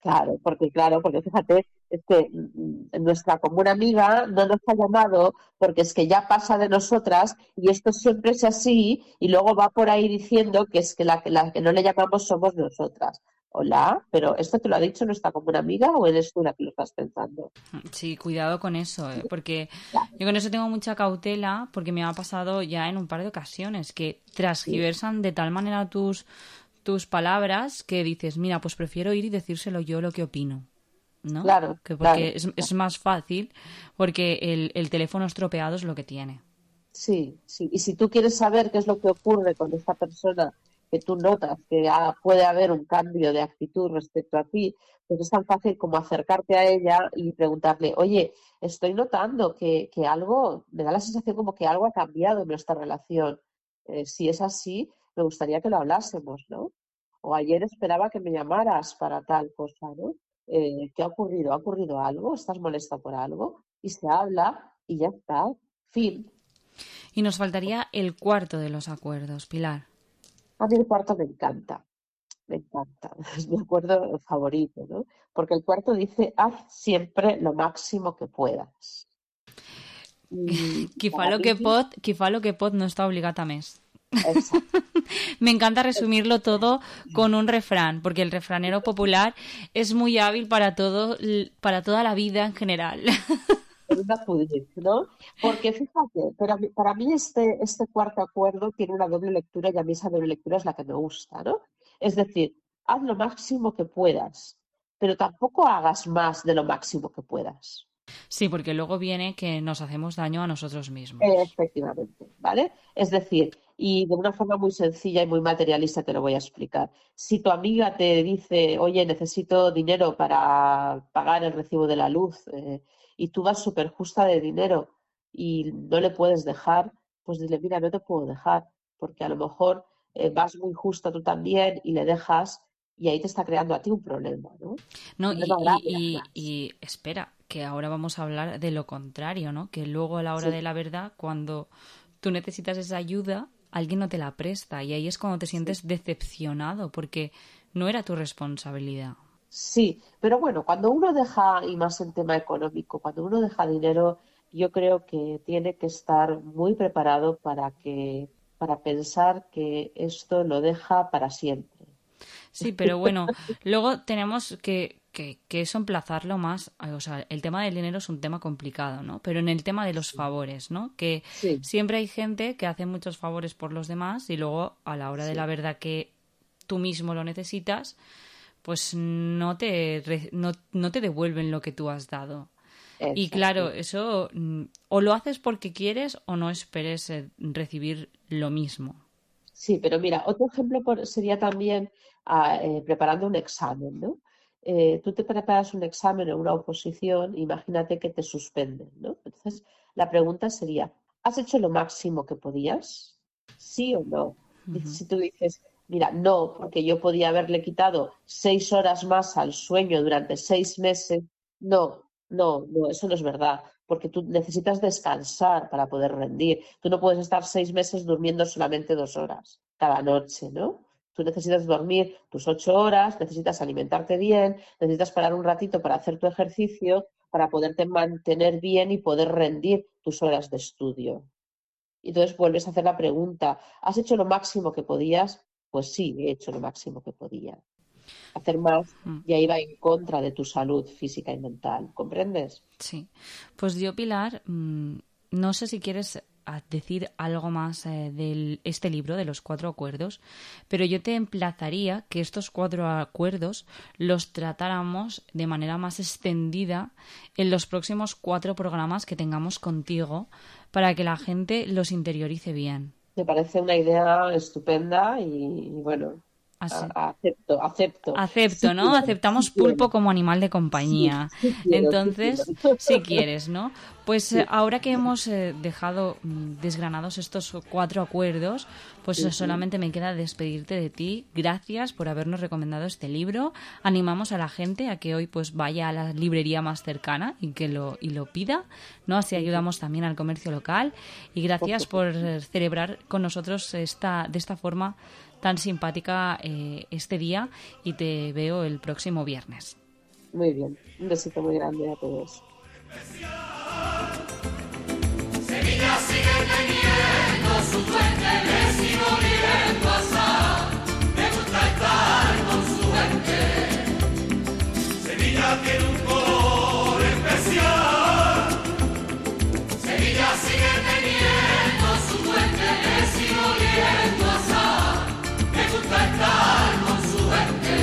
Claro, porque claro, porque fíjate, es que mm, nuestra común amiga no nos ha llamado porque es que ya pasa de nosotras y esto siempre es así y luego va por ahí diciendo que es que la, que la que no le llamamos somos nosotras. Hola, pero ¿esto te lo ha dicho nuestra común amiga o eres tú la que lo estás pensando? Sí, cuidado con eso, ¿eh? Porque yo con eso tengo mucha cautela, porque me ha pasado ya en un par de ocasiones que transgiversan de tal manera tus, tus palabras que dices, mira, pues prefiero ir y decírselo yo lo que opino, ¿no? Claro, Que porque claro. es, es más fácil, porque el, el teléfono estropeado es lo que tiene. Sí, sí. Y si tú quieres saber qué es lo que ocurre con esta persona que tú notas que ah, puede haber un cambio de actitud respecto a ti, pues es tan fácil como acercarte a ella y preguntarle, oye, estoy notando que, que algo, me da la sensación como que algo ha cambiado en nuestra relación. Eh, si es así, me gustaría que lo hablásemos, ¿no? O ayer esperaba que me llamaras para tal cosa, ¿no? Eh, ¿qué ha ocurrido? ¿Ha ocurrido algo? ¿Estás molesta por algo? Y se habla y ya está. Fin. Y nos faltaría el cuarto de los acuerdos, Pilar. A mí el cuarto me encanta, me encanta, es mi acuerdo favorito, ¿no? Porque el cuarto dice, haz siempre lo máximo que puedas. Y Qui fa para lo que mí- pot, qui fa lo que pot no está obligada a més. Exacto. Me encanta resumirlo todo con un refrán, porque el refranero popular es muy hábil para todo, para toda la vida en general. En una pudrir, ¿no? Porque fíjate, para mí, para mí este, este cuarto acuerdo tiene una doble lectura y a mí esa doble lectura es la que me gusta, ¿no? Es decir, haz lo máximo que puedas, pero tampoco hagas más de lo máximo que puedas. Sí, porque luego viene que nos hacemos daño a nosotros mismos. Efectivamente, ¿vale? Es decir, y de una forma muy sencilla y muy materialista te lo voy a explicar. Si tu amiga te dice, oye, necesito dinero para pagar el recibo de la luz, eh, y tú vas súper justa de dinero y no le puedes dejar, pues dile, mira, no te puedo dejar, porque a lo mejor eh, vas muy justa tú también y le dejas y ahí te está creando a ti un problema, ¿no? No, Un y, problema grave, y, y, además. y espera, que ahora vamos a hablar de lo contrario, ¿no? Que luego a la hora Sí. de la verdad, cuando tú necesitas esa ayuda, alguien no te la presta y ahí es cuando te sientes decepcionado porque no era tu responsabilidad. Sí, pero bueno, cuando uno deja, y más en tema económico, cuando uno deja dinero, yo creo que tiene que estar muy preparado para que, para pensar que esto lo deja para siempre. Sí, pero bueno, luego tenemos que, que, que eso emplazarlo más, o sea, el tema del dinero es un tema complicado, ¿no? Pero en el tema de los favores, ¿no? Que Sí. siempre hay gente que hace muchos favores por los demás y luego a la hora de Sí. la verdad que tú mismo lo necesitas, pues no te, re- no, no te devuelven lo que tú has dado. Y claro, eso o lo haces porque quieres o no esperes recibir lo mismo. Sí, pero mira, otro ejemplo por, sería también uh, eh, preparando un examen, ¿no? Eh, tú te preparas un examen o una oposición, imagínate que te suspenden, ¿no? Entonces, la pregunta sería, ¿has hecho lo máximo que podías? ¿Sí o no? Uh-huh. Si tú dices, mira, no, porque yo podía haberle quitado seis horas más al sueño durante seis meses, no, no, no, eso no es verdad, porque tú necesitas descansar para poder rendir. Tú no puedes estar seis meses durmiendo solamente dos horas cada noche, ¿no? Tú necesitas dormir tus ocho horas, necesitas alimentarte bien, necesitas parar un ratito para hacer tu ejercicio, para poderte mantener bien y poder rendir tus horas de estudio. Y entonces vuelves a hacer la pregunta, ¿has hecho lo máximo que podías? Pues sí, he hecho lo máximo que podía. Hacer más ya iba en contra de tu salud física y mental, ¿comprendes? Sí. Pues yo, Pilar, no sé si quieres decir algo más eh, de este libro, de los cuatro acuerdos, pero yo te emplazaría que estos cuatro acuerdos los tratáramos de manera más extendida en los próximos cuatro programas que tengamos contigo para que la gente los interiorice bien. Me parece una idea estupenda y, y bueno... Así. Acepto, acepto. Acepto, ¿no? Sí, Aceptamos sí, pulpo sí. como animal de compañía. Sí, sí quiero, Entonces, sí si quieres, ¿no? Pues sí. ahora que hemos eh, dejado desgranados estos cuatro acuerdos, pues sí, solamente sí. me queda despedirte de ti. Gracias por habernos recomendado este libro. Animamos a la gente a que hoy pues vaya a la librería más cercana y que lo y lo pida, ¿no? Así ayudamos también al comercio local. Y gracias por celebrar con nosotros esta de esta forma tan simpática eh, este día y te veo el próximo viernes. Muy bien, un besito muy grande a todos. Sevilla sigue teniendo su fuente, me sigo viendo asar, me gusta estar con su gente. Sevilla tiene un color especial, Sevilla sigue teniendo su fuente, me sigo viendo asar. Estar con su gente.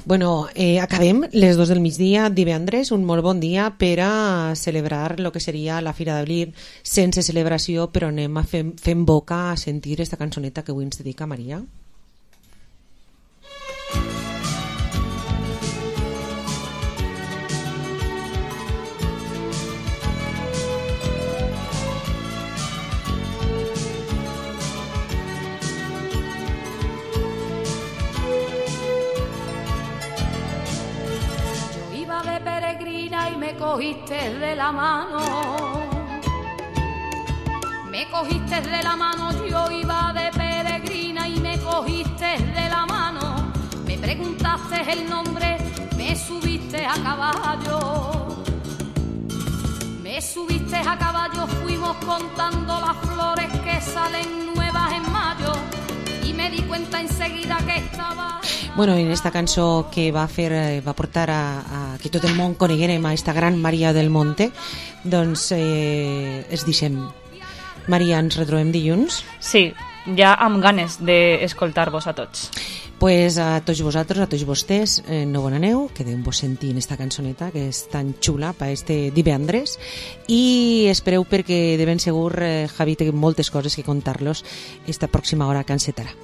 Bueno, eh, acabem les dos del migdia, divendres, un molt bon dia per a celebrar el que seria la Fira d'Abril sense celebració, però anem a fer, fent boca a sentir esta cançoneta que avui ens dedica Maria. Me cogiste de la mano, me cogiste de la mano, yo iba de peregrina y me cogiste de la mano, me preguntaste el nombre, me subiste a caballo, me subiste a caballo, fuimos contando las flores que salen nuevas en mayo y me di cuenta enseguida que estaba... Bueno, en esta cançó que va fer va portar a, a que tot el món coneguérem a esta gran Maria del Monte, doncs eh, es deixem. Maria, ens retrobem dilluns? Sí, ja amb ganes d'escoltar-vos a tots. Pues a tots vosaltres, a tots vostès, eh, no bon aneu, quedem-vos sentint esta cançoneta que és tan xula per este divendres i espereu perquè de ben segur eh, Javi té moltes coses que contar-los esta pròxima hora que encetarà.